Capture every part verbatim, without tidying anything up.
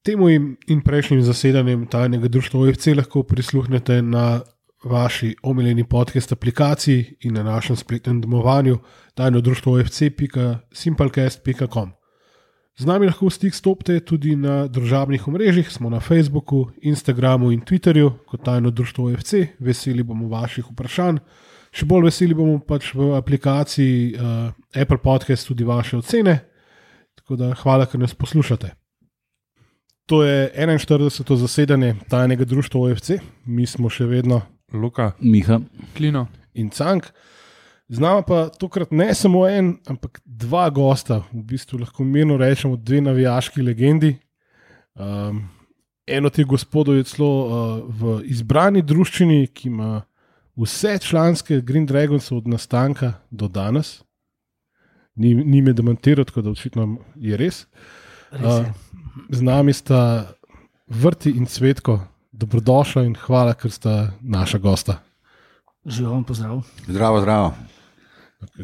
Temu in prejšnjim zasedanjem tajnega društva O F C lahko prisluhnete na vaši omiljeni podcast aplikaciji in na našem spletnem domovanju tajno društvo O F C pika simplecast pika com. Z nami lahko v stik stopite tudi na družabnih omrežjih, smo na Facebooku, Instagramu in Twitterju kot tajno društvo O F C. Veseli bomo vaših vprašanj. Še bolj veseli bomo pač v aplikaciji uh, Apple Podcast tudi vaše ocene. Tako da hvala, ker nas poslušate. To je enainštirideseto zasedanje tajnega društva O F C. Mi smo še vedno Luka, Miha, Klino in Cank. Z nama pa tokrat ne samo en, ampak dva gosta. V bistvu lahko mirno rečemo dve navijaški legendi. Um, en od teh gospodov je celo uh, v izbrani druščini, ki ima vse članske Green Dragons od nastanka do danes. Ni, ni me demantiral, tako da očitno je res. Uh, z nami sta Vrti in Cvetko. Dobrodošla in hvala, ker sta naša gosta. Živom, pozdrav. Zdravo, zdravo.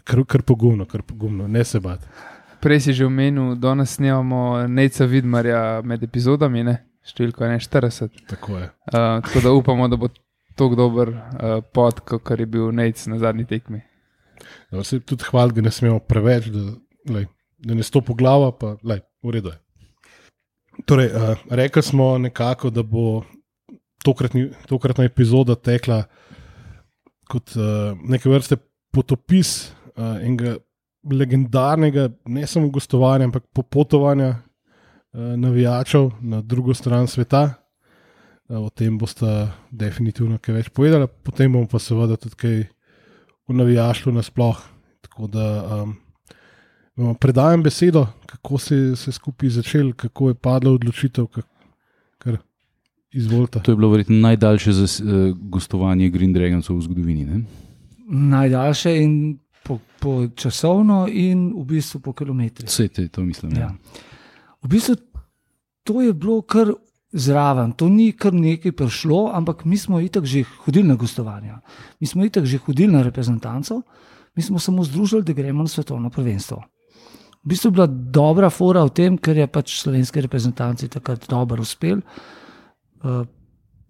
Kar, kar pogumno, kar pogumno, ne se bati. Prej si že omenil, danes snemamo Nejca Vidmarja med epizodami, ne? Številko enainštirideset. Tako je. Uh, tako da upamo, da bo tako dober uh, pod, kot je bil Nejc na zadnji tekmi. Da se tudi hvala, da ne smemo preveč, da, lej, da ne stopi glava, pa lej, v redu je. Torej, uh, rekli smo nekako, da bo tokratni, tokratna epizoda tekla kot uh, neke vrste potopis uh, enega legendarnega, ne samo gostovanja, ampak popotovanja uh, navijačev na drugo stran sveta. Uh, o tem boste definitivno kaj več povedali, potem bomo pa seveda tudi kaj v navijaštvu nasploh. Tako da um, vam predajam besedo, kako se je skupaj začel, kako je padla odločitev, kar izvolite. To je bilo verjetno najdaljše zas, uh, gostovanje Green Dragonsov v zgodovini, ne? Najdaljše in po, po časovno in v bistvu po kilometrih. Vse te, to mislim. Ja. V bistvu to je bilo kar zraven, to ni kar nekaj prišlo, ampak mi smo itak že hodili na gostovanja. Mi smo itak že hodili na reprezentanco, mi smo samo združili, da gremo na svetovno prvenstvo. V bistvu je bila dobra fora v tem, ker je pač slovenski reprezentanci takrat dobro uspel. Uh,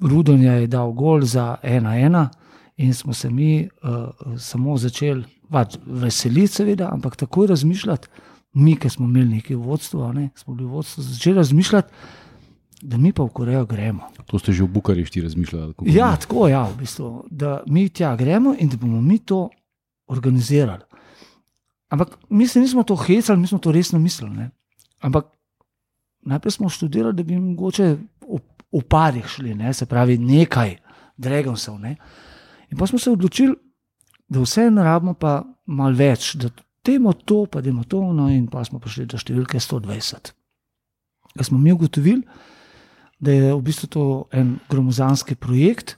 Rudonja je dal gol za ena ena in smo se mi uh, samo začeli pač veseliti seveda, ampak takoj razmišljati, mi, ki smo imeli nekaj vodstvo, ne, smo bili vodstvo, začeli razmišljati, da mi pa v Korejo gremo. To ste že v Bukarešti razmišljali? Ja, tako ja, v bistvu, da mi tja gremo in da bomo mi to organizirali. Ampak mi se nismo to hecali, mi smo to resno mislili. Ne. Ampak najprej smo študirali, da bi mogoče v, v parih šli, ne, se pravi nekaj Dragonsov. Ne. In pa smo se odločili, da vse narabimo pa malo več, da temo to, pa demo to, no in pa smo prišli do številke sto dvajset. Da smo mi ugotovili, da je v bistvu to en gromozanski projekt,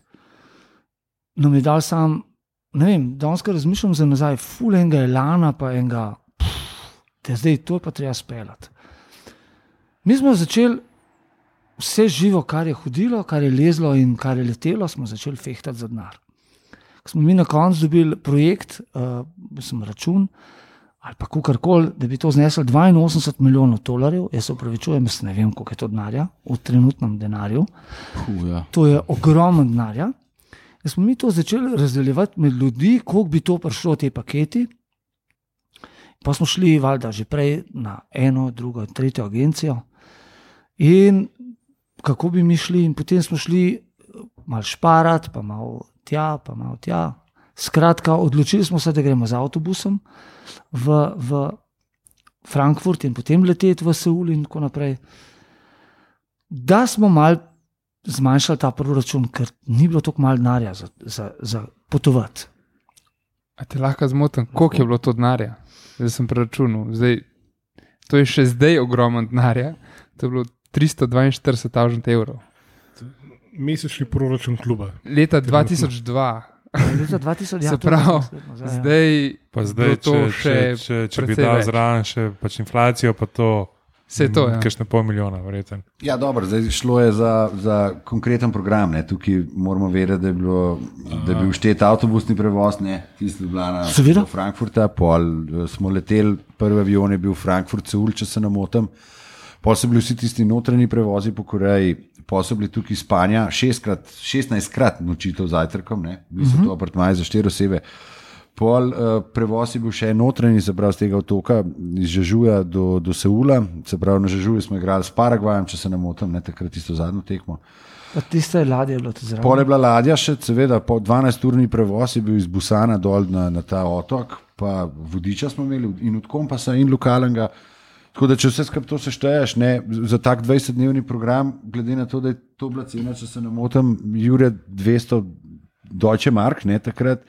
nam je dal sam, ne vem, danes ko razmišljam za nazaj, ful enega elana, pa enega, da zdaj to je pa treba speljati. Mi smo začeli vse živo, kar je hodilo, kar je lezlo in kar je letelo, smo začeli fehtati za denar. Ko smo mi na koncu dobili projekt, uh, sem račun, ali pa kakorkoli, da bi to zneslo dvainosemdeset milijonov dolarjev, jaz se opravičujem, jaz ne vem, koliko je to denarja, v trenutnem denarju. Uh, ja. To je ogromno denarja. Da smo mi to začeli razdeljevati med ljudi, koliko bi to prišlo te paketi. Pa smo šli valjda že prej na eno, drugo, tretjo agencijo in kako bi mi šli in potem smo šli malo šparati, pa malo tja, pa malo tja. Skratka, odločili smo se, da gremo z avtobusom v, v Frankfurt in potem leteti v Seul in tako naprej. Da smo malo zmanjšali ta proračun, ker ni bilo toliko malo denarja za, za, za potovati. A te lahko zmotim, koliko je bilo to denarja? Zdaj sem preračunal. Zdaj, to je še zdaj ogromno denarja. To je bilo tristo dvainštirideset tisoč evrov. Mesečni proračun kluba. Leta dva tisoč dva. Leta dva tisoč, ja, se pravi, zdaj, zdaj, pa zdaj to če, še če, če, če bi dal zraven še pač inflacijo, pa to vse to, ja. Kakšne pol milijona, verjetno. Ja, dobro, zdaj šlo je za, za konkreten program, ne. Tukaj moramo vedeti, da je, bilo, da je bil štet avtobusni prevoz, ne, tisti Ljubljana do Frankfurta, pol smo leteli, prvi avion je bil Frankfurt, Seul, če se ne motim, Pol so bili vsi tisti notranji prevozi po Koreji, pol so bili tukaj iz Spanja, šestkrat, šestnajstkrat nočitev z zajtrkom, ne, bili so to apartmaji za štiri osebe. Pol uh, prevoz je bil še notranji, se pravi z tega otoka, iz Žežuja do, do Seula, se pravi na Žežuju smo igrali s Paragvajem, če se ne motim, ne, takrat tisto zadnjo tekmo. Pa tiste ladje je bilo to zraven. Pol je bila ladja še, seveda, po dvanajsturni prevoz je bil iz Busana dol na, na ta otok, pa vodiča smo imeli in od kompasa in lokalnega. Tako da, če vse skupaj to sešteješ, ne, za tak dvajsetdnevni program, glede na to, da je to bila cena, če se ne motim, Jure dvesto Deutsche Mark, ne, takrat,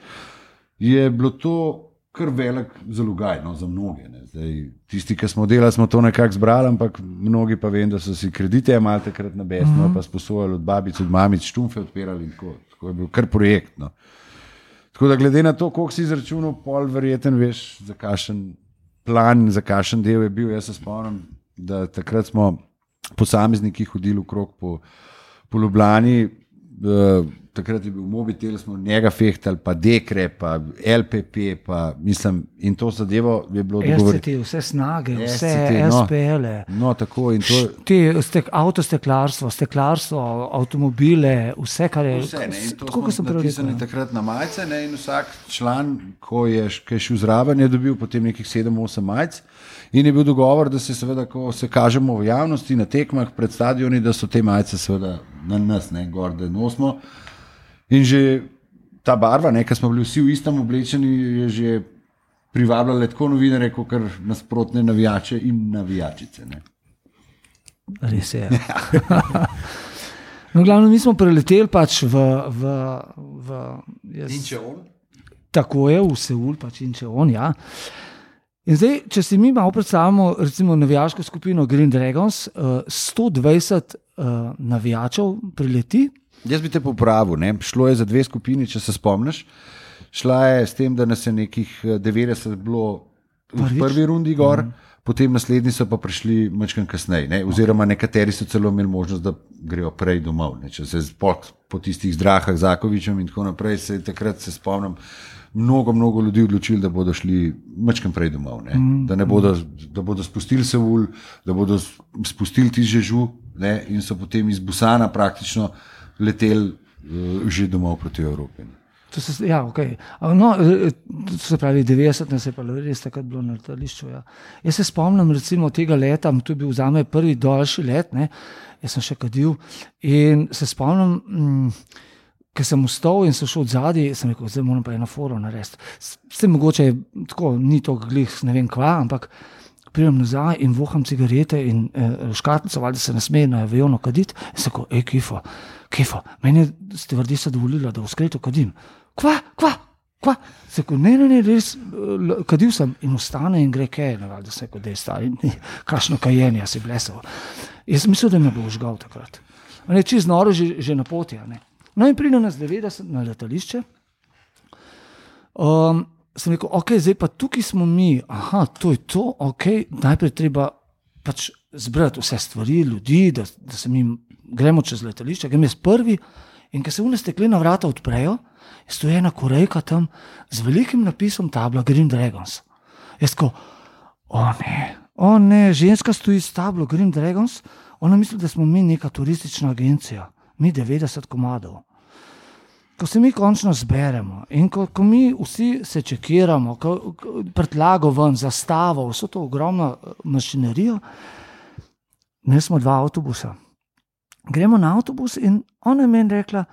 je bilo to kar velik zalogaj, no, za mnoge. Ne. Zdaj, tisti, ki smo delali, smo to nekako zbrali, ampak mnogi pa vem, da so si kredite imeli takrat na besno, mm-hmm. pa sposojali od babic, od mamic, štumfe odpirali in tako. Tako je bil kar projekt. No. Tako da glede na to, koliko si izračunal, pol verjeten veš, za kakšen plan, za kakšen del je bil. Jaz se spomnim, da takrat smo posamezniki hodili okrog po, po Ljubljani, uh, takrat je bil mobitel, smo njega fehtali, pa Dekre, pa L P P, pa mislim, in to zadevo je bilo dogovoriti. S C T, vse snage, vse S C T, S P L-e. No, no, tako in to. Te, stek, avtosteklarstvo, steklarstvo, avtomobile, vse, kar je. Vse, ne, in to tako, smo napisali takrat na majice, ne, in vsak član, ko je, ko je šel zraven, je dobil potem nekih sedem osem majic. In je bil dogovor, da se seveda, ko se kažemo v javnosti na tekmah pred stadioni, da so te majice seveda na nas, ne, gor, da nosimo. In že ta barva, ki smo bili vsi v istem oblečeni, je že privabljala tako novinarje, kot kar nasprotne navijače in navijačice. Ne. Res je. No, glavno, mi smo preleteli pač v... v, v jaz, Incheon? Tako je, v Seul, pač Incheon, ja. In zdaj, če si mi malo predstavljamo, recimo navijaško skupino Green Dragons, sto dvajset uh, navijačev prileti. Jaz bi te popravil, ne? Šlo je za dve skupini, če se spomniš. Šla je s tem, da nas je nekih devetdeset bilo v prvi rundi gor, mm. potem naslednji so pa prišli majčkeno kasneje, ne? Oziroma nekateri so celo imeli možnost, da grejo prej domov. Ne? Če se po, po tistih zdrahah Zakovičem in tako naprej, se takrat se spomnim, mnogo, mnogo ljudi odločili, da bodo šli majčkeno prej domov. Ne? Mm. Da, ne bodo, da bodo spustili Seul, da bodo spustili ti Žežu, ne? In so potem iz Busana praktično letel uh, že domov proti Evropi. To se, ja, okay. No, to se pravi devetdeset, ne se pa res takrat bilo na letališču. Ja. Jaz se spomnim recimo tega leta, to je bil zame prvi daljši let, ne. Jaz sem še kadil in se spomnim, mm, ker sem vstal in sem šel od zadaj, sem rekel, zdaj moram pa eno foro narediti. S tem mogoče tako, ni to glih, ne vem kva, ampak pridem nazaj in voham cigarete in eh, škatnico, valjda se ne sme na aviono kaditi. In sem rekel, ej, Kifo, Kifo, meni je stevardesa dovolila, da v skretu kadim. Kva, kva, kva? Se rekel, ne, ne, ne, res, kadil sem in ostane in gre kaj, ne, valjda se rekel, da je stari, kakšno kajenje si blesal. Jaz sem mislil, da me bo užgal takrat. Ne, čez noro že, že na poti, ne. No in pride nas devetdeset na letališče. Um, sem rekel, ok, zdaj pa tukaj smo mi, aha, to je to, ok, najprej treba pač zbrati vse stvari, ljudi, da, da se mi gremo čez letališče, gremo jaz prvi in ko se une steklena vrata odprejo, stoji ena Korejka tam z velikim napisom tabla Green Dragons. Jaz tako, o ne, o ne, ženska stoji s tablo Green Dragons, ona misli, da smo mi neka turistična agencija, mi devetdeset komadov. Ko se mi končno zberemo in ko, ko mi vsi se čekiramo, ko, ko prtlago ven, zastavo, vso to ogromno mašinerijo, ne smo dva avtobusa. Gremo na avtobus in ona je meni rekla,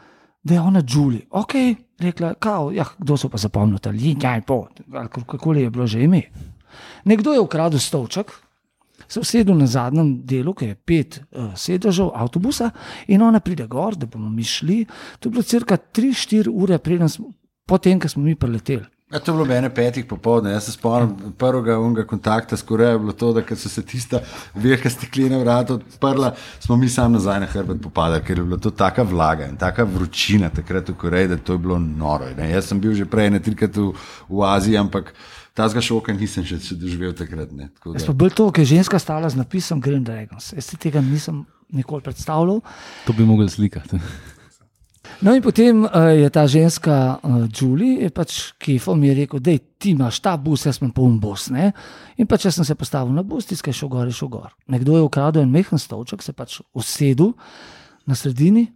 da je ona Julie. Ok, rekla, kao, ja, kdo so pa zapomnili, ljaj po, kakoli je bilo že ime. Nekdo je ukradel stolček, se usedel na zadnjem delu, ki je pet uh, sedežev avtobusa in ona pride gor, da bomo mi šli. To je bilo cirka tri štiri ure smo, potem, ko smo mi preleteli. Ja, to je bilo mene petih popoldne. Jaz se spomnim prvega unga kontakta s Korejo, je bilo to, da so se tista velika steklena vrata odprla, smo mi sam nazaj na hrbet popadali, ker je bilo to taka vlaga in taka vročina takrat v Koreji, da to je bilo noro. Ne? Jaz sem bil že prej ne trikrat v, v Aziji, ampak tazga šoka nisem še, še doživel takrat. Ne? Tako da... Jaz pa bil to, ker je ženska stala z napisom Green Dragons. Jaz si tega nisem nikoli predstavljal. To bi mogli slikati. No in potem uh, je ta ženska, uh, Julie, je pač kefo mi je rekel, da ti imaš ta bus, jaz imam poln bus. Ne? In pač jaz sem se postavil na bus, tiskaj šel gor, je šel gor. Nekdo je ukradel en mehen stolček, se pač usedel na sredini,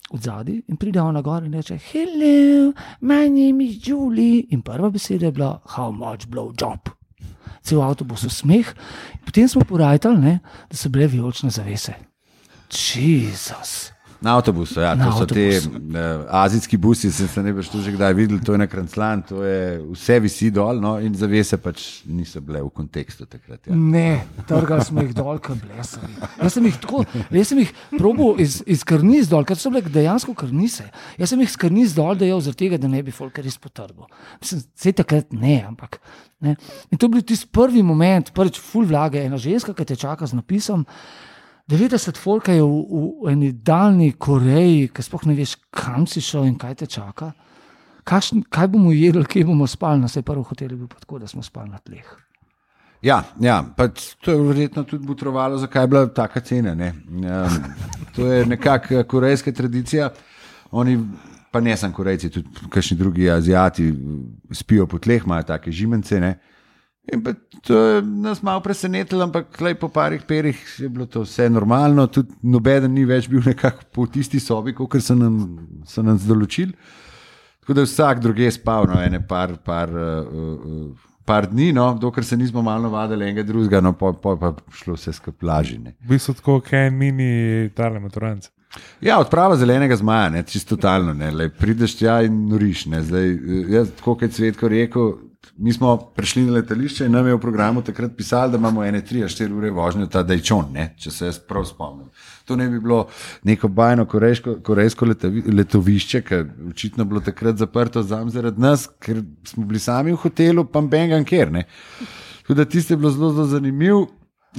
od zadaj in pride ona gor in reče, hello, my name is Julie. In prva beseda je bila, how much blow job. Cel avtobus v smeh. In potem smo porajtali, ne, da so bile vijolične zavese. Jezus. Na avtobusu, ja, Na to so avtobusu. te uh, azijski busi, sem se ne veš to že kdaj videl, to je na Kranclan, to je vse visi dol, no, in zavese pač niso bile v kontekstu takrat. Ja. Ne, trgali smo jih dol, kot blesavi. Jaz sem jih tako, jaz sem jih probal iz, iz karniz dol, ker so bile dejansko karnice. Jaz sem jih z karniz dol dejal zaradi tega, da ne bi folk res potrgal. Mislim, sej takrat ne, ampak. Ne. In to je bil tisti prvi moment, prvič ful vlage, ena ženska, ki te čaka z napisom, devetdeset folka je v, v eni daljni Koreji, ki sploh ne veš, kam si šel in kaj te čaka. Kakšn, kaj bomo jedli, kje bomo spali, na sej prvi hotel je bil pa tako, da smo spali na tleh. Ja, ja, pač to je verjetno tudi butrovalo, zakaj je bila taka cena. Ne? Um, to je nekako korejska tradicija. Oni, pa ne samo Korejci, tudi kakšni drugi Azijati spijo po tleh, imajo take žimence. Ne? In pa to je nas malo presenetilo, ampak po parih perih je bilo to vse normalno, tudi nobeden ni več bil nekako po tisti sobi, kot so nam, so nam določili. Tako da vsak druge spal, no, ene par, par, uh, par dni, no, dokler se nismo malo vadili enega drugega, no, pa, pa, pa šlo vse skupaj lažje. V bistvu tako, kaj je mini tale maturanc. Ja, odprava zelenega zmaja, ne, čisto totalno, ne, lej, prideš tja in noriš, ne, zdaj, jaz, tako kot Cvetko rekel, mi smo prišli na letališče in nam je v programu takrat pisali, da imamo ene tri a štiri ure vožnje ta Dajčon, ne, če se jaz prav spomnim. To ne bi bilo neko bajno korejsko, korejsko letavi, letovišče, ker očitno bilo takrat zaprto zam zaradi nas, ker smo bili sami v hotelu, pa bengan ker, ne. Tako da tiste je bilo zelo, zelo zanimiv,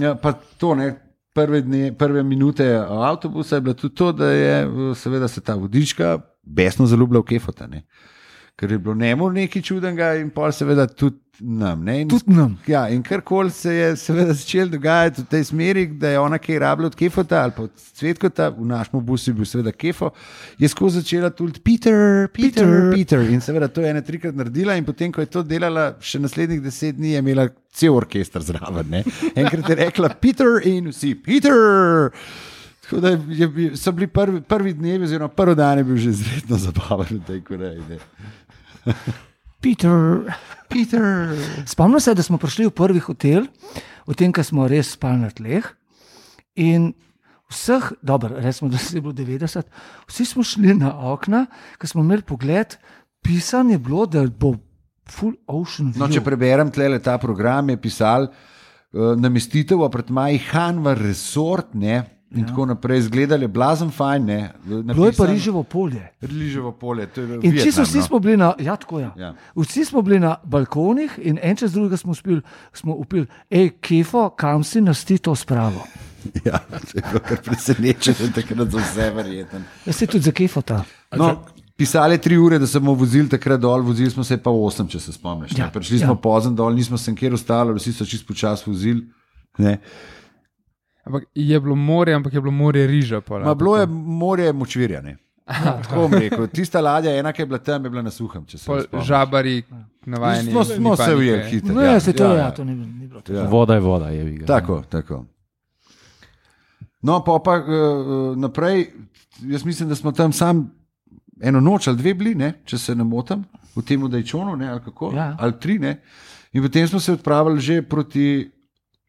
ja, pa to, ne, prve, dne, prve minute avtobusa je bilo tudi to, da je seveda se ta vodička besno zaljubila v Kefota, ne. Ker je bilo njemu nekaj čudenega in pol seveda tudi nam. Ne? In, Tudi nam. Ja, in karkoli se je seveda začel dogajati v tej smeri, da je ona kaj rabila od Kefota ali pa od Cvetkota, v našem busu je bil seveda Kefo, je skozi začela tudi Peter, Peter, Peter, Peter. In seveda to je ena trikrat naredila in potem, ko je to delala še naslednjih deset dni, je imela cel orkester zraven. Ne? Enkrat je rekla Peter in vsi Peter. Tako da je, so bili prvi, prvi dnevi, oziroma prvi dan je bil že izredno zabaven v tej Koreji. Peter, Peter. Spomnim se, da smo prišli v prvi hotel, v tem, ko smo res spali na tleh. In vseh, dobro, recimo, da se je bilo devetdeset, vsi smo šli na okna, ko smo imeli pogled, pisan je bilo, da bo full ocean view. No, če preberem tlele ta program, je pisal uh, namestitev v apartmaji Hanvar Resort, ne, in ja. Tako naprej, izgledali je blazen fajn, ne. Bilo je pa riževo polje. Riževo polje, to je In čisto Vietnam, vsi no. smo bili na, ja, tako ja. Ja. Vsi smo bili na balkonih in en čez drugega smo upili, smo upili, ej, Kefo, kam si nas ti to spravo? Ja, to je bilo kar presenečenje, takrat za vse verjeten. Jaz si tudi za Kefota. No, pisali tri ure, da smo vozili takrat dol, vozili smo se pa osem, če se spomniš. Ja, Prišli ja. smo pozno dol, nismo se nikjer ostali, vsi so čisto počas vozili. Ne. Ampak je bilo morje, ampak je bilo morje riža. Pol, Ma, bilo je morje močvirja. Ne. Tako bom rekel. Tista ladja, ena, ki je bila tam, je bila na suhem. Če se Pol spomniš. žabari, navajeni. Smo, smo ni se panike. ujeli hitro. No, ja, se to, ja, to ni, ni bilo to. Ja. Voda je voda, je viga. Tako, tako. No, pa pa uh, naprej, jaz mislim, da smo tam sam eno noč ali dve bili, ne, če se ne motim, v tem Dajčonu, ne, ali kako, Ja. ali tri, ne. In potem smo se odpravili že proti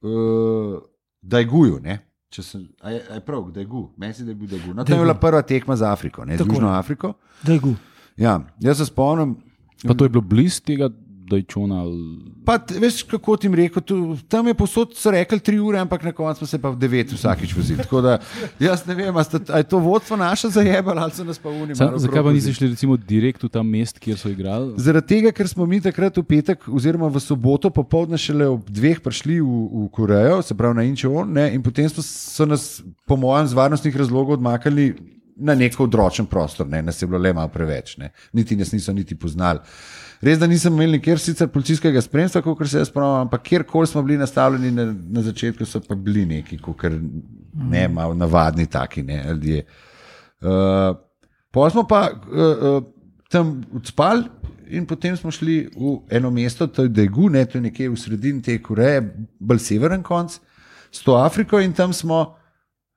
uh, Dajguju, ne. Če sem, a je, a je prav, Dajgu, meni se da je bil Dajgu. No, to je bila prva tekma za Afriko, ne, z Tako. Južno Afriko. Daj gu. Ja, jaz se spomnim, Pa to je bilo blizu tega Dajčona. ali- pa t- veš, kako ti rekel, tu, tam je posod so rekli tri ure, ampak na koncu smo se pa v devet vsakič vozili. Tako da jaz ne vem, a, sta, a je to vodstvo naše zajebalo ali so nas pa unimali. Sam, zakaj pa nisi šli recimo direkt v ta mest, kjer so igrali? Zaradi tega, ker smo mi takrat v petek, oziroma v soboto, popoldne šele ob dveh prišli v, v Korejo, se pravi na Incheon, ne, in potem smo, so nas, po mojem, z varnostnih razlogov odmakali na neko odročen prostor, ne, nas je bilo le malo preveč, ne, niti nas niso niti poznali. Res, da nisem imel nikjer sicer policijskega spremstva, kot se jaz spomnim, ampak kjerkoli smo bili nastavljeni na, na začetku, so pa bili neki, kot ne, malo navadni taki, ne, ljudje. Uh, Pol smo pa uh, uh, tam odspali in potem smo šli v eno mesto, to je Daegu, ne, to je nekje v sredini te Koreje, bolj severen konc, s to Afriko in tam smo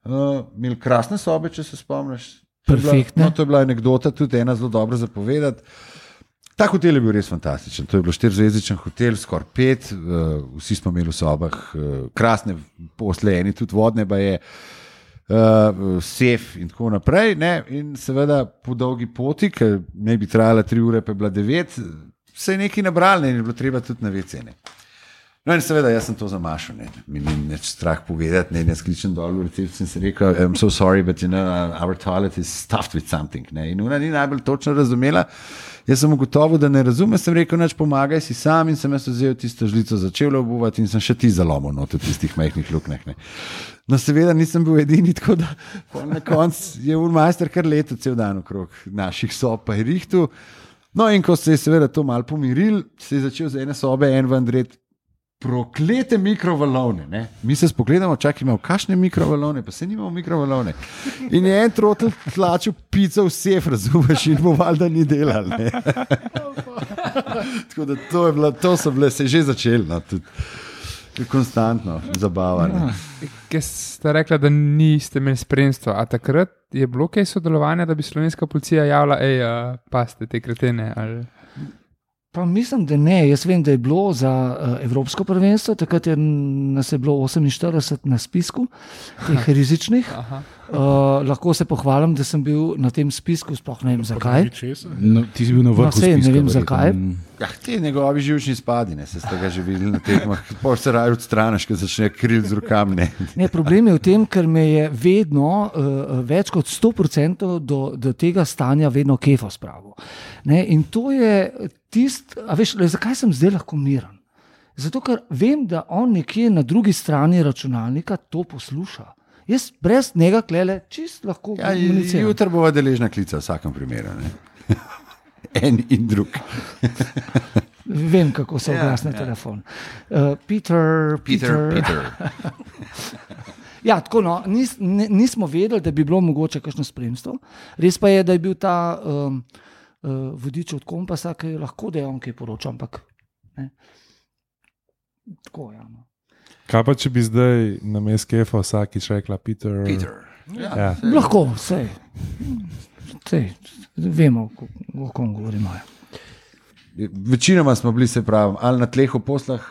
uh, imeli krasne sobe, če se spomniš. Perfektne. No, to je bila anekdota, tudi ena zelo dobra za povedati. Ta hotel je bil res fantastičen. To je bil štirizvezdičen hotel, skoraj pet, uh, vsi smo imeli v sobah uh, krasne posle, eni tudi vodne, pa je uh, sef in tako naprej. Ne? In seveda po dolgi poti, ker ne bi trajala tri ure, pa je bila devet, se je nekaj nabralo in je bilo treba tudi na vecene. No in seveda, jaz sem to zamašal, ne, mi ni neč strah povedati, ne, jaz kličem dol v recepciju in sem rekel, I'm so sorry, but you know, our toilet is stuffed with something, ne, in ona ni najbolj točno razumela, jaz sem ugotovil, da ne razume, sem rekel, neč pomagaj si sam in sem jaz vzel tisto žlico, začel obuvati in sem še ti zalomil not v tistih majhnih luknjah, ne. No seveda nisem bil edini, tako da na koncu je urmajster kar leto cel dan okrog naših sob pa je rihtu. No in ko se je seveda to malo pomiril, se je začel z ene sobe en ven dret proklete mikrovalovne. Ne? Mi se spogledamo, čak imamo kakšne mikrovalovne, pa se nimamo mikrovalovne. In je en trotl tlačil pico v sef, razumeš, in bo valjda ni delal. Ne? Tako da to, je bilo, to so bile, se je že začelo, no, tudi konstantno zabavanje. Kaj ste rekla, da niste imeli spremstva, a takrat je bilo kaj sodelovanja, da bi slovenska policija javila, ej, uh, paste te kretene, ali... Pa mislim, da ne. Jaz vem, da je bilo za uh, Evropsko prvenstvo, takrat je nas je bilo oseminštirideset na spisku, teh rizičnih. Uh, lahko se pohvalim, da sem bil na tem spisku, sploh ne vem zakaj. No, ti si bil na vrhu no, sej, spiska. Ne vem zakaj. Ja, ti njegovi živčni spadi, ne, se ste ga že videli na tekmah. Pol se raje odstraniš, ker začne kril z rokami. Ne. Ne, problem je v tem, ker me je vedno uh, več kot sto procentov do, do tega stanja vedno kefo spravil. Ne, in to je tist, a veš, zakaj sem zdaj lahko miren? Zato, ker vem, da on nekje na drugi strani računalnika to posluša. Jaz brez njega klele čist lahko ja, komuniciram. Jutri bova deležna klica v vsakem primeru. Ne? En in drug. Vem, kako se oglasne ja, ja. telefon. Uh, Peter, Peter, Peter. Peter. Ja, tako no, nis, nismo vedeli, da bi bilo mogoče kakšno spremstvo. Res pa je, da je bil ta um, uh, vodič od kompasa, ki lahko da je on kaj poročal, ampak ne. Tako, ja, no. Kaj pa, če bi zdaj na mestu kefa vsakič rekla Peter? Peter. Ja, ja. Lahko, sej. Sej, vemo, o kom govorimo. Večinoma smo bili, se pravim, ali na tleh v poslah,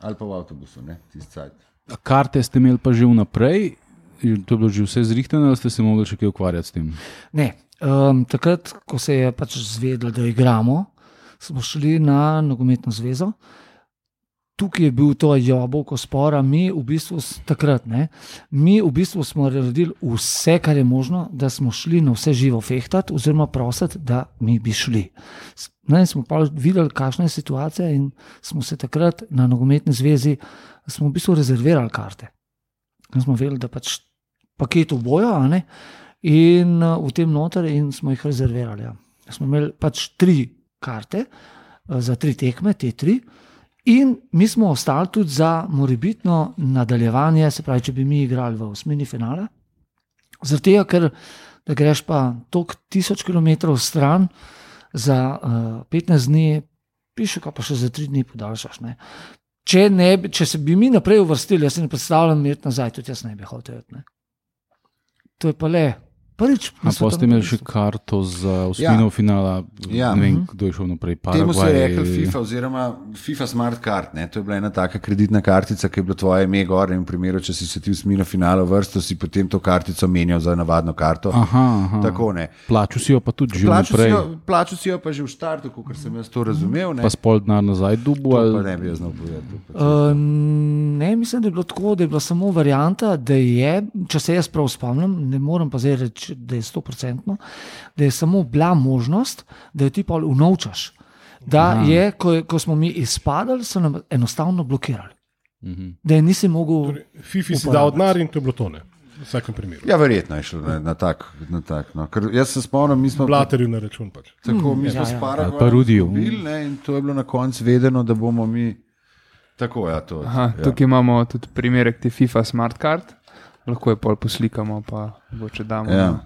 ali pa v avtobusu, ne, tist cajt. Karte ste imeli pa že vnaprej, to je bilo že vse zrihtano, ali ste se mogli še kaj ukvarjati s tem? Ne, um, takrat, ko se je pač zvedelo, da igramo, smo šli na nogometno zvezo. Tukaj je bil to jabolko spora, mi v bistvu takrat, ne, mi v bistvu smo naredili vse, kar je možno, da smo šli na vse živo fehtati, oziroma prositi, da mi bi šli. Ne, smo pa videli, kakšna je situacija in smo se takrat na nogometni zvezi, smo v bistvu rezervirali karte. Smo vedeli, da pač paket obojo, a ne, in uh, v tem noter in smo jih rezervirali. Ja. Smo imeli pač tri karte uh, za tri tekme, te tri, in mi smo ostali tudi za morebitno nadaljevanje, se pravi, če bi mi igrali v osmini finale, zaradi tega, ker da greš pa toliko tisoč kilometrov stran za uh, petnajst dni, piše, pa še za tri dni podaljšaš. Ne. Če, ne, če se bi mi naprej uvrstili, jaz se ne predstavljam imeti nazaj, tudi jaz ne bi hotel. Ne. To je pa le prvič. A pa ste imeli še karto za osmino ja. finala, ja. ne vem, kdo je šel naprej. Paraguay. Temu se je rekel FIFA oziroma FIFA Smart Card, ne? To je bila ena taka kreditna kartica, ki je bilo tvoje ime gor in v primeru, če si se ti v osmino finala vrsto, si potem to kartico menjal za navadno karto. Aha, aha. Tako ne. Plačil si jo pa tudi že plaču naprej. Si jo, plačil si jo pa že v štartu, kot sem jaz to razumel. Ne? Pa spol denar nazaj dubu. To ali... pa ne bi jaz znal povedati. Uh, ne, mislim, da je bilo tako, da je bila samo varianta, da je, če se jaz prav spomnim, ne morem pa zdaj reči, da je sto procentno, da je samo bila možnost, da jo ti pa unovčaš. Da Aha. je, ko, ko smo mi izpadali, so nam enostavno blokirali. Mhm. Da je nisi mogel... Torej, FIFA si dal denar in to je bilo to, ne? V vsakem primeru. Ja, verjetno je šlo na, na tak. Na tak no. Ker jaz se spomnim, mi smo... Blaterju na račun pač. Tako, mi Mm, smo ja, s ja. Paraguayom bili, ne, in to je bilo na koncu vedeno, da bomo mi... Tako, ja, to. Aha, ja. tukaj imamo tudi primerek te FIFA Smart Card. Lahko je pol poslikamo, pa če damo Ja. ja.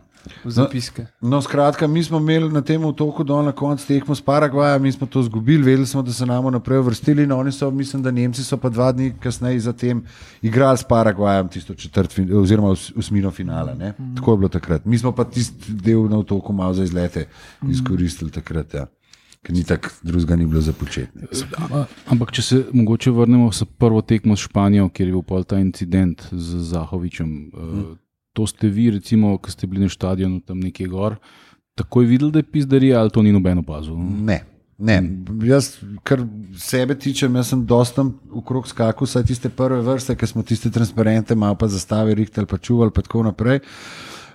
v zapiske. No, skratka, mi smo imeli na tem otoku dol na koncu tekmo s Paragvajem, mi smo to izgubili, vedeli smo, da se nam naprej vrstili, no oni so, mislim, da Nemci so pa dva dni kasneje zatem igrali s Paragvajem tisto četrt, oziroma osmino finala, ne? Tako je bilo takrat. Mi smo pa tisti del na otoku malo za izlete izkoristili takrat, ja. Ker ni tako drugega ni bilo za početi. Ampak, če se mogoče vrnemo s prvo tekmo s Španijo, kjer je bil pol ta incident z Zahovičem. Hmm. To ste vi, recimo, ko ste bili na štadionu tam nekje gor, takoj videli, da je pizdarija, ali to ni noben opazil? Ne, ne. Jaz, kar sebe tičem, jaz sem dosta okrog skakal, saj tiste prve vrste, ker smo tiste transparente malo pa zastave rihtali, pa čuvali, pa tako naprej.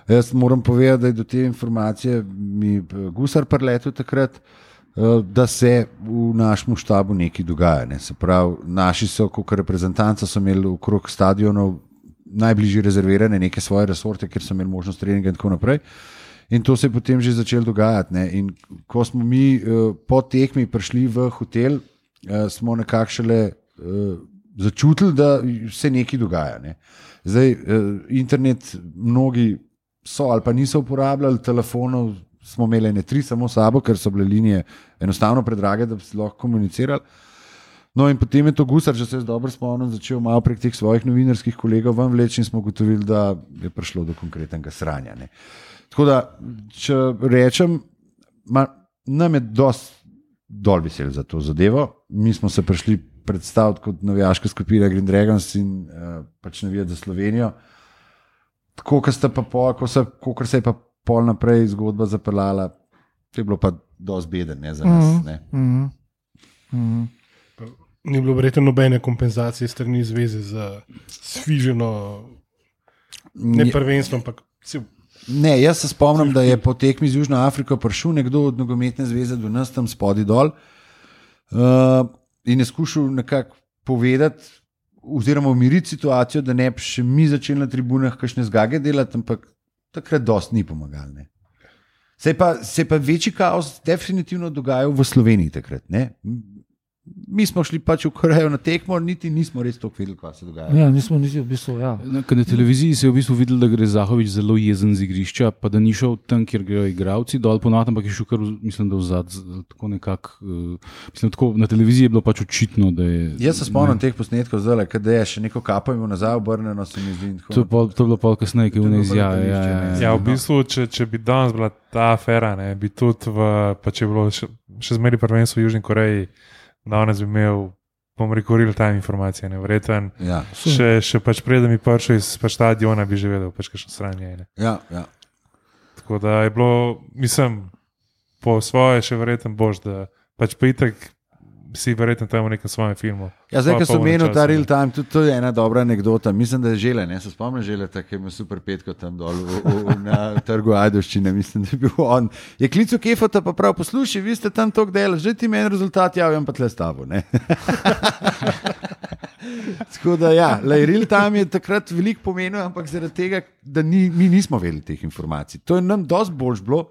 Jaz moram povedati, da je do te informacije mi gusar preletel takrat, da se v našem štabu nekaj dogaja. Ne. Se pravi, naši so, kot reprezentanca, so imeli okrog stadionov najbližje rezervirane neke svoje resorte, kjer so imeli možnost treninga in tako naprej. In to se je potem že začelo dogajati. Ne. In ko smo mi po tekmi prišli v hotel, smo nekako šele začutili, da se nekaj dogaja. Ne. Zdaj, internet mnogi so ali pa niso uporabljali, telefonov smo imeli ne tri samo sabo, ker so bile linije enostavno predrage, da bi se lahko komunicirali. No in potem je to gusar, če se jaz dobro spomnim, začel malo prek teh svojih novinarskih kolegov ven vleči in smo ugotovili, da je prišlo do konkretnega sranja. Ne. Tako da, če rečem, ma, nam je dosti dol vesel za to zadevo. Mi smo se prišli predstaviti kot navijaška skupina Green Dragons in uh, pač navijati za Slovenijo. Tako, kar se, ko se je pa pol naprej zgodba zapeljala, to je bilo pa dosti beden, ne, za nas. Ne. Mm-hmm. Mm-hmm. Ni bilo verjetno nobene kompenzacije strani zveze za sfiženo, ne prvenstvo, ampak cel. Ne, jaz se spomnim, da je po tekmi z Južno Afriko prišel nekdo od nogometne zveze do nas tam spodaj dol uh, in je skušal nekako povedati oziroma umiriti situacijo, da ne bi še mi začeli na tribunah kakšne zgage delati, ampak takrat dosti ni pomagal. Ne. Se je pa, se je pa večji kaos definitivno dogajal v Sloveniji takrat. Ne. Mi smo šli pač v Korejo na tekmo, niti nismo res toliko vedeli, kaj se dogaja. Ja, nismo niti v bistvu, ja. Na, na televiziji se je v bistvu videl, da gre Zahovič zelo jezen z igrišča, pa da ni šel tam, kjer grejo igravci dol ponovno, ampak je šel kar, mislim, da vzad, tako nekako, uh, mislim, tako na televiziji je bilo pač očitno, da je... Jaz se spomnim teh posnetkov zdaj, kada je še neko kapo imel nazaj obrnjeno, se mi zdi. To, pol, to je bilo pol kasneje, ki je vne izjave. Ja, ja, ja. Ja, v bistvu, če, če bi danes bila ta afera, ne, bi tudi v, pa če je bilo še, še zmeri prvenstvo v Južni Koreji, danes bi imel, bom rekel, real-time informacije, ne, vreten. Ja. Še, še pač preden mi prišel iz pač stadiona, bi že vedel, pač kakšno sranje je. Ja, ja. Tako da je bilo, mislim, po svoje še verjeten bož, da pač pa itak si verjetno tam v nekem svojem filmu. Ja, zdaj, ko sem menil ta real time, tudi to je ena dobra anekdota. Mislim, da je Žele, ne, se spomnim Žele, tako je imel super petko tam dol v, v, v, na trgu Ajdovščine, mislim, da je bil on. Je klical Kefota, pa prav poslušaj, vi ste tam toliko delali, že ti meni rezultat javim, pa tle s tabo, ne. Tako da ja, lej, real time je takrat veliko pomenil, ampak zaradi tega, da ni, mi nismo vedeli teh informacij. To je nam dosti boljš bilo,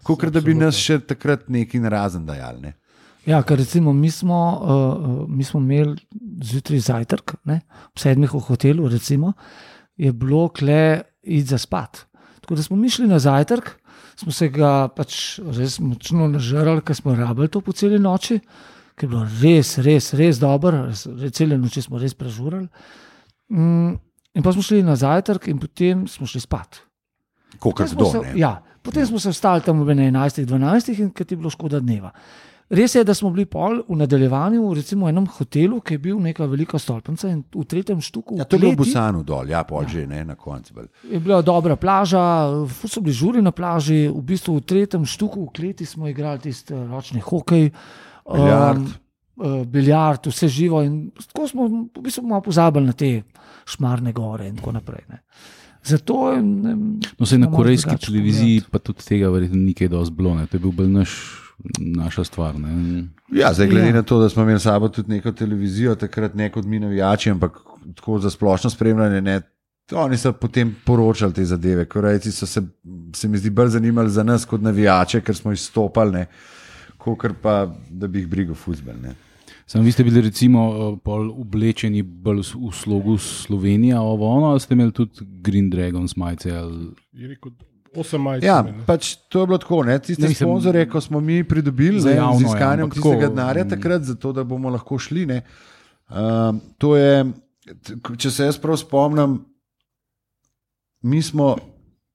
kot da bi nas še takrat nekaj narazen dajali, ne. Ja, ker recimo mi smo, uh, mi smo imeli zjutraj zajtrk, ne, ob sedmih v hotelu, recimo, je bilo kle iti za spat. Tako da smo mi šli na zajtrk, smo se ga pač res močno nažrali, ker smo rabili to po celi noči, ker je bilo res, res, res dobro, cele noči smo res prežurali. Mm, in pa smo šli na zajtrk in potem smo šli spat. Kolikor kdo, ne? Ja, potem smo se vstali tam v enajstih, dvanajstih in ker ti je bilo škoda dneva. Res je, da smo bili pol v nadaljevanju, recimo v enem hotelu, ki je bil neka velika stolpnica in v tretjem štuku. Ja, to je bil v Busanu dol, ja, pol že, ne, na koncu. Je bila dobra plaža, so bili žuri na plaži, v bistvu v tretjem štuku v kleti smo igrali tisti ročni hokej, biljard, um, biljard, vse živo in tako smo v bistvu malo pozabili na te Šmarne gore in tako naprej. Ne. Zato, ne, no, se na korejski televiziji pa tudi tega verjetno nikaj dosti bilo, ne. To je bil bolj naš naša stvar. Ne? Ja, zdaj glede ja. na to, da smo imeli sabo tudi neko televizijo, takrat ne kot mi navijači, ampak tako za splošno spremljanje, ne, oni so potem poročali te zadeve. Korejci so se, se mi zdi, bolj zanimali za nas kot navijače, ker smo izstopali, ne, kakor pa, da bi jih brigal fuzbal. Sam vi ste bili recimo pol oblečeni bolj v slogu Slovenija, ovo ono, ali ste imeli tudi Green Dragons majice? Ali... Je rekel, osem majic. Ja, pač to je bilo tako, ne? Tiste ne, sponzore, ko smo mi pridobili z iskanjem tistega denarja takrat, zato da bomo lahko šli, ne? Uh, to je, če se jaz prav spomnim, mi smo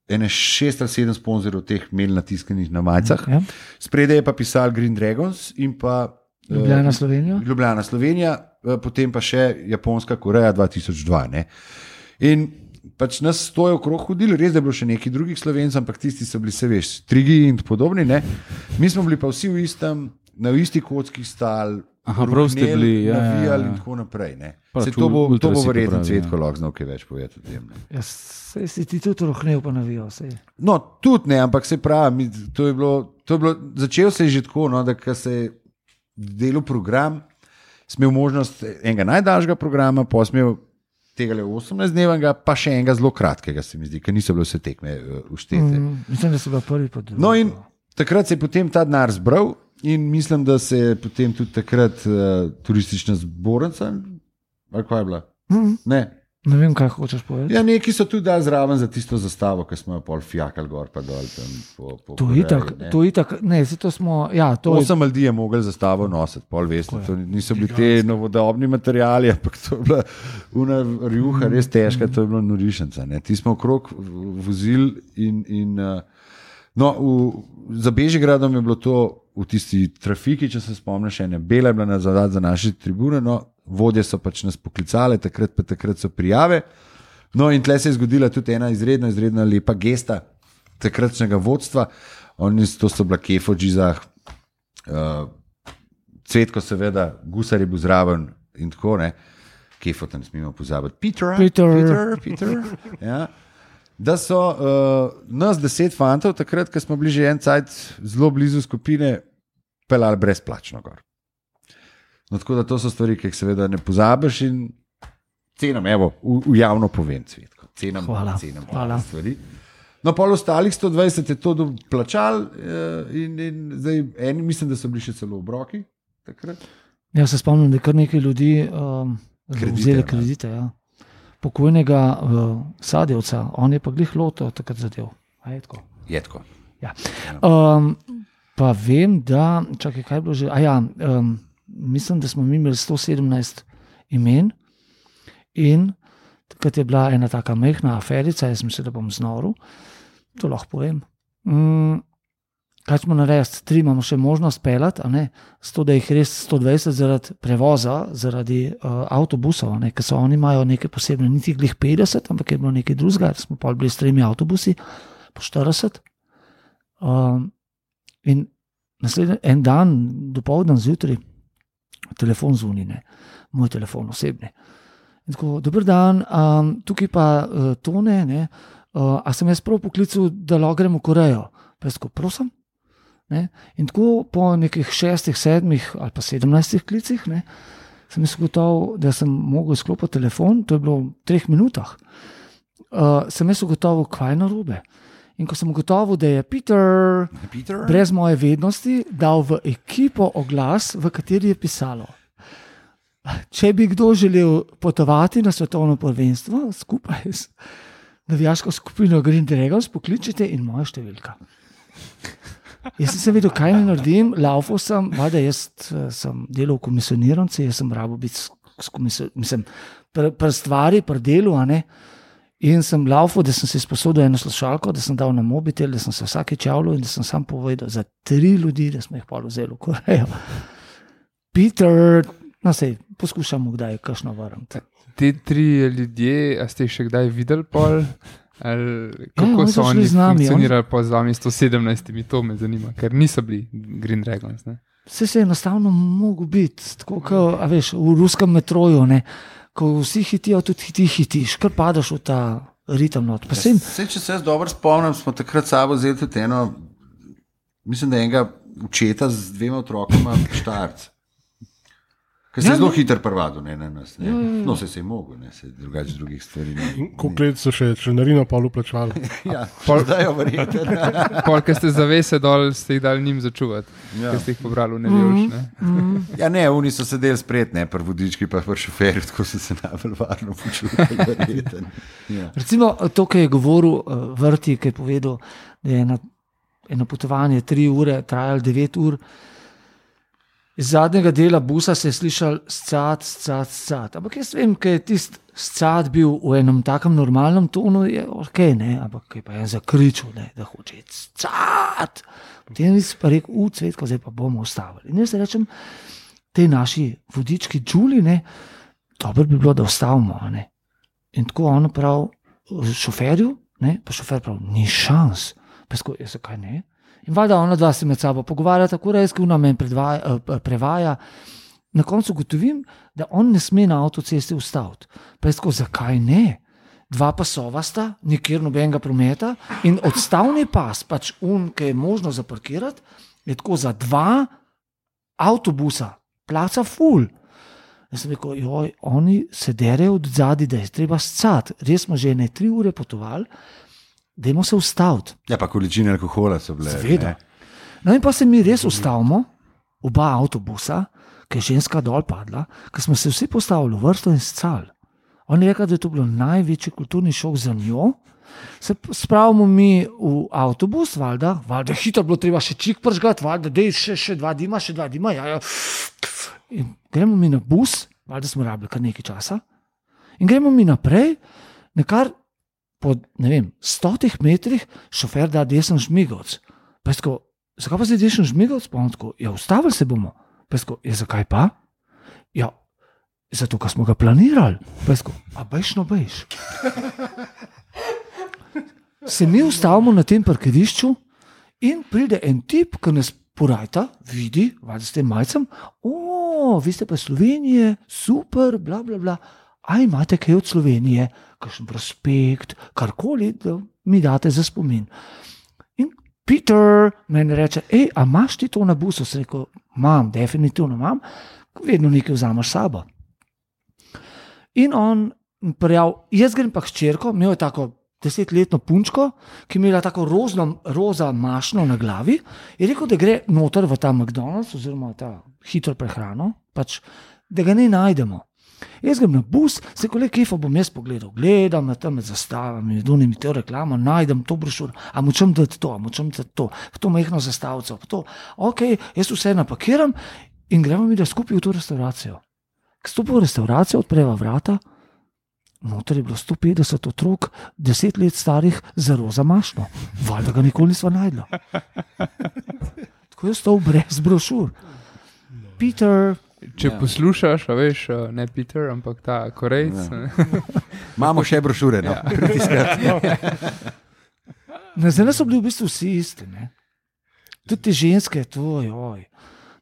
ene šest ali sedem sponzorov teh imeli natiskanih na majicah. Ja. Spredaj je pa pisal Green Dragons in pa Ljubljana Slovenija. Uh, Ljubljana Slovenija, uh, potem pa še Japonska Koreja dva tisoč dva. Ne? In pač nas stoje okrog hodili, res da je bilo še nekaj drugih Slovencev, ampak tisti so bili, se veš, Trigi in podobni. Ne? Mi smo bili pa vsi v istem, na isti kocki stali, Aha, prav ste bili, ja, navijali ja, ja. in tako naprej. Se to bo, to bo verjetno Cvetko lahko znal kaj več povedati o tem. Ja, se si ti tudi rohnel pa navijal. Sej. No, tudi ne, ampak se pravi, to je bilo, to je bilo, začel se je že tako, no, da ko se je delal program, smel možnost enega najdaljšega programa, pa smel tega le osemnajstdnevnega, pa še enega zelo kratkega, se mi zdi, ker niso bile vse tekme uštete. Mm, mislim, da so bila prvi pa drugi. No in takrat se je potem ta denar zbral, in mislim, da se je potem tudi takrat uh, turistična zbornica, ali kaj je bila? Mm. Ne. Ne vem, kaj hočeš povedati. Ja, neki so tudi dali zraven za tisto zastavo, ki smo jo pol fijakali gor pa dol. Tam po, po to je itak, to je itak, ne, to smo, ja. To Osem je... ljudi je mogli zastavo nositi, pol veste, to niso bili te novodobni materiali, ampak to je bila una rjuha, res težka, to je bilo norišenca. Ne. Ti smo okrog vozili in, in uh, no, v, za Bežigradom je bilo to v tisti trafiki, če se spomniš, ene bela je bila na zadad za naše tribune, no, vodje so pač nas poklicale, takrat pa takrat so prijave. No, in tle se je zgodila tudi ena izredno, izredno lepa gesta takratnega vodstva. Oni, to so bila Kefo, Džizah, uh, Cvetko seveda, Gusar je bil zraven in tako, ne. Kefo tam smemo pozabiti. Peter, Peter, Peter, Peter. Ja. Da so uh, nas deset fantov, takrat, ko smo bili že en cajt zelo blizu skupine, pelali brezplačno gor. No, tako da to so stvari, ki jih seveda ne pozabiš in cenam, evo, v, v javno povem, Cvetko. Cenam, hvala, cenam hvala. Stvari. No, pol ostalih sto dvajset je to plačal in, in zdaj eni, mislim, da so bili še celo obroki takrat. Ja, se spomnim, da je kar nekaj ljudi um, vzeli kredite, ja. Pokojnega uh, Sadjevca, on je pa glih loto takrat zadev. A je tako? Je tako. Ja. Um, pa vem, da, čakaj, kaj je bilo že, a ja, um, mislim, da smo mi imeli sto sedemnajst imen in takrat je bila ena taka mehna aferica, jaz mislim, da bom znoril, to lahko povem. Um, kaj smo naredili, tri imamo še možnost pelati, a ne, sto, da jih res sto dvajset zaradi prevoza, zaradi uh, avtobusov, ne, ker so oni imajo nekaj posebne, niti glih petdeset, ampak je bilo nekaj drugega, smo pa bili s tremi avtobusi, po štirideset. Um, in naslednji en dan, dopoldan zjutraj, telefon zvoni, ne, moj telefon osebni. In tako, dober dan, um, tukaj pa uh, Tone, ne, uh, a sem jaz prav poklical, da lahko grem v Korejo? Pa jaz tako, prosim? Ne? In tako po nekih šestih, sedmih ali pa sedemnajstih klicih, ne, sem jaz ugotovil, da sem mogel izklopiti telefon, to je bilo v treh minutah, uh, sem jaz ugotovil, kaj je narobe. In ko sem ugotovil, da je Peter, Peter brez moje vednosti dal v ekipo oglas, v kateri je pisalo, če bi kdo želel potovati na svetovno prvenstvo skupaj s navijaško skupino Green Dragons, pokličite in moja številka. Jaz sem vedel, kaj ne naredim, laufal sem, valjda jaz sem delal v komisioniranci, jaz sem rabo biti s komisioniranci, mislim, pri pr stvari, pri delu, a ne, in sem laufal, da sem se izposodil eno slušalko, da sem dal na mobitel, da sem se vsake čavljal in da sem sam povedal za tri ljudi, da smo jih pol vzeli v Korejo. Peter, no sej, poskušamo kdaj kakšno vrniti. Te tri ljudje, a ste jih še kdaj videli pol? Ali kako ja, so oni funkcionirali on... po z vami sto sedemnajstimi, to me zanima, ker niso bili Green Dragons, ne? Vse se je enostavno mogel biti, tako kot, a veš, v ruskem metroju, ne, ko vsi hitijo, tudi ti hitiš, kar padaš v ta ritem not. Pa sem... Sej, če se jaz dobro spomnim, smo takrat sabo vzeli tudi eno, mislim, da enega učeta z dvema otrokoma Štajerc. Ker se je zelo hitro prvado, ne na nas. Ne. Ja, ja, ja. No, se je mogel, ne, se drugače drugih stvari. Koliko let so še članarino pol uplačevali? Ja, pol zdaj jo verjete. Pol, ker ste zavese dol, ste jih dali njim začuvati, ja. Ker ste jih pobrali v Nevjoš, ne. Mm. Ja, ne, oni so sedeli spred, ne, pri vodički pa pri šoferju, tako so se najbolj varno počutili, verjete. Ja. Recimo, to, kar je govoril uh, Vrti, ki je povedal, da je ena eno potovanje tri ure, trajalo devet ur. Iz zadnjega dela busa se je slišal scat, scat, scat. Ampak jaz vem, ker je tisti scat bil v enem takem normalnem tonu, je ok, ne, ampak je pa en zakričal, ne, da hoče scat. Potem je pa rekel, u, Cvetko, zdaj pa bomo ustavili. In jaz rečem, tej naši vodički Đuli, ne, dobro bi bilo, da ustavimo, ne. In tako on prav šoferju, ne, pa šofer prav, ni šans. Pesko, jaz kaj ne? In valjda ona dva se med sabo pogovarja, tako rejski ona men predvaja, prevaja. Na koncu gotovim, da on ne sme na avtocesti ustaviti. Pesko, zakaj ne? Dva pasova sta, nikjer nobenega prometa in odstavni pas, pač un, ki je možno zaparkirati, je tako za dva avtobusa, placa ful. Jaz sem rekel, joj, oni se derejo od zadaj, da je treba scati. Res smo že ne tri ure potovali, dajmo se ustaviti. Ja, pa količine alkohola so bile. Seveda. No in pa se mi res ustavimo, oba avtobusa, ki je ženska dol padla, ker smo se vsi postavili v vrsto in scali. On je rekel, da je to bilo največji kulturni šok za njo. Se spravimo mi v avtobus, valjda, valjda hitro bilo treba še čik pržgati, valjda, dej še, še dva dima, še dva dima, ja, ja. In gremo mi na bus, valjda smo rabili kar nekaj časa, in gremo mi naprej, nekar po, ne vem, stotih metrih šofer da desen žmigovc. Pesko, zakaj pa zdaj desen žmigovc? Pa on tako, ja, ustavili se bomo. Pesko, ja, zakaj pa? Ja, zato, ker smo ga planirali. Pesko, a bejš no bejš. Se mi ustavimo na tem parkirišču in pride en tip, ki nas porajta, vidi, valjda s tem majcem, o, vi ste pa Slovenije, super, bla, bla, bla. A imate kaj od Slovenije, kakšen prospekt, karkoli, da mi date za spomin. In Peter meni reče, ej, a imaš ti to na busu? Sem rekel, imam, definitivno imam, vedno nekaj vzameš sabo. In on prijav, jaz grem pa k hčerko, imel je tako desetletno punčko, ki je imela tako rozno, roza mašno na glavi, je rekel, da gre noter v ta McDonald's, oziroma ta hitro prehrano, pač, da ga ne najdemo. Jaz grem na bus, se kole kefa bom jaz pogledal, gledam na tam med zastavami, dunimi to reklamo, najdem to brošuro, a močem dati to, a močem dati to, to mehno zastavico, to, ok, jaz vse napakiram in gremo mi da skupaj v to restauracijo. K stopu v restauracijo, odpreva vrata, noter je bilo sto petdeset otrok, deset let starih za roza mašno, valjda ga nikoli nisva najdla. Tako je stal brez brošur. Peter... Če ja. Poslušaš, a veš, ne Peter, ampak ta Korejc. Ja. Imamo še brošure, no. Ja. Na zdaj so bili v bistvu vsi isti, ne. Tudi te ženske, to, joj.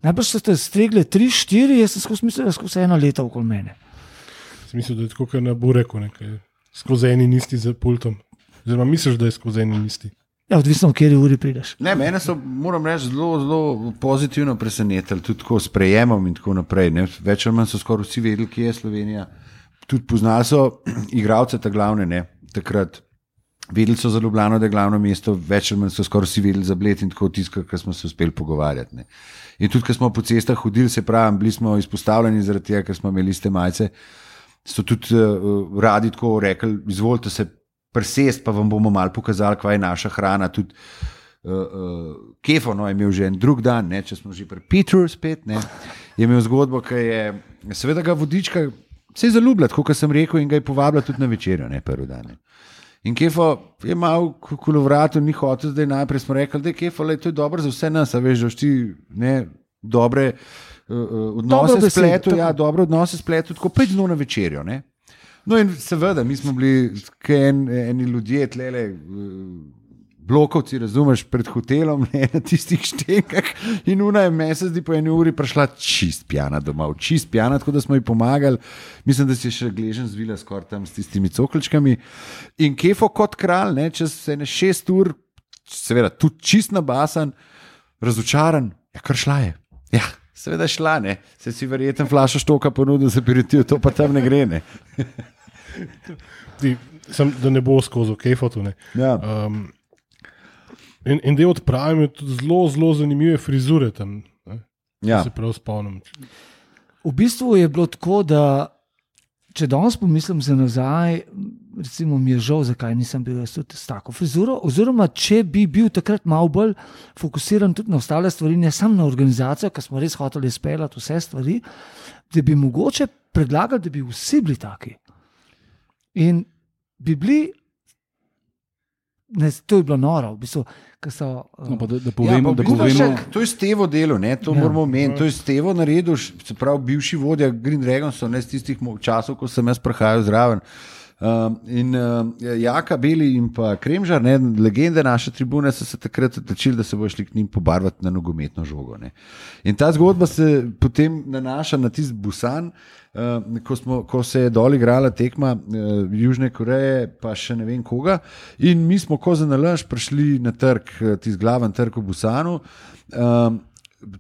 Najbrž so te stregle tri, štiri, jaz sem skozi mislil, da skozi ena leta okoli mene. Sem mislil, da je tako, kar na Bureku, nekaj. Skozi eni nisti za pultom. Oziroma misliš, da je skozi eni nisti. Ja, odvisno, v kateri uri prideš. Ne, mene so, moram reči, zelo, zelo pozitivno presenetili, tudi tako s prejemom in tako naprej. Ne. Več ali manj so skoraj vsi vedeli, kje je Slovenija. Tudi poznali so igralce ta glavne, ne, takrat. Vedeli so za Ljubljano, da je glavno mesto, več ali manj so skoraj vsi vedeli za Bled in tako tisto, kar smo se uspeli pogovarjati. Ne. In tudi, ko smo po cestah hodili, se pravi, bili smo izpostavljeni zaradi tega, ker smo imeli iste majice, so tudi uh, radi tako rekli, izvolite se presest, pa vam bomo malo pokazali, kva je naša hrana. Tudi uh, uh, Kefo no, je imel že en drug dan, ne, če smo že pri Petru spet, ne, je imel zgodbo, ki je, seveda ga vodička se je zaljubila, tako kot sem rekel, in ga je povabila tudi na večerjo, ne, prvi dan. Ne. In Kefo je malo kolovratu, ni hotel, zdaj najprej smo rekli, da je Kefo, le, to je dobro za vse nas, a veš, da ti ne, dobre uh, odnose s spletu, ja, dobre odnose s spletu, tako pet dnov na večerjo, ne. No in seveda, mi smo bili en, eni ljudje, tlele, blokovci, razumeš, pred hotelom, ne, na tistih štenkah in una je mesec, di po eni uri prišla čist pjana domov, čist pjana, tako da smo ji pomagali, mislim, da si je še gležen zvila skoraj tam s tistimi cokličkami in Kefo kot kralj, ne, čez ene šest ur, seveda, tudi čist nabasan, razočaran, ja, kar šla je, ja, seveda šla, ne. Se si verjetno flašo štoka ponudil za aperitiv, to pa tam ne gre, ne. Ti, sem, da ne bo skozi kejfotu, ne. Ja. Um, in, in del odpravim je tudi zelo, zelo zanimive frizure tam, ne. Ja. Se prav spomnim. V bistvu je bilo tako, da če danes pomislim za nazaj, recimo mi je žal, zakaj nisem bil jaz tudi s tako frizuro, oziroma če bi bil takrat malo bolj fokusiran tudi na ostale stvari, ne samo na organizacijo, ker smo res hoteli izpeljati vse stvari, da bi mogoče predlagali, da bi vsi bili taki. In bi bili, ne, to je bilo noro, v bistvu, ker so... No, pa da, da povemo, Ja, da pa v bistvu povemo, še- To je Stevo delo, ne? To Ja. moramo omeniti. To je Stevo naredil, š- se pravi, bivši vodja Green Dragonsov, ne z tistih mo- časov, ko sem jaz prihajal zraven. Um, in uh, Jaka Beli in pa Kremžar, ne, legende naše tribune, so se takrat odločili, da se bo šli k njim pobarvati na nogometno žogo. Ne. In ta zgodba se potem nanaša na tisti Busan, uh, ko, smo, ko se je dol igrala tekma uh, Južne Koreje, pa še ne vem koga. In mi smo ko za nalaž prišli na trg, tisti glaven trg v Busanu. Um,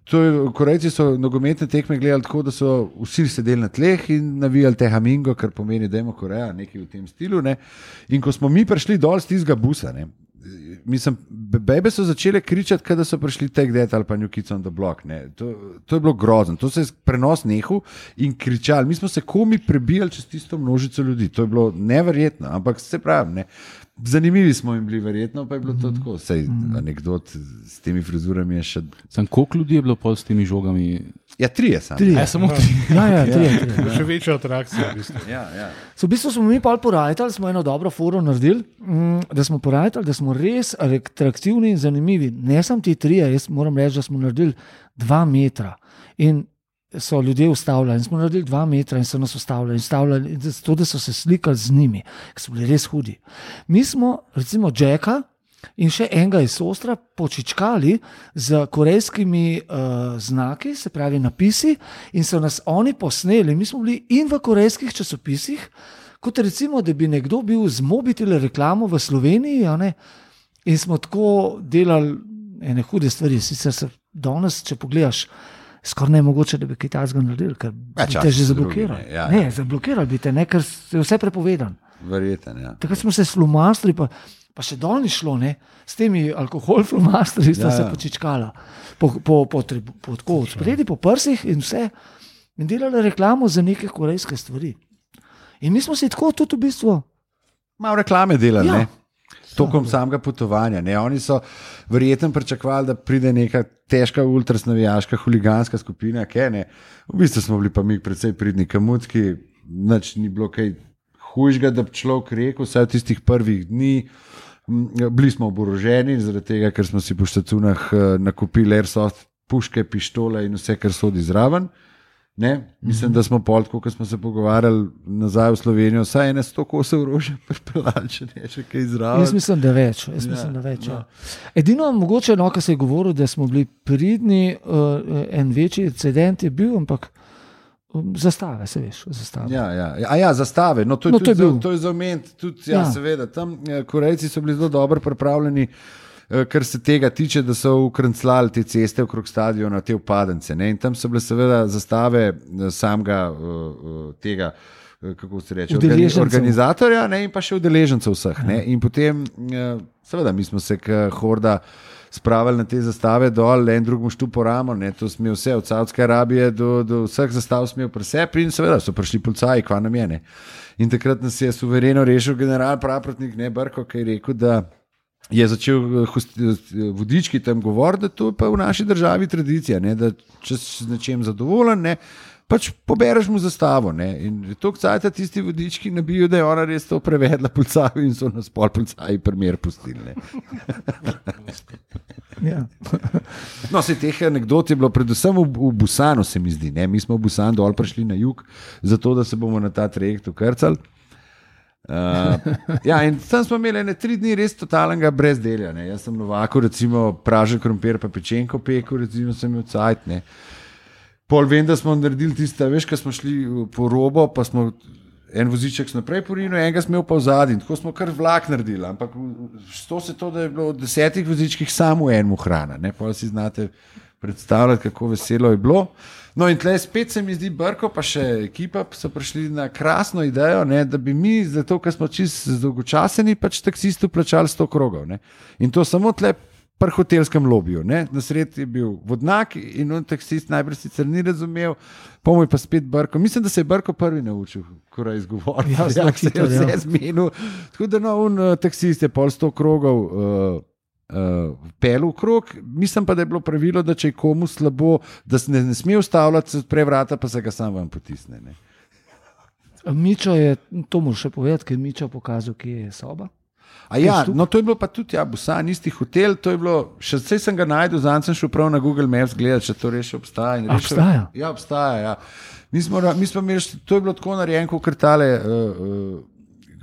To je, Korejci so nogometne tekme gledali tako, da so vsi sedeli na tleh in navijali te hamingo, kar pomeni, da ima Koreja nekaj v tem stilu. Ne. In ko smo mi prišli dol z tistega busa, ne, mislim, bebe so začele kričati, kada so prišli Take That ali pa New Kids on the Block. Ne. To, to je bilo grozno, to se je prenos nehal in kričali. Mi smo se komi prebijali čez tisto množico ljudi, to je bilo neverjetno, ampak se pravi, ne. Zanimivi smo jim bili, verjetno pa je bilo to tako. Sej anekdot s temi frizurami je še. Sam, koliko ljudi je bilo pol s temi žogami? Ja, trije sam. Trije. Ja, samo tri. Ja, ja, trije, trije. Še večja atrakcija. V bistvu. Ja, ja. So v bistvu smo mi pa porajali, smo eno dobro foro naredili, mm, da smo porajali, da smo res atraktivni in zanimivi. Ne samo ti trije, jaz moram reči, da smo naredili dva metra. In so ljudje ustavljali, in smo naredili dva metra in so nas ustavljali, in ustavljali zato, da so se slikali z njimi, ker so bili res hudi. Mi smo, recimo, Jacka in še enega iz Ostra počičkali z korejskimi uh, znaki, se pravi napisi, in so nas oni posneli. Mi smo bili in v korejskih časopisih, kot recimo, da bi nekdo bil z mobitele reklamo v Sloveniji, a ne, in smo tako delali ene hude stvari. Sicer se danes, če pogledaš, skoraj ne mogoče, da bi kaj takega naredili, ker Ja, bi čas te že so zablokirali. drugi, ne, ja, Ne, ja. zablokirali bi te, ne, ker je vse prepovedan. Verjeten, ja. Takrat smo se slumastri, pa, pa še dol ni šlo, ne, s temi alkohol flumastri sta Ja, se ja. počičkala, po, po, po, tribu- po, tako od spredi, po prsih in vse, in delali reklamo za neke korejske stvari. In mi smo si tako tudi v bistvu, Malo reklame delali, Ja. ne? Tokom samega potovanja. Ne? Oni so verjetno pričakovali, da pride neka težka ultrasnavijaška huliganska skupina, kaj ne. V bistvu smo bili pa mi precej pridni kamutski, nič ni bilo kaj hujšega, da bi človek rekel, vsaj v tistih prvih dni. M, Bili smo oboroženi, zaradi tega, ker smo si po štacunah eh, nakupili airsoft puške, pištole in vse, kar sodi zraven. Ne? Mislim, da smo pol, ko smo se pogovarjali nazaj v Slovenijo, vsaj ene sto kosov orožja pripeljali, če ne še kaj zraven. jaz mislim, da več. Jaz Ja, mislim, da več no. ja. Edino mogoče, no, kar se je govorilo, da smo bili pridni, uh, en večji incident je bil, ampak um, zastave, se veš, zastave. Ja, ja. A ja, zastave. No, to je, No, no, to je to bil. za, to je za omeniti. Tudi, ja, Ja. ja. Seveda, tam eh, Korejci so bili zelo dobro pripravljeni, eh, kar se tega tiče, da so ukrenclali te ceste okrog stadiona, te upadence. Ne? In tam so bile seveda zastave eh, samega uh, tega, eh, kako se reče, organi- Udeležencev. organizatorja, ne? In pa še udeležencev vseh. Ne? In potem, eh, seveda, mi smo se k horda spravili na te zastave dol, en drugemu štupo ramo, ne, to sme vse, od Saudske Arabije do, do vseh zastav smel pri sebi in seveda so prišli policaji, kva nam je, ne. In takrat nas je suvereno rešil general Praprotnik, ne, Brko, ki je rekel, da je začel eh, host- eh, vodički tam govoriti, da to je pa v naši državi tradicija, ne, da če si z nečem zadovoljen, ne, pač pobereš mu zastavo. Ne. In to kcajta tisti vodički nabijo, da je ona res to prevedla policaju in so nas pol policaji primer pustili. Ne. Ja. No, se teh anekdot je bilo predvsem v, v Busanu, se mi zdi. Ne? Mi smo v Busan dol prišli na jug, zato da se bomo na ta trajekt ukrcali. Uh, ja, in tam smo imeli ne tri dni res totalnega brezdelja. Ne? Jaz sem Novaku, recimo, pražen krompir, pa pečenko pekel, recimo, sem imel cajt. Ne? Pol vem, da smo naredili tiste, veš, ko smo šli po robo, pa smo en voziček naprej porinil, enega smo imeli pa v zadnji. Tako smo kar vlak naredili, ampak to se to, da je bilo v desetih vozičkih samo enemu hrana. Ne? Pol si znate predstavljati, kako veselo je bilo. No in tle spet se mi zdi Brko, pa še ekipa so prišli na krasno idejo, ne, da bi mi, zato ker smo čisto dolgočaseni, pač taksistu plačali sto krogov. Ne. In to samo tle pri hotelskem lobiju. Ne. Na sredi je bil vodnak in on taksist najbrž sicer ni razumel, pomoj pa spet Brko. Mislim, da se je Brko prvi naučil, ko je izgovoril. Ja, zelo hitro, se je vse zmenil. Tako da no, on taksist je pol sto krogov uh, Uh, pel v krog, mislim pa, da je bilo pravilo, da če je komu slabo, da se ne, ne sme ustavljati, se odpre vrata, pa se ga sam vam potisne. Ne? Mičo je, to moraš še povedati, ker je Mičo pokazal, kje je soba. A ja, no to je bilo pa tudi, ja, Busan, isti hotel, to je bilo, še vse sem ga najdel, zanj sem šel prav na Google Maps gledati, če to res obstaja. In rešil, obstaja? Ja, obstaja, ja. Mi smo, mi smo imeli, to je bilo tako narejen, kot krtale uh, uh,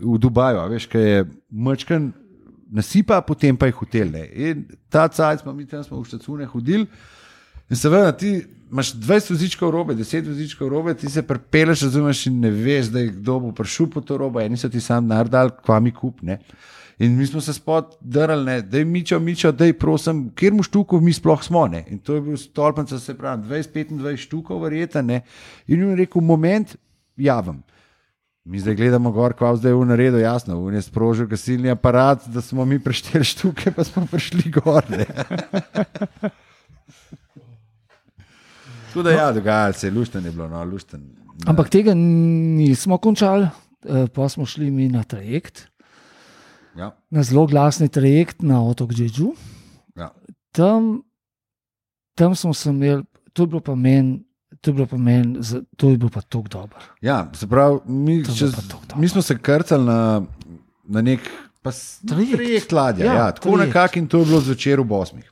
v Dubaju, a veš, kaj je mečken nasipa, potem pa je hotel. Ne. In ta cajt smo mi tam smo v štacune hodili in seveda ti imaš dvajset vozičkov robe, deset vozičkov robe, ti se prepeleš, razumeš in ne veš, da je kdo bo prišel po to robo, eni so ti sam naredali, kva mi kup. Ne. In mi smo se spod drali, da je Mičo, Mičo, da je prosim, kjer mu štukov mi sploh smo. Ne. In to je bil stolpenca, se pravi, dvajset petindvajset štukov verjeta. Ne. In jim je rekel, moment, javim. Mi zdaj gledamo gor, kva zdaj je v naredu, jasno, v je sprožil gasilni aparat, da smo mi prešteli štuke, pa smo prišli gor. Tako da ja, dogajalo se je, lušten je bilo, no, lušten. Ampak tega nismo končali, pa smo šli mi na trajekt, ja. Na zelo glasni trajekt na otok Jeju. Ja. Tam, tam smo se imeli, to je bilo pa meni, To je bilo pa meni, to je bilo pa tako dobro. Ja, se pravi, mi, čez, mi smo se krcali na, na nek trajekt ladja, ja, ja, tako nekako in to je bilo zvečer ob osmih.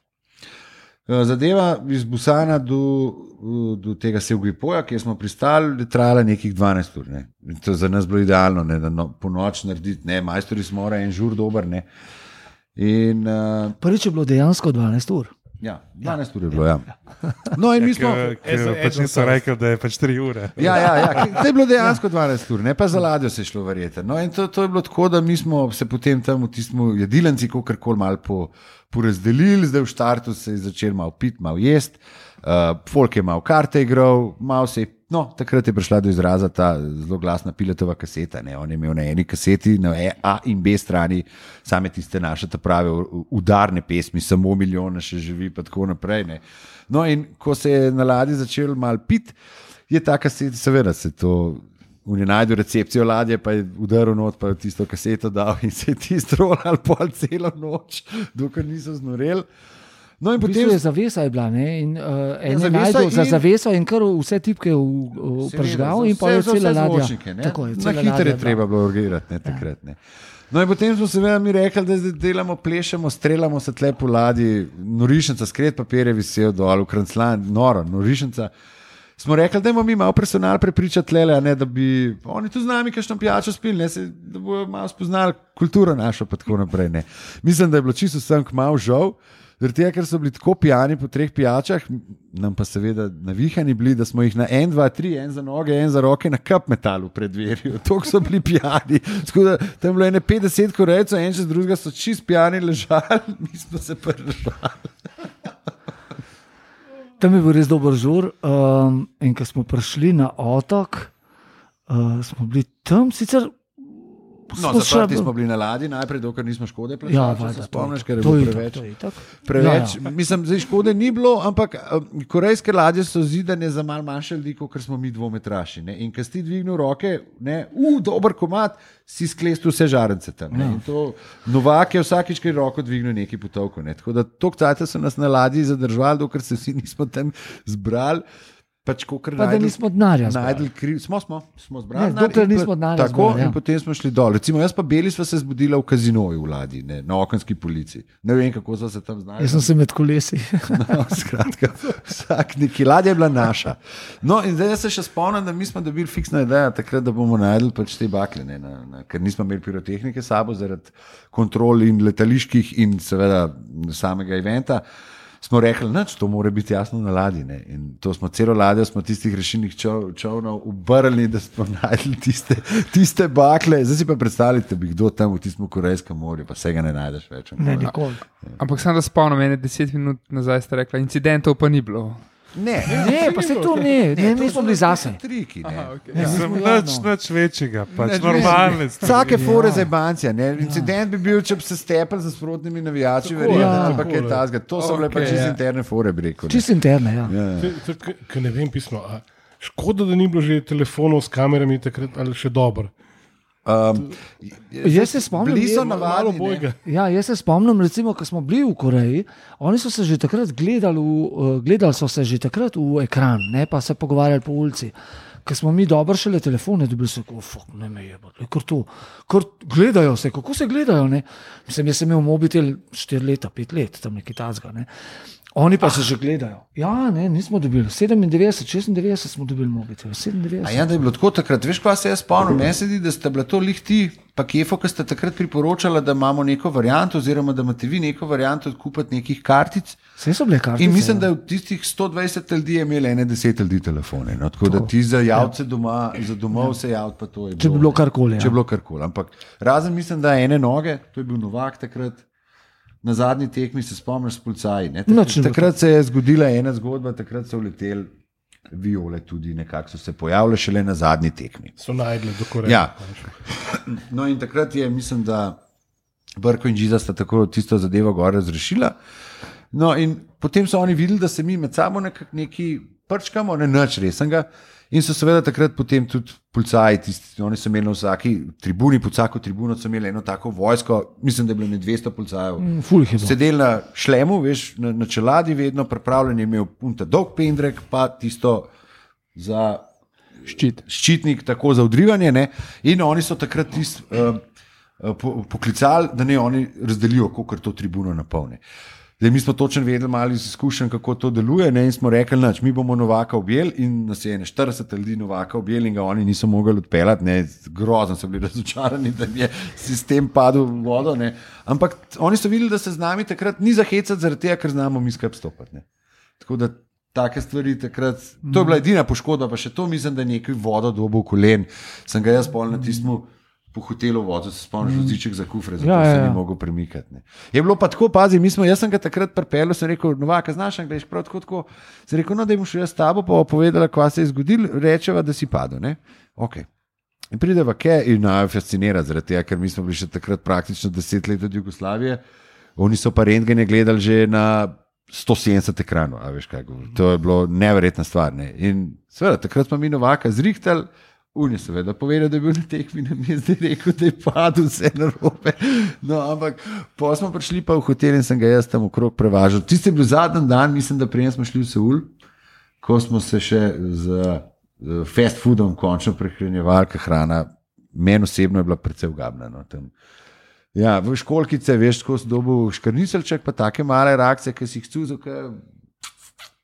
Zadeva iz Busana do, do tega Sevgipoja, kjer smo pristali, je trajala nekih dvanajst ur. Ne. To je za nas bilo idealno, ne, da no, po noč narediti, ne, majstori smo mora en žur dober. Ne. In, uh, Prvič je bilo dejansko dvanajst ur. Ja, dvanajst ur je bilo, ja. No, in mi smo... Pač niso rekli, da je pač tri ure. Ja, ja, ja, to je bilo dejansko dvanajst ur, ne pa za ladjo se je šlo verjeti. No, in to, to je bilo tako, da mi smo se potem tam v tistem jedilenci kakorkoli malo po, porazdelili, zdaj v štartu se je začel malo piti, malo jesti, uh, folk je malo karte igral, malo se je, no, takrat je prišla do izraza ta zelo glasna Piletova kaseta, ne, on je imel na eni kaseti, na A in B strani, same tiste naše ta prave udarne pesmi, samo milijona še živi, pa tako naprej, ne. No, in ko se je na ladji začel malo piti, je ta kaseta, seveda se to, on je najdel recepcijo ladje, pa je udaril not, pa je tisto kaseto dal in se je tisto rolal pol celo noč, dokler niso znoreli. No, in potem je zavesa je bila, ne, in uh, en je najdel za zaveso in kar vse tipke vpržgal in pa je cela ladja. Tako je, na hitro je treba bilo urgirati, ne, takrat, ne. No in potem smo seveda mi rekli, da zdaj delamo, plešemo, streljamo se tle po ladji, norišnica, skret papir je visel dol, v Kranclan, noro, norišnica. Smo rekli, da imamo mi malo personal prepričati tlele, ne, da bi oni tu z nami kakšno pijačo spili, ne, se, da bojo malo spoznali kulturo našo, pa tako naprej. Ne. Mislim, da je bilo čisto vsem malo žal, zaradi tega, ker so bili tako pijani po treh pijačah, nam pa seveda navihani bili, da smo jih na en, dva, tri, en za noge, en za roke na kap metalu pred dverjo. Toliko so bili pijani. Skoda, tam bilo ene petdeset korejcev, en čez drugega so čist pijani ležali, mi smo se prržali. Tam je bil res dober žur um, in ko smo prišli na otok, uh, smo bili tam sicer... No, zaprti smo bili na ladji, najprej, dokler nismo škode plačali, ja, če se spomniš, ker je to bilo preveč. To je tak, to je preveč. ja, ja. Mislim, zdaj škode ni bilo, ampak um, korejske ladje so zidane za malo manjše ljudi, kot smo mi dvometraši. Ne? In ko si dvignil roke, ne, uh, dober komad, si sklestil vse žarence tam. Ja. In to Novak je vsakič, ki je roko dvignil neki potovko. Ne? Tako da toliko cajta so nas na ladji zadržali, dokler se vsi nismo tam zbrali. Pač, pa najdel, da nismo denarja zbrali. Smo, smo, smo zbrali. Ne, dokler nismo denarja tako, zbrali. Ja. In potem smo šli dol. Recimo, jaz pa Beli sva se zbudila v kazinoju v ladji, ne, na okenski polici. Ne vem, kako so se tam znali. Jaz sem se med kolesi. No, skratka, vsak neki ladja je bila naša. No, in zdaj se še spomnim, da mi smo dobili fiksno idejo takrat, da bomo najdel pač te bakle, ne, na, na, ker nismo imeli pirotehnike sabo zaradi kontrol in letaliških in seveda samega eventa. smo rekli, da to mora biti jasno na ladji. Ne? In to smo celo ladjo, smo tistih rešilnih čov, čovnov obrnili, da smo našli tiste, tiste bakle. Zdaj si pa predstavljate, da bi kdo tam v tistem Korejskem morju, pa se ga ne najdeš več. Ne, nikoli. Ampak sem da spomnim, ene deset minut nazaj ste rekla, incidentov pa ni bilo. Ne, ne, pa se to ne, ne, mi smo bili zase. Triki, ne. Aha, okay. Ja, sem nič, nič večjega, pač normalne stvari. Vsake fore za bancija. Incident bi bil, če bi se stepel za sprotnimi navijači, verjetno, ali pa kaj tazga. To so bile pač čist interne fore, bi rekel. Čist interne, ja. Ker ne vem pismo, a škoda, da ni bilo že telefonov s kamerami takrat, ali še dobro. Um, jaz se spomnim, bili so navadni. Ja, jaz se spomnim, recimo, ko smo bili v Koreji, oni so se že takrat gledali, v, gledali so se že takrat v ekran, ne, pa se pogovarjali po ulici. Ker smo mi dobro šele telefone dobili, se kako, fuck, ne me je, kar to, kar gledajo se, kako se gledajo, ne. Mislim, jaz sem imel mobitel štiri leta, pet let, tam nekaj tazga, ne. Oni pa se že gledajo. Ja, ne, nismo dobili. sedemindevetdeset, šestindevetdeset smo dobili mobitel. sedemindevetdeset. A ja, da je bilo tako takrat. Veš, kaj se jaz spomnim? Meni se zdi, da ste bila to lih ti, pa Kefo, ki ste takrat priporočala, da imamo neko varianto, oziroma da imate vi neko varianto odkupiti nekih kartic. Vse so bile kartice. In mislim, da je v tistih sto dvajset ljudi imeli ene deset ljudi telefone. No? Tako, tako da ti za javce ja. doma, za domov ja. se javiti, pa to je bilo. Če bi bilo karkoli. Če bi bilo karkoli. Ampak razen mislim, da ene noge, to je bil Novak takrat. Na zadnji tekmi se spomniš s policaji. Tak, takrat se je zgodila ena zgodba, takrat so leteli viole tudi nekako so se pojavile šele na zadnji tekmi. So najdli do Koreje. Ja. No in takrat je, mislim, da Brko in Žiza sta tako tisto zadevo gore razrešila. No in potem so oni videli, da se mi med sabo nekak neki prčkamo, ne nič resnega. In so seveda takrat potem tudi policaji, tisti, oni so imeli na vsaki tribuni, pod vsako tribuno so imeli eno tako vojsko, mislim, da je bilo ne dvesto policajev. Mm, sedeli na šlemu, veš, na, na čeladi vedno, pripravljen je imel punta dolg pendrek, pa tisto za ščit. ščitnik, tako za odrivanje. Ne? In oni so takrat tisti uh, po, poklicali, da ne oni razdelijo, koliko to tribuno napolne. Zdaj, mi smo točno vedeli, malo izkušen, kako to deluje, ne? In smo rekli, nač, mi bomo Novaka objeli in nas je štirideset ljudi Novaka objeli in ga oni niso mogli odpeljati, ne? Grozno so bili razočarani, da je sistem padel v vodo. Ne? Ampak oni so videli, da se z nami takrat ni zahecati zaradi tega, ker znamo mi skupaj stopati. Ne? Tako da take stvari takrat, to je bila edina poškodba, pa še to mislim, da je nekaj vodo dobo v kolen. Sem ga jaz pol na tistem po hotelu vodil, se spomniš, voziček za kufre, zato ja, ja, ja. se ni mogel premikati. Ne. Je bilo pa tako, pazi, mi smo, jaz sem ga takrat pripeljal, sem rekel, Novaka, znaš angleš, prav tako, tako. Sem rekel, no, da jim šel jaz s tabo, pa povedala, kva se je zgodil, rečeva, da si padel, ne. Ok. In prideva ke in naj fascinira zaradi tega, ker mi smo bili še takrat praktično deset let od Jugoslavije, oni so pa rentgene gledali že na sto sedemdeset ekranov, a veš kaj govorim. To je bilo neverjetna stvar, ne. In seveda, takrat smo mi Novaka zrihtali. On je seveda povedal, da je bil na tekmi, na mi je zdaj rekel, da je padel vse na robe. No, ampak pa smo prišli pa v hotel in sem ga jaz tam okrog prevažal. Tisti je bil zadnji dan, mislim, da prej smo šli v Seul, ko smo se še z, z fast foodom končno prehranjevali, ker hrana meni osebno je bila precej ugabna. No, tam. Ja, v školkice, veš, ko si dobil škrnicelček, pa take male reakcije, ki si jih cuzo, ki,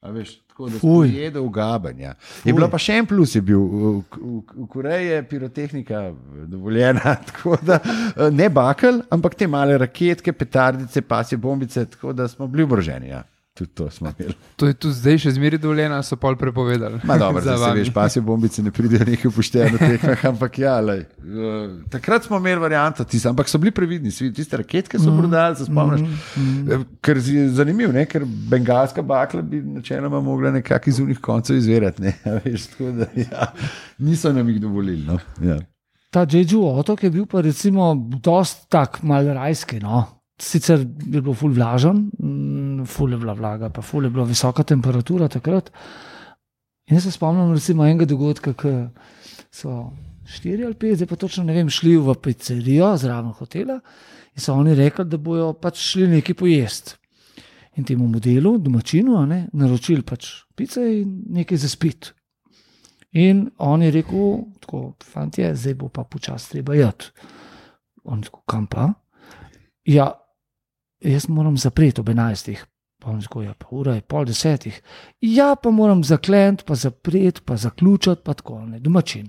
a veš, tako da si jedel ugaben. Ja. Je bila pa še en plus, je bil, v, v, v Koreji je pirotehnika dovoljena, tako da ne bakel, ampak te male raketke, petardice, pasje bombice, tako da smo bili oboroženi, ja. Tudi to smo imeli. To je tudi zdaj še zmeri dovoljeno, so pol prepovedali. Ma dobro, da se veš, pasje bombice ne pridejo nekaj upošteno tekmah, ampak ja, lej. Uh, takrat smo imeli varianto, tiste, ampak so bili previdni, tiste raketke so prodali, se spomniš, mm, mm. Ker je zanimiv, ne? Ker bengalska bakla bi načeloma mogla nekak iz unih koncev izverjati, ne, ja, veš, tako da ja, niso nam jih dovolili, no, ja. Ta Jeju otok je bil pa recimo dost tak mal rajski, no. Sicer je bilo ful vlažen, ful je bila vlaga, pa ful je bila visoka temperatura takrat. In jaz se spomnim recimo enega dogodka, ki so štiri ali pet, zdaj pa točno ne vem, šli v pizzerijo zraven hotela in so oni rekli, da bojo pač šli nekaj pojesti. In temu modelu, domačinu, ne, naročili pač pice in nekaj za spiti. In on je rekel, tako, fantje, zdaj bo pa počasi treba jeti. On tako, kam pa? Ja, jaz moram zapreti ob enajstih, pa on tako, ja, pa ura je pol desetih. Ja, pa moram zaklenti, pa zapreti, pa zaključati, pa tako, ne, domačin.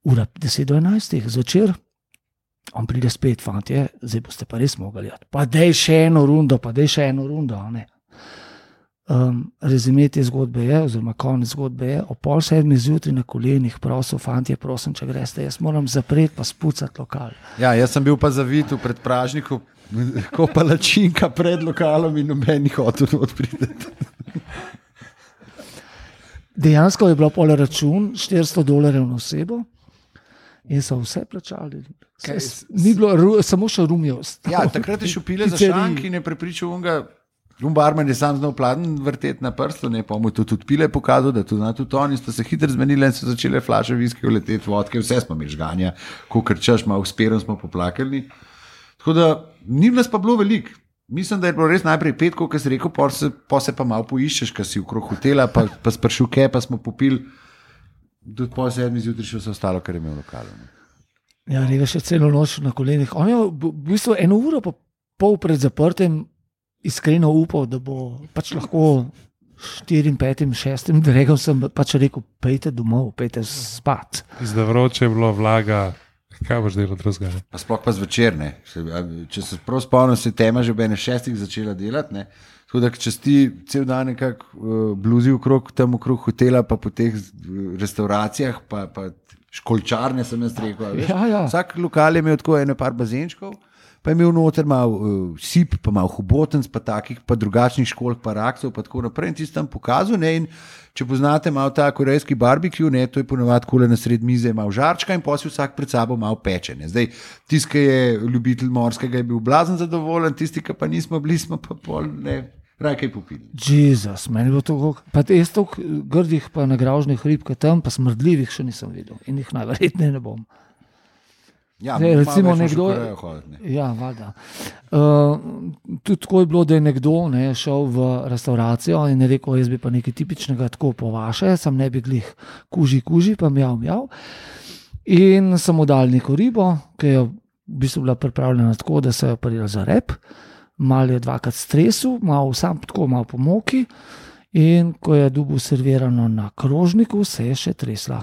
Ura deset do enajstih, zvečer, On pride spet, fantje, zdaj boste pa res mogli. Pa dej še eno rundo, pa dej še eno rundo. Um, rezime te zgodbe je, oziroma konec zgodbe je, o pol sedmi zjutraj na kolenih prosil, fantje, prosim, če greste, jaz moram zapreti pa spucati lokal. Ja, jaz sem bil pa zavit v predpražniku, ko palačinka pred lokalom in noben ni hotel odpriti. Dejansko je bilo pol račun štiristo dolarjev na osebo in so vse plačali. Kaj, ni bilo, ru, samo še rumijo. Ja, takrat je šel pile za šank in je prepričal unga, un barman je sam znal pladen vrteti na prstu, ne, pa mu to tudi pile pokazal, da to zna tudi on in sta se hitro zmenili in so začele flaše viske uleteti, vodke, vse smo imeli žganja, ko krčaš, malo usperom smo poplakali. Tako da, ni nas pa bilo veliko. Mislim, da je bilo res najprej petko, ko si rekel, pa se, pa se pa malo poiščeš, ko si okrog hotela, pa, pa spršuke, pa smo popili, do pol sedmi zjutraj še vse ostalo, kar je imel lokalo. Ja, ne veš, celo noč na kolenih. On je v bistvu eno uro pa pol pred zaprtem iskreno upal, da bo pač lahko štirim, petim, šestim dregom sem pač rekel, pejte domov, pejte spat. Zdaj vroče je bilo, vlaga, kaj boš delal drugega? Pa sploh pa zvečer, ne. Če se prav spomnim, se tema že ob ene šestih začela delati, ne. Tako da, če ti cel dan nekako uh, bluzi okrog, tam okrog hotela, pa po teh restauracijah, pa, pa školčarne sem jaz rekel, veš. Ja, ja. Vsak lokal je imel tako ene par bazenčkov, pa je imel noter malo uh, sip, pa malo hubotenc, pa takih, pa drugačnih školk, pa raksov, pa tako naprej. In ti si tam pokazal, ne, in če poznate malo ta korejski barbecue, ne, to je ponovadi kole na sred mize, malo žarčka in potem vsak pred sabo malo peče, ne. Zdaj, tisti, ki je ljubitelj morskega, je bil blazen zadovoljen, tisti, ki pa nismo bili, smo pa pol, ne, raj kaj popili. Jezus, meni je bilo to, pa jaz toliko grdih pa nagražnih rib, ka tam, pa smrdljivih še nisem videl in jih najverjetneje ne bom. Ja, Zdaj, recimo nekdo, hoditi, ne. ja, valjda. Uh, tudi tako je bilo, da je nekdo ne, šel v restauracijo in je rekel, jaz bi pa nekaj tipičnega tako po vaše, sem ne bi glih kuži, kuži, pa mjav, mjav. In sem mu dal neko ribo, ki je v bistvu bila pripravljena tako, da se je parila za rep, malo je dvakrat stresu, malo sam tako, malo po moki in ko je dobil servirano na krožniku, se je še tresla.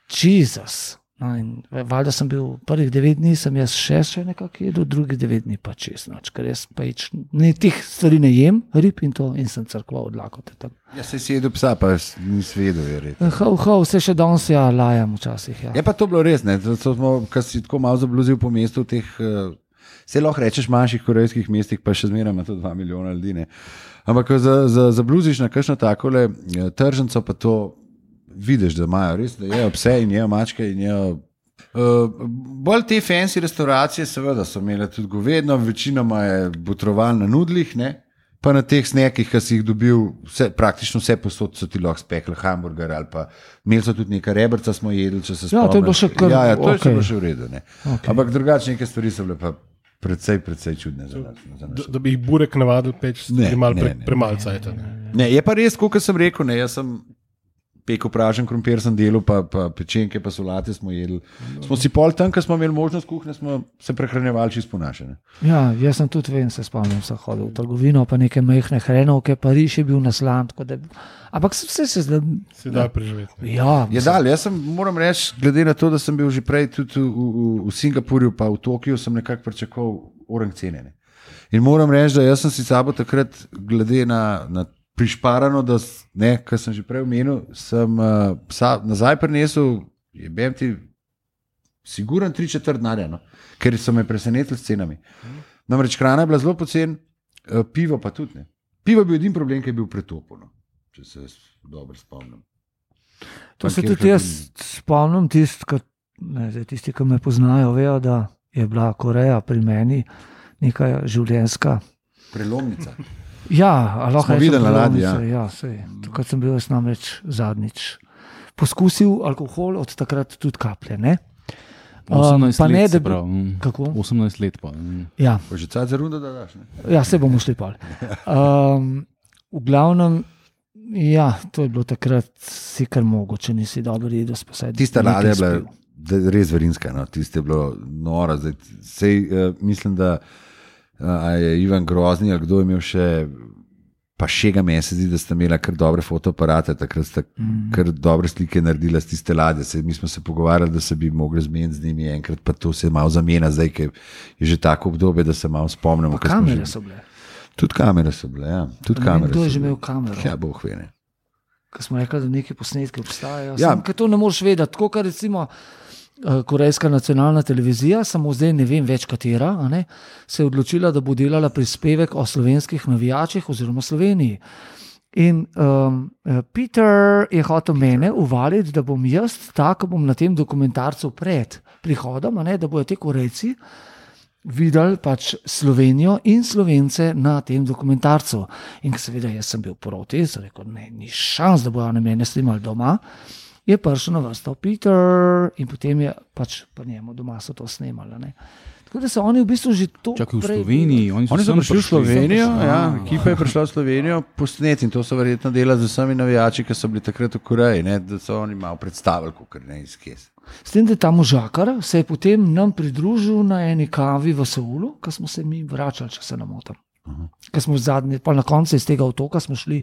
Jezus. No, in valjda sem bil prvih devet dni, sem jaz še, še nekako jedel, drugih devet dni pa čez noč, ker jaz pa ič, ne, tih stvari ne jem, rib in to, in sem crkval od lakote tam. Ja, se si jedel psa, pa nisi vedel, je red. Hav, hav, se še danes ja lajam včasih, ja. Je pa to bilo res, ne, to smo, ko si tako malo zabluzil po mestu v teh, se lahko rečeš manjših korejskih mestih, pa še zmeraj ima to dva milijona ljudi, ne. Ampak ko za, za, zabluziš na kakšno takole tržnico, pa to vidiš, da imajo res, da jejo pse in jejo mačke in jejo. Uh, bolj te fancy restauracije seveda so imele tudi govedno, večinoma je botroval na nudlih, ne? Pa na teh snekih, ki si jih dobil, vse, praktično vse posod so ti lahko spekli hamburger ali pa imeli so tudi nekaj rebrca smo jedli, če se spomniš. Ja, to je bilo še kar, ja, ja, to okay. je še bilo še v redu, ne. Okay. Ampak drugače neke stvari so bile pa predvsej, predvsej čudne za nas. Za nas. Da, da bi jih burek navadil peč, Ne, malo ne, pre, ne, premalce. Ne. Ne, je pa res, kot sem rekel, ne, jaz sem pekel pražen krompir sem delal, pa, pa pečenke, pa solate smo jedli. Smo si pol tam, ko smo imeli možnost kuhne, smo se prehranjevali čisto po naše. Ne. Ja, jaz sem tudi vem, se spomnim, sem hodil v trgovino, pa neke majhne hrenovke, pa riž je bil naslan, tako da, ampak vse se zdaj. Se da preživeti. Ne. Ja, Je dal, jaz sem, moram reči, glede na to, da sem bil že prej tudi v, v, v Singapurju, pa v Tokiju, sem nekako pričakoval orang cene. Ne. In moram reči, da jaz sem si sabo takrat, glede na, na prišparano, da, ne, kar sem že prej omenil, sem uh, psa nazaj prinesel, je bem ti siguran tri četrt denarja, no? Ker so me presenetili s cenami. Namreč hrana je bila zelo pocen, uh, pivo pa tudi ne. Pivo je bil edin problem, ki je bil pretopljeno, če se dobro spomnim. to se tudi jaz spomnim, tist, ka, ne, zdaj, tisti, ki me poznajo, vejo, da je bila Koreja pri meni neka življenjska. Prelomnica. Ja, lahko Smo videli na ladji, ja. ja, tukaj sem bil jaz namreč zadnjič. Poskusil alkohol, od takrat tudi kaplje, ne? osemnajst pa ne, let, da bi- prav, mm. Kako? osemnajst let pa. mm. Ja, Pa že cajt za rundo, da daš, ne? ja, se bomo šli pol. Um, v glavnem, ja, to je bilo takrat si kar mogoče, nisi dobro jedel, spasaj. Tista ladja je bila da- res verinska, no? Tiste je bilo nora. Zdaj, sej, uh, mislim, da uh, a je Ivan Grozni ali kdo je imel še Pa še ga meni se zdi, da sta imela kar dobre fotoaparate, takrat sta mm. kar dobre slike naredila z tiste ladje. Se, mi smo se pogovarjali, da se bi mogli zmeniti z njimi enkrat, pa to se malo zamenja zdaj, ker je že tako obdobje, da se malo spomnimo. Kamere so bile. Tudi kamere so bile, ja. Tudi kamere kdo je so že bile. imel kamero? Ja, boh ve ne. Ko smo rekli, da neki posnetki obstajajo. Ja. Sam, ker to ne moreš vedeti. Tako, kar recimo Korejska nacionalna televizija, samo zdaj ne vem več katera, a ne, se je odločila, da bo delala prispevek o slovenskih navijačih oziroma Sloveniji. In um, Peter je hotel mene uvaliti, da bom jaz tako bom na tem dokumentarcu pred prihodom, a ne, da bojo te Korejci videli pač Slovenijo in Slovence na tem dokumentarcu. In seveda jaz sem bil proti, sem rekel, ne, ni šans, da bojo na mene snimali doma. Je prišel na vrsto Peter in potem je pač pa njemu doma so to snemali. Ne. Tako da so oni v bistvu že to Čakaj, v Sloveniji. Oni so, Oni so prišli v Slovenijo, ja, Ah. ekipa je prišla v Slovenijo posneti in to so verjetno delali z vsemi navijači, ki so bili takrat v Koreji, ne, da so oni malo predstavili, kakor ne izkes. S tem, da je ta možakar se je potem nam pridružil na eni kavi v Seulu, ko smo se mi vračali, če se ne motim. Ker smo zadnji, pa na koncu iz tega otoka smo šli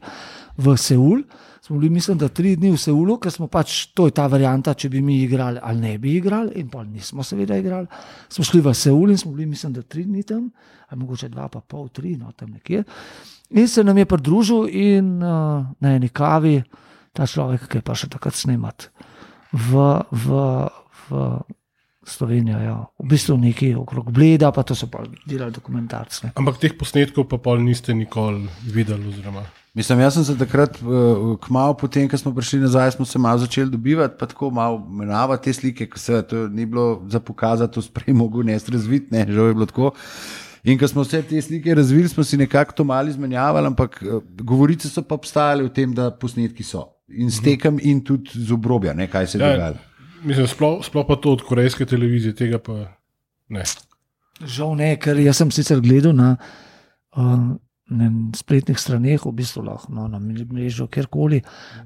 v Seul, smo bili mislim, da tri dni v Seulu, ker smo pač, to je ta varianta, če bi mi igrali ali ne bi igrali in pa nismo seveda igrali. Smo šli v Seul in smo bili mislim, da tri dni tam, ali mogoče dva pa pol, tri, no tam nekje. In se nam je pridružil in uh, na eni kavi ta človek, ki je pa še takrat snemat v, v, v Slovenijo, ja. V bistvu nekaj okrog Bleda, pa to so pa delali dokumentarce. Ampak teh posnetkov pa pol niste nikoli videli oziroma... Mislim, jaz sem se takrat, kmalu potem, ko smo prišli nazaj, smo se malo začeli dobivati, pa tako malo menavati te slike, ko se to ni bilo za pokazati, to sprej mogo nest razviti, ne, žal je bilo tako. In ko smo vse te slike razvili, smo si nekako to malo izmenjavali, ampak govorice so pa obstajale o tem, da posnetki so. In s tekem in tudi z obrobja, ne, kaj se je Ja, dogajalo. Mislim, sploh, sploh pa to od korejske televizije, tega pa ne. Žal ne, ker jaz sem sicer gledal na um, na spletnih straneh, v bistvu lahko no, na mrežo, kjerkoli,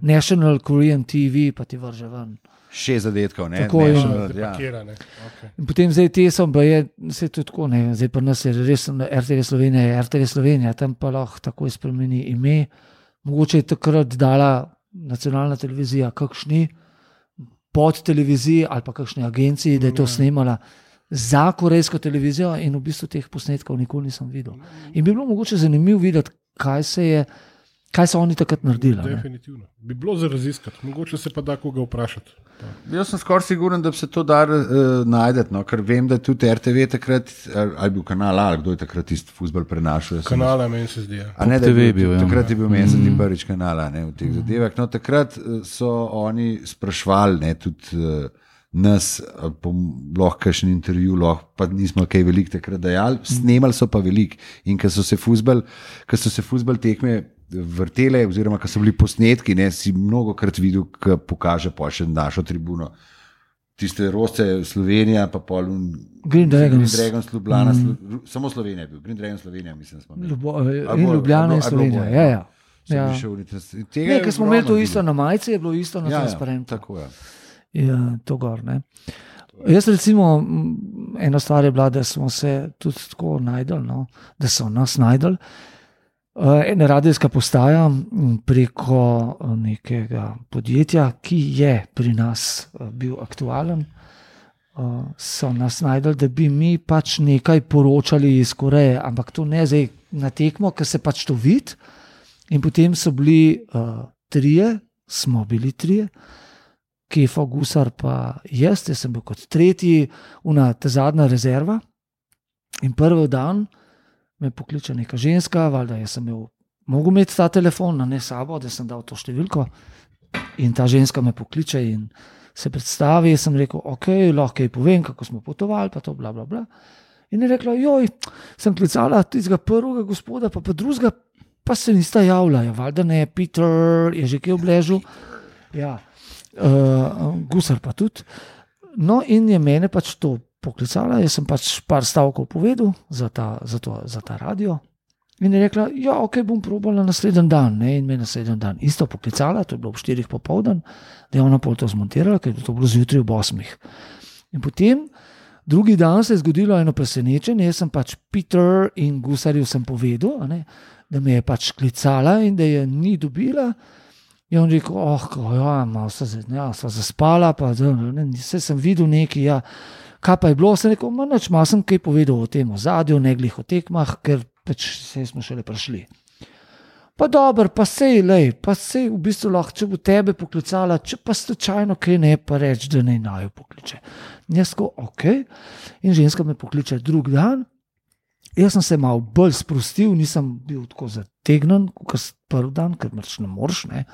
National Korean T V, pa ti vrže ven. Še zadetkov, ne? Tako ne, je. še, Ja, ja. pakirane. Okay. In potem zdaj te so, pa je, vse to tako, ne, zdaj pa nas je res R T V Slovenija, je R T V Slovenija, tam pa lahko takoj spremeni ime. Mogoče je takrat dala nacionalna televizija kakšni pod televiziji ali pa kakšni agenciji, da je to snemala za korejsko televizijo in v bistvu teh posnetkov nikoli nisem videl. In bi bilo mogoče zanimivo videti, kaj se je, kaj so oni takrat naredili. ne. Definitivno. Bi bilo za raziskati, mogoče se pa da koga vprašati. Jaz sem skoraj siguren, da bi se to dar uh, najdeti, no? Ker vem, da tudi R T V takrat, ali ali bil kanal A, ali kdo je takrat tisti fuzbal prenašal. jaz sem- Kanala meni se zdi. Ja. A ne, da Top T V je je bil, ja. takrat je bil meni se zdi prvič kanala, ne, v teh zadevah. No, takrat eh, so oni sprašvali, ne, tudi uh, nas, ali po lahko kakšen intervju, lahko pa nismo kaj veliko takrat dajali, snemali so pa veliko. In ko so se fuzbal, ko so se fuzbal tekme vrtele, oziroma ko so bili posnetki, ne, si mnogo krat videl, ko pokaže pa še našo tribuno. Tiste roste Slovenija, pa pol un, Green Dragons. Green Dragons Ljubljana, mm. samo Slovenija je bil, Green Dragons Slovenija, mislim, da smo imeli. Ljubo, A in bolj- Ljubljana a in bolj- a Slovenija. bolj, Ja, ja. ja. Sem Ja. bil še v Litvi. Tega Ne, je ker smo ogromno imeli to bilo. isto na majici, je bilo isto na Ja, ja, transparentu. tako je. Ja, to gor, ne. Jaz recimo, m, ena stvar je bila, da smo se tudi tako najdel, no, da so nas najdel. Uh, ena radijska postaja m, preko uh, nekega podjetja, ki je pri nas uh, bil aktualen, uh, so nas najdel, da bi mi pač nekaj poročali iz Koreje, ampak to ne zdaj na tekmo, ker se pač to vidi. In potem so bili uh, trije, smo bili trije, Kefo, Gusar, pa jaz, jaz sem bil kot tretji, una ta zadnja rezerva. In prvi dan me pokliče neka ženska, valjda jaz sem imel, mogel imeti ta telefon, na ne sabo, da sem dal to številko. In ta ženska me pokliče in se predstavi. Jaz sem rekel, ok, lahko ji povem, kako smo potovali, pa to bla bla bla. In je rekla, joj, sem klicala tistega prvega gospoda, pa pa drugega, pa se nista javila. Ja, valjda ne, Peter je že kje obležal. Ja. Uh, Gusar pa tudi. No, in je mene pač to poklicala, jaz sem pač par stavkov povedal za ta, za to, za ta radio. In je rekla, ja, ok, bom probala naslednji dan. Ne? In me naslednji dan isto poklicala, to je bilo ob štirih popoldan, da je ona pol to zmontirala, ker je to bilo zjutraj ob osmih. In potem Drugi dan se je zgodilo eno presenečenje, jaz sem pač Peter in Gusarju sem povedal, a ne, da me je pač klicala in da je ni dobila. In on rekel, oh, ja, malo se ja, zaspala, pa ne, vse sem videl nekaj, ja. Kaj pa je bilo, sem rekel, nič, malo sem kaj povedal o tem ozadju, ne glih o tekmah, ker pač se smo šele prišli. Pa dober, pa sej, lej, pa sej v bistvu lahko, če bo tebe poklicala, če pa slučajno kaj ne, pa reč, da ne naj jo pokliče. In jaz ko, ok, in ženska me pokliče drug dan, jaz sem se malo bolj sprostil, nisem bil tako zategnen, kot prvi dan, ker mrč ne moreš, ne.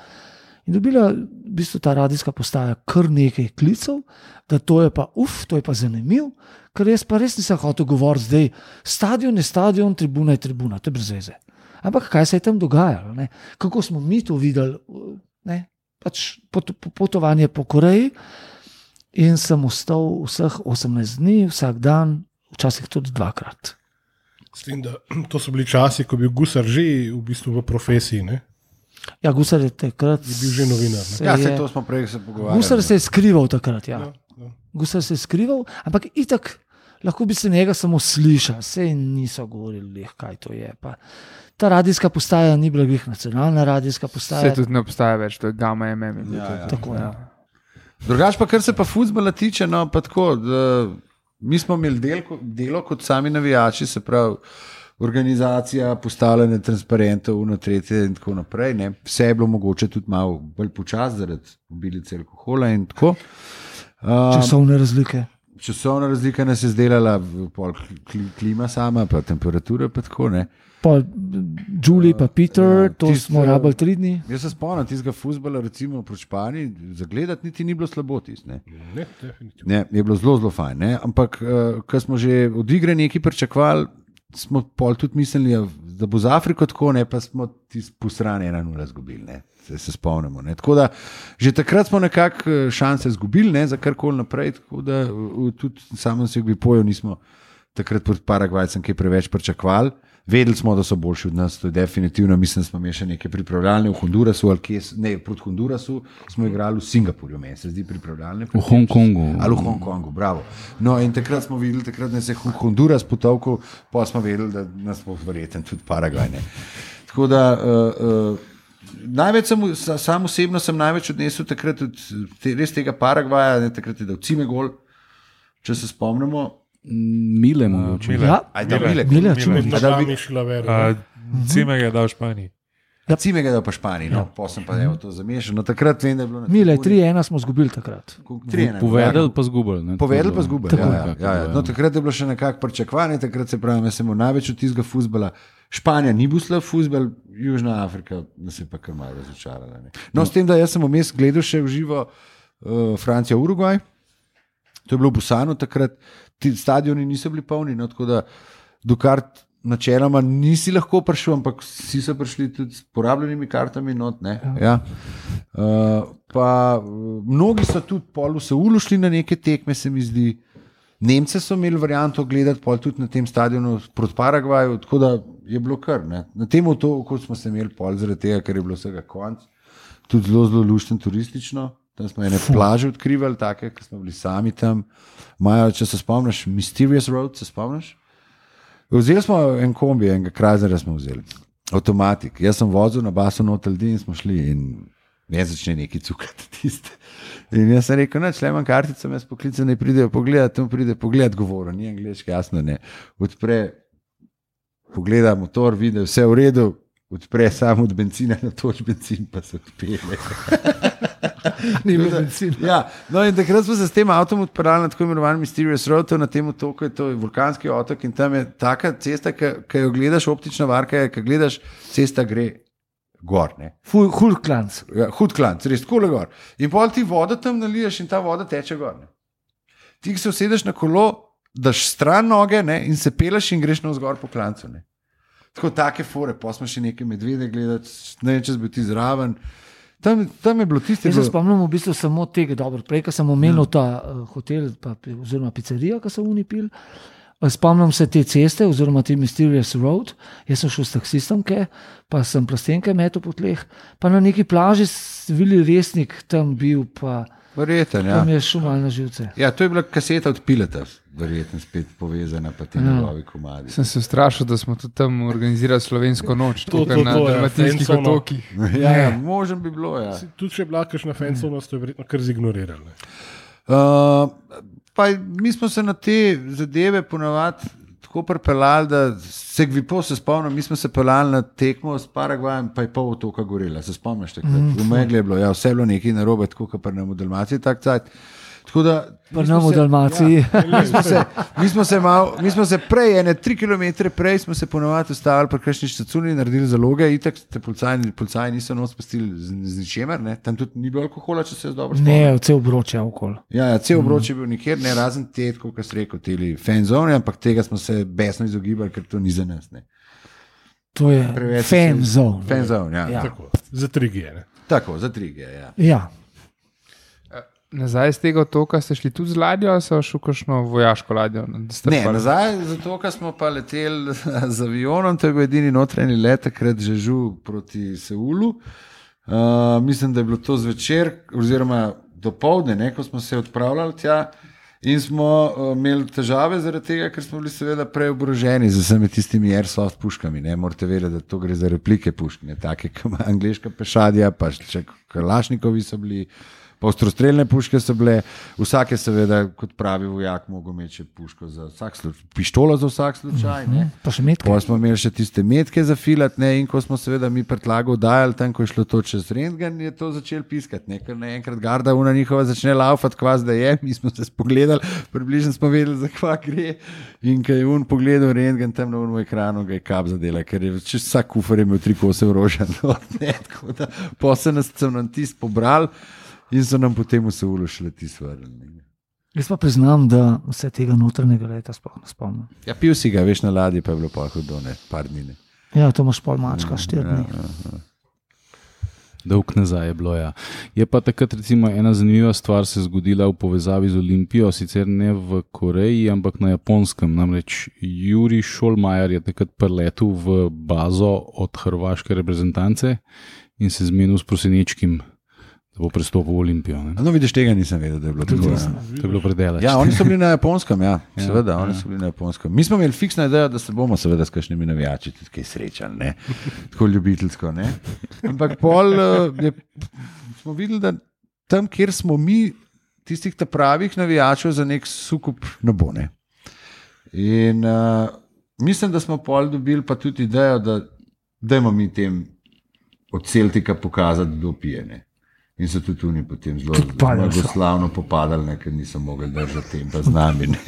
In dobila v bistvu ta radijska postaja kar nekaj klicev, da to je pa, uf, to je pa zanimiv, ker jaz pa res nisem hotel govoriti zdaj, stadion je stadion, tribuna je tribuna, to je brez veze. Ampak kaj se je tam dogajalo, ne? Kako smo mi to videli, ne? Pač pot, potovanje po Koreji in sem ostal vseh osemnajst dni, vsak dan, včasih tudi dvakrat. S tem, da to so bili časi, ko je bil Gusar že v bistvu v profesiji, ne? Ja, Gusar je takrat... Je bil že novinar, ne? Ja, se to smo prej se pogovarjali. Gusar se je skrival takrat, ja. Ja, ja. Gusar se je skrival, ampak itak lahko bi se njega samo slišal, sej niso govorili, kaj to je. Pa ta radijska postaja ni bila glih nacionalna radijska postaja. Se tudi ne obstaja več, to je Gamma M M. Ja, ja. Tako, ja. Drugač pa, kar se pa fuzbala tiče, no, pa tako, da, mi smo imeli del, delo kot sami navijači, se pravi, organizacija, postavljanje transparentov, uno tretje in tako naprej. Ne. Vse je bilo mogoče tudi malo bolj počas, zaradi obilice alkohola in tako. Um, Časovne razlike. Časovna razlika nas je zdelala, pol klima sama, pa temperatura, pa tako, ne. Pa Julie, pa Peter, Ja, to tist, smo eh, rabili tri dni. Jaz se spomnim tistega fuzbala, recimo proti Španiji, zagledati niti ni bilo slabo tist, ne. Ne, definitivno. Ne, je bilo zelo, zelo fajn, ne. Ampak, uh, ko smo že od igre nekaj pričakovali, smo pol tudi mislili, da bo z Afriko tako, ne, pa smo tisti posrani ena nula zgubili, ne. Se, se spomnimo, ne. Tako da, že takrat smo nekako šanse zgubili, ne, za karkoli naprej, tako da uh, tudi samo se bi pojev nismo takrat proti Paragvajcem kaj preveč pričakovali. Vedeli smo, da so boljši od nas, to je definitivno, mislim, smo imeli še neke pripravljalne v Hondurasu, ali kje, ne, proti Hondurasu smo igrali v Singapurju, meni se zdi pripravljalne. V Hongkongu. Ali v Hongkongu, bravo. No in takrat smo videli, takrat nas je Honduras potovkal, pa smo vedeli, da nas bo verjeten tudi Paragvaj, ne. Tako da, uh, uh, največ sem, sam osebno sem največ odnesel takrat od te, res tega Paragvaja, ne, takrat je dal Cime gol, če se spomnimo. Mile mogoče. Mile. Ja, Aj, da, Mile, Mile, Mile. čume. Med A da nami bi- je šla vera. Uh, Cime ga je dal v Španiji. Cime ga je dal pa Španiji, no, pa sem pa evo to zamešal. No, takrat vem, da je bilo na Mile, tribuni- tri ena smo zgubili takrat. tri ena, Povedali pa zgubili. ne, Povedali tako pa da- zgubili. Tako. Ja, ja, ja, ja. No, takrat je bilo še nekako pričakovanje, takrat se pravi, jaz sem imel največ od tistega fuzbala. Španija ni bil slab fuzbal, Južna Afrika nas je pa kar malo razočarala. Ne. No, s tem, da jaz sem vmes gledal še v živo uh, Francija Urugvaj, to je bilo v Busanu takrat, ti stadioni niso bili polni, no, tako da dokar načeloma nisi lahko prišel, ampak vsi so prišli tudi s porabljenimi kartami not, ne. Ja. Uh, pa uh, mnogi so tudi pol v Seulu šli na neke tekme, se mi zdi. Nemce so imeli varianto gledati pol tudi na tem stadionu proti Paragvaju, tako da je bilo kar. Ne. Na tem otoku smo se imeli pol zaradi tega, ker je bilo vsega konc, tudi zelo, zelo luštno turistično. Tam smo ene plaže odkrivali, take, ki smo bili sami tam. Majo, če se spomniš, Mysterious Road, se spomniš? Vzeli smo en kombi, enega Krajzera smo vzeli, avtomatik. Jaz sem vozil na basu notel din in smo šli in ne začne neki cukati tiste. In jaz sem rekel, neč, le imam kartico, me spoklice ne pridejo pogledati, tam pride pogledati govoro, ni angliški, jasno ne. Odpre, pogleda motor, vidi, vse v redu, odpre samo od benzina na toč benzin, pa se odpele. Ni bilo bencina. Ja, no in takrat smo se s tem avtom odpeljali na tako imenovani Mysterious Road, to na tem otoku je to vulkanski otok in tam je taka cesta, ki jo gledaš, optična varka je, ki gledaš, cesta gre gor, ne. Hulklanc. Ja, hud klanc, res tako le gor. In pol ti vodo tam naliješ in ta voda teče gor, ne. Ti, ki se usedeš na kolo, daš stran noge, ne, in se peleš in greš navzgor po klancu, ne. Tako take fore, pa smo še neke medvede gledati, ne vem, če bi ti zraven. Tam, tam je bilo tiste... Jaz se spomnim v bistvu samo tega, dobro, prej, ko sem omenil ta uh, hotel, pa, oziroma pizzerija, ki so oni pil. Spomnim se te ceste, oziroma te Mysterious Road. Jaz sem šel s taksistom, ke, pa sem plastenke metal po tleh, pa na neki plaži Vili Resnik tam bil, pa... verjeten, ja. To mi je šumal na živce. Ja, to je bila kaseta od Pileta, verjetno spet povezana pa ti njegovi komadi. Sem se strašil, da smo tudi tam organizirali slovensko noč, To- tukaj to- na to, ja, Dalmatinskih Fensovno. otokih. Ja, ja, možem bi bilo, ja. Tudi če je bila kakšna fansovnost, to je verjetno kar zignorirali. ne. Uh, pa mi smo se na te zadeve ponavadi tako pripeljali, da se gvipo se spomnim, mi smo se peljali na tekmo s Paragvajem, pa je pol otoka gorela, se spomniš takrat? Mm. V megli je bilo, ja, vse je bilo nekaj narobe, tako kot pri nam v Dalmaciji tak cajt. Tako da Pa mi smo nam v se- Dalmaciji. Ja, mi, smo se, mi, smo se mal, mi smo se prej, ene tri kilometre prej, smo se ponovadi ustavili pri kakšni štacuni, naredili zaloge, itak te policaji, policaji niso nos pustili z, z ničemer, ne? Tam tudi ni bilo alkohola, če se jaz dobro spomnim. Ne, vse obroče okoli. Ja, ja, cel obroč je bil nikjer, ne razen te, kot ste rekel, te fanzone, ampak tega smo se besno izogibali, ker to ni za nas. Ne. To je Preveč fan se- zone. Fanzone, ja. Ja. Ja. Tako, za trigije. ne. Tako, za trige. Ja. Ja. Nazaj z tega otoka ste šli tudi z ladjo, ali so šli kakšno vojaško ladjo? Da ste Ne, pa- nazaj, zato ker smo pa leteli z avionom, to je bil edini notranji let, takrat že žu proti Seulu. Uh, mislim, da je bilo to zvečer, oziroma do povdne, ne, ko smo se odpravljali tja. In smo uh, imeli težave zaradi tega, ker smo bili seveda preoboroženi z vsemi tistimi airsoft puškami. Ne. Morate vedeti, da to gre za replike pušk, ne take, kot ima angliška pešadija, pa še kalašnikovi so bili. Pa ostrostrelne puške so bile, vsak je seveda, kot pravi vojak, mogel imeti še puško za vsak slučaj, pištolo za vsak slučaj. Ne. Pa še metke. Pa smo imeli še tiste metke za filat, ne, in ko smo seveda mi predlago dajali, tam ko je šlo to čez rentgen, je to začel piskati, ne, ker naenkrat garda una njihova začne laufati, kvas da je, mi smo se spogledali, približno smo vedeli, za kva gre, in ko je un pogledal rentgen tam na unem ekranu, ga je kap zadela, ker je čez vsak kufer je imel tri kose orožja, no, ne, tako da pa se nas sem nam tist pobral in so nam potem v Seulu šle tisti vrnili. Jaz pa priznam, da se tega notranjega leta sploh ne spomnim. Ja, pil si ga, veš, na ladji pa je bilo pa hudo, ne, par dni. Ne. Ja, to imaš pol mačka, štiri dni. Dolg nazaj je bilo. Ja. Je pa takrat recimo ena zanimiva stvar se zgodila v povezavi z Olimpijo, sicer ne v Koreji, ampak na Japonskem. Namreč Juri Šolmajer je takrat preletel v bazo od hrvaške reprezentance in se zmenil s Prosenečkim, da bo prestopil v Olimpijo. Ne. No, vidiš, tega nisem vedel, da je bilo tako. Ja. To je bilo predelač. Ja, oni so bili na Japonskem, ja, seveda, ja, oni so bili na Japonskem. Mi smo imeli fiksno idejo, da se bomo seveda s kakšnimi navijači tudi kaj srečali, ne, tako ljubiteljsko, ne. Ampak pol uh, je, smo videli, da tam, kjer smo mi, tistih ta pravih navijačev za nek sukup ne bo, ne. In uh, mislim, da smo pol dobili pa tudi idejo, da dajmo mi tem od Celtika pokazati, kdo pije, ne. In so tudi oni potem zelo blagoslavno popadali, ne, ker niso mogli držati tempa z nami. Ne.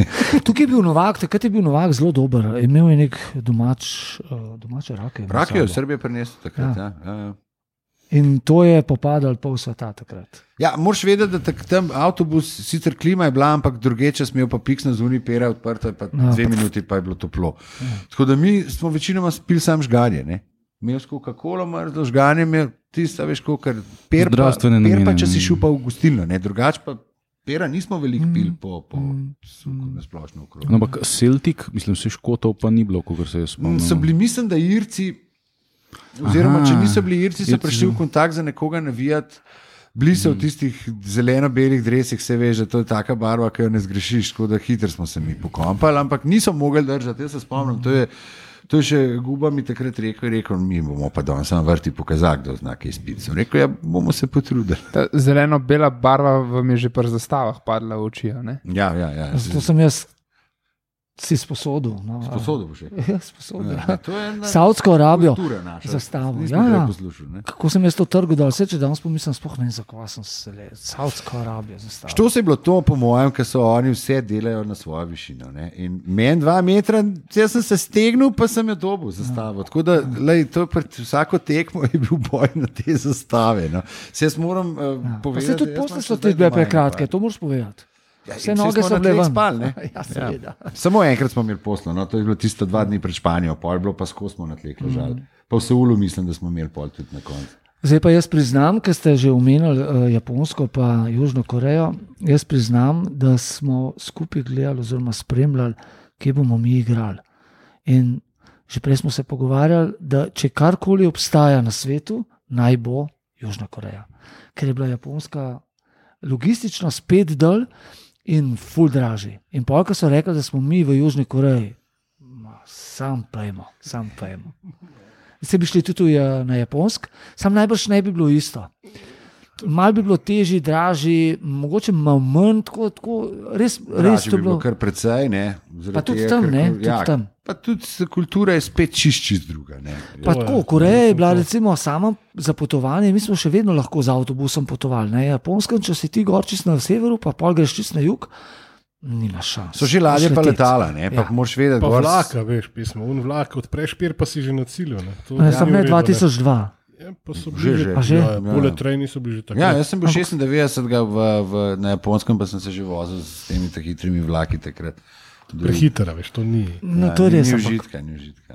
Tukaj je bil Novak, takrat je bil Novak zelo dober. Imel je nek domač, uh, domače rake. imel Rak je v sabo. Srbiji prinesel takrat. Ja. Ja. Ja, ja. In to je popadal pol sveta takrat. Ja, moraš vedeti, da tak, tam avtobus, sicer klima je bila, ampak drugeče smel pa piksno zunaj pera odprta, pa No, dve pa- minuti pa je bilo toplo. Tako da mi smo večinoma spili sam žganje, ne. Imel s Coca-Colo, mrzlo žganje, imel tisto, veš, kar per pa, Zdravstvene per pa, namene, če si ne. šel pa v gostilno, ne, drugače pa pera nismo veliko Mm. pili po, po suku na splošno okrog. No, ampak Celtic, mislim, vse Škotov pa ni bilo, kot se jaz Mm, spomnim. So bili, mislim, da Irci, oziroma Aha, če niso bili Irci, so Irci prišli so- v kontakt za nekoga navijati. Bili so v tistih zeleno-belih dresih, se veš, da to je taka barva, ki jo ne zgrešiš, tako da hitro smo se mi pokompali, ampak niso mogli držati. Jaz se spomnim, to je, to je še Guba mi takrat rekel, rekel, mi bomo pa danes samo vrti pokazati, kdo zna kaj spiti. Sem rekel, ja, bomo se potrudili. Ta zeleno-bela barva vam je že pri zastavah padla v oči. a ne? Ja, ja, ja. Zato sem jaz si sposodil. No, Sposodil bo še. Ja, sposodil. Ja, to je ena Saudsko Arabijo. kultura naša. Zastavo, Nismo ja, prej ja. poslušali, ne. Kako sem jaz to trgal dol, vse če danes pomislim, sploh ne vem, zakaj sem se le. Saudsko Arabijo zastavil. Što se je bilo to, po mojem, ker so oni vse delajo na svojo višino. Ne? In meni dva metra, jaz sem se stegnil, pa sem jo dobil zastavo. Tako da, lej, to pred vsako tekmo je bil boj na te zastave. No? Se jaz moram uh, Ja. Pa povedati. se tudi jaz imam posle še so zdaj te bile doma prekratke, eno to moraš povedati. par. Vse Ja, noge saj smo so na bile tleh ven. spali, ne? Ja, seveda. Samo enkrat smo imeli poslo, no? To je bilo tisto dva dni pred Španijo, pol je bilo pa skozi smo na tleh ležali. Mm. Pa v Seulu mislim, da smo imeli pol tudi na koncu. Zdaj pa jaz priznam, ker ste že omenili uh, Japonsko pa Južno Korejo, jaz priznam, da smo skupaj gledali oziroma spremljali, kje bomo mi igrali. In že prej smo se pogovarjali, da če karkoli obstaja na svetu, naj bo Južna Koreja. Ker je bila Japonska logistično spet dol in ful draži. In polka so rekli, da smo mi v Južni Koreji. Ma, sam pojmo, sam pojmo. Se bi šli tudi na Japonsk, sam najbrž ne bi bilo isto. Mal bi bilo težji, dražji, mogoče malo manj, tako, tako res, res to bi bilo. Kar precej, ne. Pa tudi tam, ne, tudi ja, tam. Pa tudi kultura je spet čist, čist druga, ne. Pa tako, Koreja je bila recimo sama za potovanje, mi smo še vedno lahko z avtobusom potovali, ne, Japonskem, če si ti gor čist na severu, pa pol greš čist na jug, nimaš šans. So že ladje pa letala, ne, pa ja. moraš vedeti. Pa gor... vlaka, veš, pismo, un vlak, odpreš pir, pa si že na cilju, ne. To ne, sem ne dva tisoč dva. Ja, pa so bili že, že? Ja, poleg trajni so bili že tako. Ja, jaz sem bil šestindevetdeset v, v, na Japonskem, pa sem se že vozil s temi tak hitrimi vlaki takrat. Prehitra, veš, to ni. No, ja, to je res. Ni užitka, ni užitka.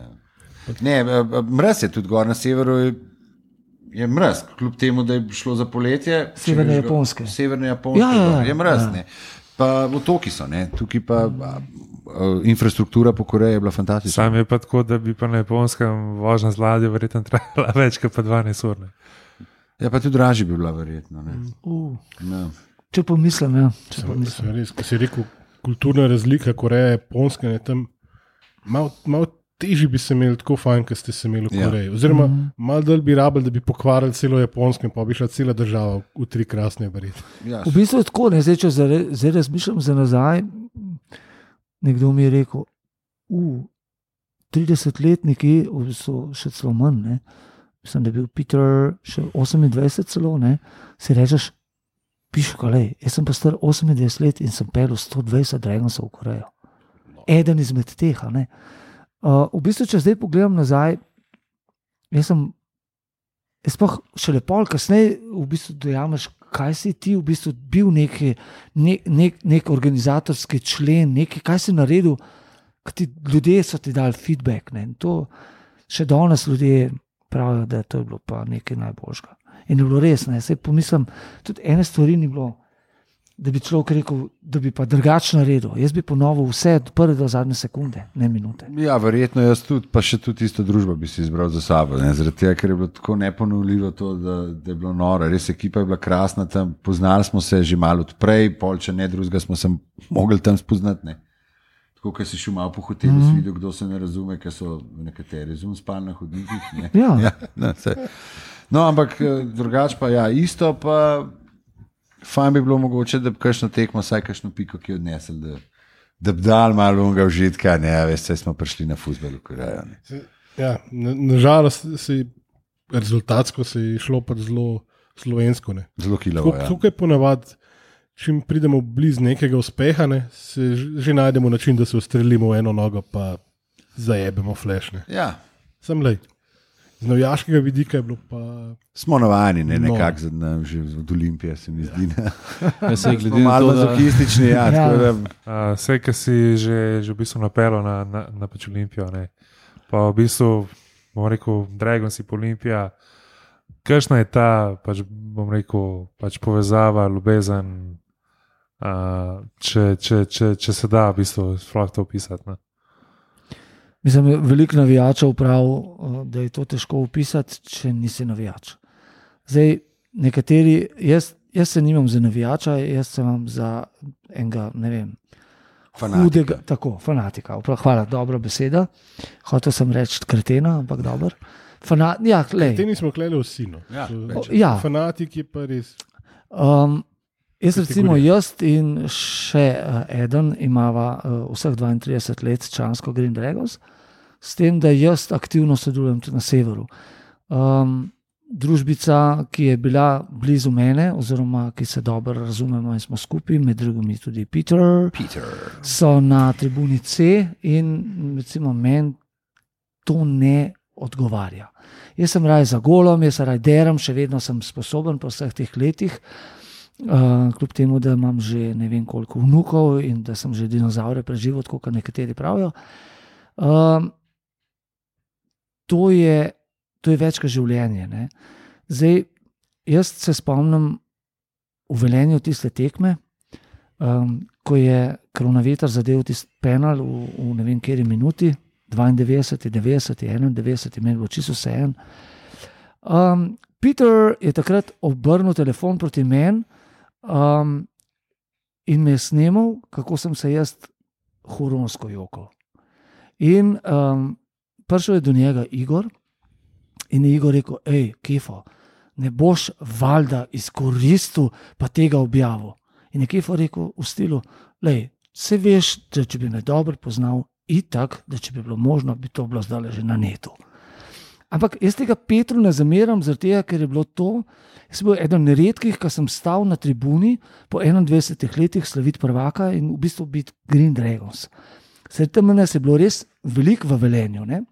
Ne, mraz je tudi gor na severu, je, je mraz, kljub temu, da je šlo za poletje. Severne Japonske. Severne Japonske, ja, ja, ja, je mraz, ja. ne. Pa otoki so, ne, tukaj pa a, a, infrastruktura po Koreji je bila fantastična. Sam je pa tako, da bi pa na Japonskem vožnja z ladjo verjetno trajala več kot pa dvanajst ur. Ne. Ja, pa tudi dražji bi bila verjetno. Ne. Uh, no. Če pomislim, ja. Če Sem, pomislim. sem res, ko si rekel, kulturna razlika Koreje, Japonske, ne, tam malo mal težji bi se imeli tako fajn, kot ste se imeli v Koreji. Oziroma, mm. malo dalj bi rabili, da bi pokvarili celo Japonsko in pa bi šla cela država v tri krasne verjetno. Ja. V bistvu je tako, ne, zdaj, če zdaj razmišljam za nazaj, nekdo mi je rekel, uh, tridesetletniki, v bistvu še celo manj, ne, mislim, da je bil Peter še osemindvajset celo, ne, si rečeš, pišu, kalej, jaz sem pa star osemindvajset let in sem pelil sto dvajset Dragonsov v Korejo. Eden izmed teh, ne. Uh, v bistvu, če zdaj pogledam nazaj, jaz sem, jaz pa še lepo, kasneje v bistvu dojameš, kaj si ti v bistvu bil neki, nek, nek, nek organizatorski člen, neki, kaj si naredil, kaj ti ljudje so ti dali feedback, ne, in to še danes ljudje pravijo, da to je bilo pa nekaj najboljšega. In je bilo res, ne, saj pomislim, tudi ene stvari ni bilo, da bi človek rekel, da bi pa drugačno naredil. Jaz bi ponovil vse od prve do zadnje sekunde, ne minute. Ja, verjetno jaz tudi, pa še tudi isto družbo bi si izbral za sabo, ne, zaradi tega, ker je bilo tako neponovljivo to, da, da je bilo noro. Res ekipa je bila krasna tam, poznali smo se že malo odprej, pol če ne drugega smo se mogli tam spoznati, ne. Tako, ker si šel malo po hotelu, mm. si videl, kdo se ne razume, ker so nekateri zum spali na hodnikih, ne. Ja. Ja, ne, no, ampak drugače pa ja, isto pa fajn bi bilo mogoče, da bi kakšno tekmo, saj kakšno piko, ki je odnesel, da, da bi dal malo unga užitka, ne, veste, smo prišli na fuzbol v Korejo. Ja, nažalost na se je rezultatsko se je šlo pa zelo slovensko, ne. Zelo kilavo, ja. Tukaj ponavadi, čim pridemo blizu nekega uspeha, ne, se že najdemo način, da se ustrelimo v eno nogo, pa zajebemo flash, ne. Ja. Sem lej. Z navijaškega vidika je bilo pa... Smo navajeni, ne, No. nekako no. že od Olimpije, se mi zdi. Ja, se je glede Smo na malo to, da- mazohistični, ja, Ja. tako da... Uh, Vse, ki si že, že v bistvu napelo na, na, na pač Olimpijo, ne. Pa v bistvu, bom rekel, Dragons in Olimpija, kakšna je ta, pač, bom rekel, pač povezava, ljubezen, uh, če, če, če, če se da v bistvu sploh to opisati. Ne. Mislim, veliko navijačev pravi, da je to težko opisati, če nisi navijač. Zdaj, nekateri, jaz, jaz se nimam za navijača, jaz se imam za enega, ne vem, Fanatika. hudega, tako, fanatika. Hvala, dobra beseda. Hotel sem reči kretena, ampak dober. Fana, ja, lej. Te nismo kleli vsi, no. Ja, To- več. Ja. Fanatik je pa res... Um, jaz recimo, Kategorija. jaz in še uh, eden imava uh, vseh dvaintrideset let člansko Green Dragons, s tem, da jaz aktivno sodelujem tudi na severu. Um, družbica, ki je bila blizu mene, oziroma ki se dobro razumemo in smo skupaj, med drugimi tudi Peter, Peter. so na tribuni C in recimo meni to ne odgovarja. Jaz sem raj za golom, jaz se raj deram, še vedno sem sposoben po vseh teh letih, uh, kljub temu, da imam že ne vem koliko vnukov in da sem že dinozaure preživel, tako kot nekateri pravijo. Um, to je To je več kot življenje. Ne? Zdaj, jaz se spomnim v Velenju tiste tekme, um, ko je Kronaveter zadev tisti penal v, v ne vem kateri minuti, dvaindevetdeset, devetdeset, enaindevetdeset, meni bilo čisto vseeno. Um, Peter je takrat obrnil telefon proti meni, Um, in me je snimal, kako sem se jaz huronsko jokal. In um, prišel je do njega Igor in je Igor rekel, hej, Kefo, ne boš valjda izkoristil pa tega objavil. In je Kefo rekel v stilu, lej, se veš, da če bi me dobro poznal, itak, da če bi bilo možno, bi to bilo zdaj že na netu. Ampak jaz tega Petru ne zameram, zaradi tega, ker je bilo to, jaz sem bil eden redkih, ki sem stal na tribuni po enaindvajsetih letih slaviti prvaka in v bistvu biti Green Dragons. Sredi tam nas je bilo res veliko v Velenju, ne?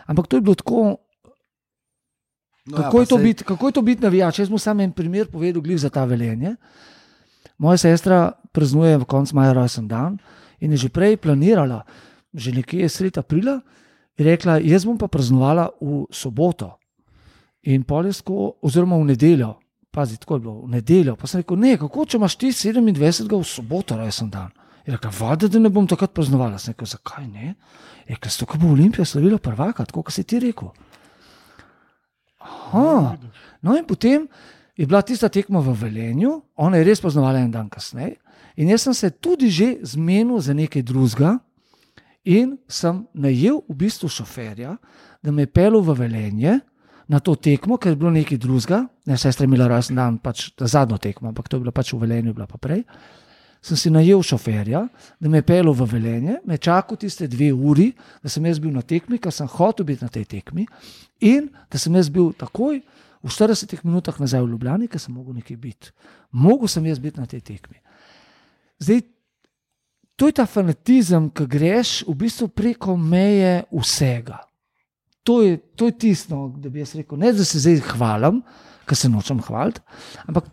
Ampak to je bilo tako, no, kako, ja, je to sej... biti, kako je to biti navijač. Jaz mu sam en primer povedal glih za ta Velenje. Moja sestra praznuje v koncu maja rojsten dan in je že prej planirala, že nekje sredi aprila, in rekla, jaz bom pa praznovala v soboto in poljesko, oziroma v nedeljo. Pazi, tako je bilo, v nedeljo. Pa sem rekel, ne, kako če imaš ti sedemindvajsetega v soboto rojsten dan? Je rekla, vada, da ne bom takrat praznovala. Sem rekel, zakaj ne? Je rekla, zato, ko bo Olimpija slavila prvaka, tako, kot si ti rekel. Aha. No in potem je bila tista tekma v Velenju, ona je res praznovala en dan kasneje in jaz sem se tudi že zmenil za nekaj drugega in sem najel v bistvu šoferja, da me je pelil v Velenje na to tekmo, ker je bilo nekaj drugega, ne, sestra je imela rojsten dan, pač zadnjo tekmo, ampak to je bilo pač v Velenju, bila pa prej. Sem si najel šoferja, da me je pelil v Velenje, me čakal tiste dve uri, da sem jaz bil na tekmi, ker sem hotel biti na tej tekmi in da sem jaz bil takoj v štiridesetih minutah nazaj v Ljubljani, ker sem mogel nekaj biti. Mogel sem jaz biti na tej tekmi. Zdaj, to je ta fanatizem, ki greš v bistvu preko meje vsega. To je, to je tisto, da bi jaz rekel, ne da se zdaj hvalim, ker se nočem hvaliti, ampak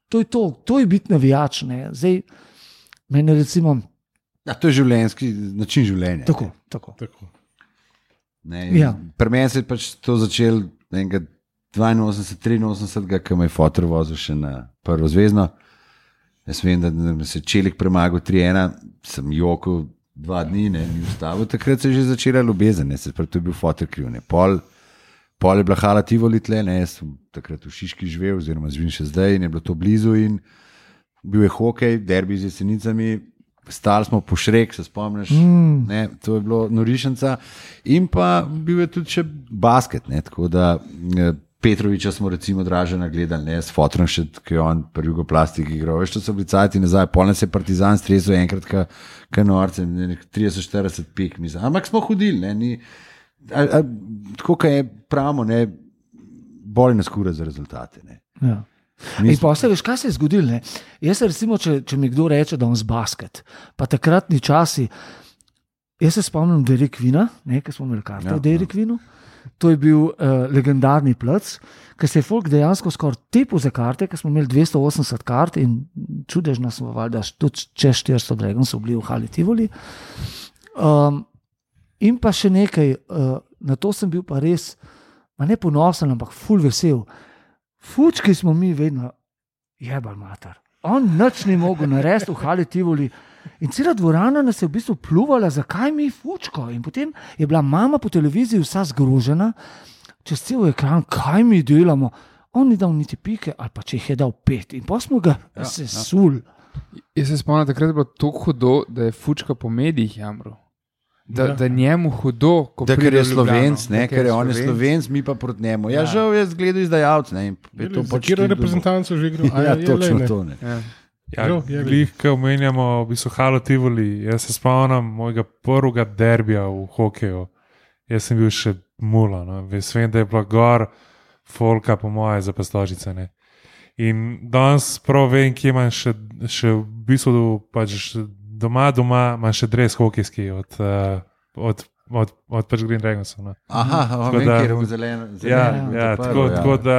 to je to, to je biti navijač. Ne. Zdaj, meni recimo... Ja, to je življenjski način življenja. Tako, ne. tako. Tako. Ne, ja. Pri meni se je pač to začel enega dvainosemdeset, triinosemdeset, ko me je fotor vozil še na prvo zvezno. Jaz vem, da se je Čelik premagal tri ena, sem jokal dva dni, ne, ni ustavil. Takrat se je že začela ljubezen, ne, se pravi, to je bil fotor kriv. Ne. Pol, pol je bila hala Tivoli tle, ne, jaz sem takrat v Šiški živel, oziroma živim še zdaj in je bilo to blizu in bil je hokej, derbi z Jesenicami, stali smo po Šrek, se spomniš, mm. ne, to je bilo norišenca in pa bil je tudi še basket, ne, tako da Petroviča smo recimo Dražena gledali, ne, s fotrom še, ki je on pri Jugoplastiki igral, veš, to so bili cajti nazaj, polne se Partizan stresel enkrat ka, ka norce, trideset štirideset pik, mislim, ampak smo hodili, ne, ni, a, a, tako kaj je pravimo, ne, boli nas kura za rezultate, ne. Ja. In pa se veš, kaj se je zgodilo, ne? Jaz se recimo, če, če mi kdo reče, da on z basket, pa takratni časi, jaz se spomnim Derek Vina, ne, ki smo imeli karte ja, v Derek Vinu, to je bil uh, legendarni plac, ker se je folk dejansko skoraj tepil za karte, ker smo imeli dvesto osemdeset kart in čudežno smo valjda tudi čez štiristo Dragonsov bili v Hali Tivoli. Um, in pa še nekaj, uh, na to sem bil pa res, ma ne ponosen, ampak ful vesel. Fučki smo mi vedno jebal mater. On nič ni mogel narediti v Hali Tivoli in cela dvorana nas je v bistvu pluvala, zakaj mi fučko. In potem je bila mama po televiziji vsa zgrožena, čez cel ekran, kaj mi delamo. On ni dal niti pike, ali pa če jih je dal pet. In pa smo ga ja, sesul. Ja. Jaz se spomnim, takrat je bilo tako hudo, da je fučka po medijih jamro. Da, da njemu hudo, ko da, pride ker je Slovenc, ne, da, ker je on je Slovenc, mi pa proti njemu. Ja, ja. Žal je zgledal izdajalc, ne. Za kjer reprezentanco že igral? Ja, točno to, ne. Ja. Ja, glih, ko omenjamo v bistvu Halo Tivoli, jaz se spomnim mojega prvega derbija v hokeju. Jaz sem bil še mula, no. Ves vem, da je bila gor folka po moje za Pastožice, ne. In danes prav vem, kje imam še, še v bistvu pač doma, doma imam še dres hokejski od, uh, od, od, od pač Green Dragonsov. No. Aha, vem, kjer je v zeleno. Ja, ja, tako, ja. Tako da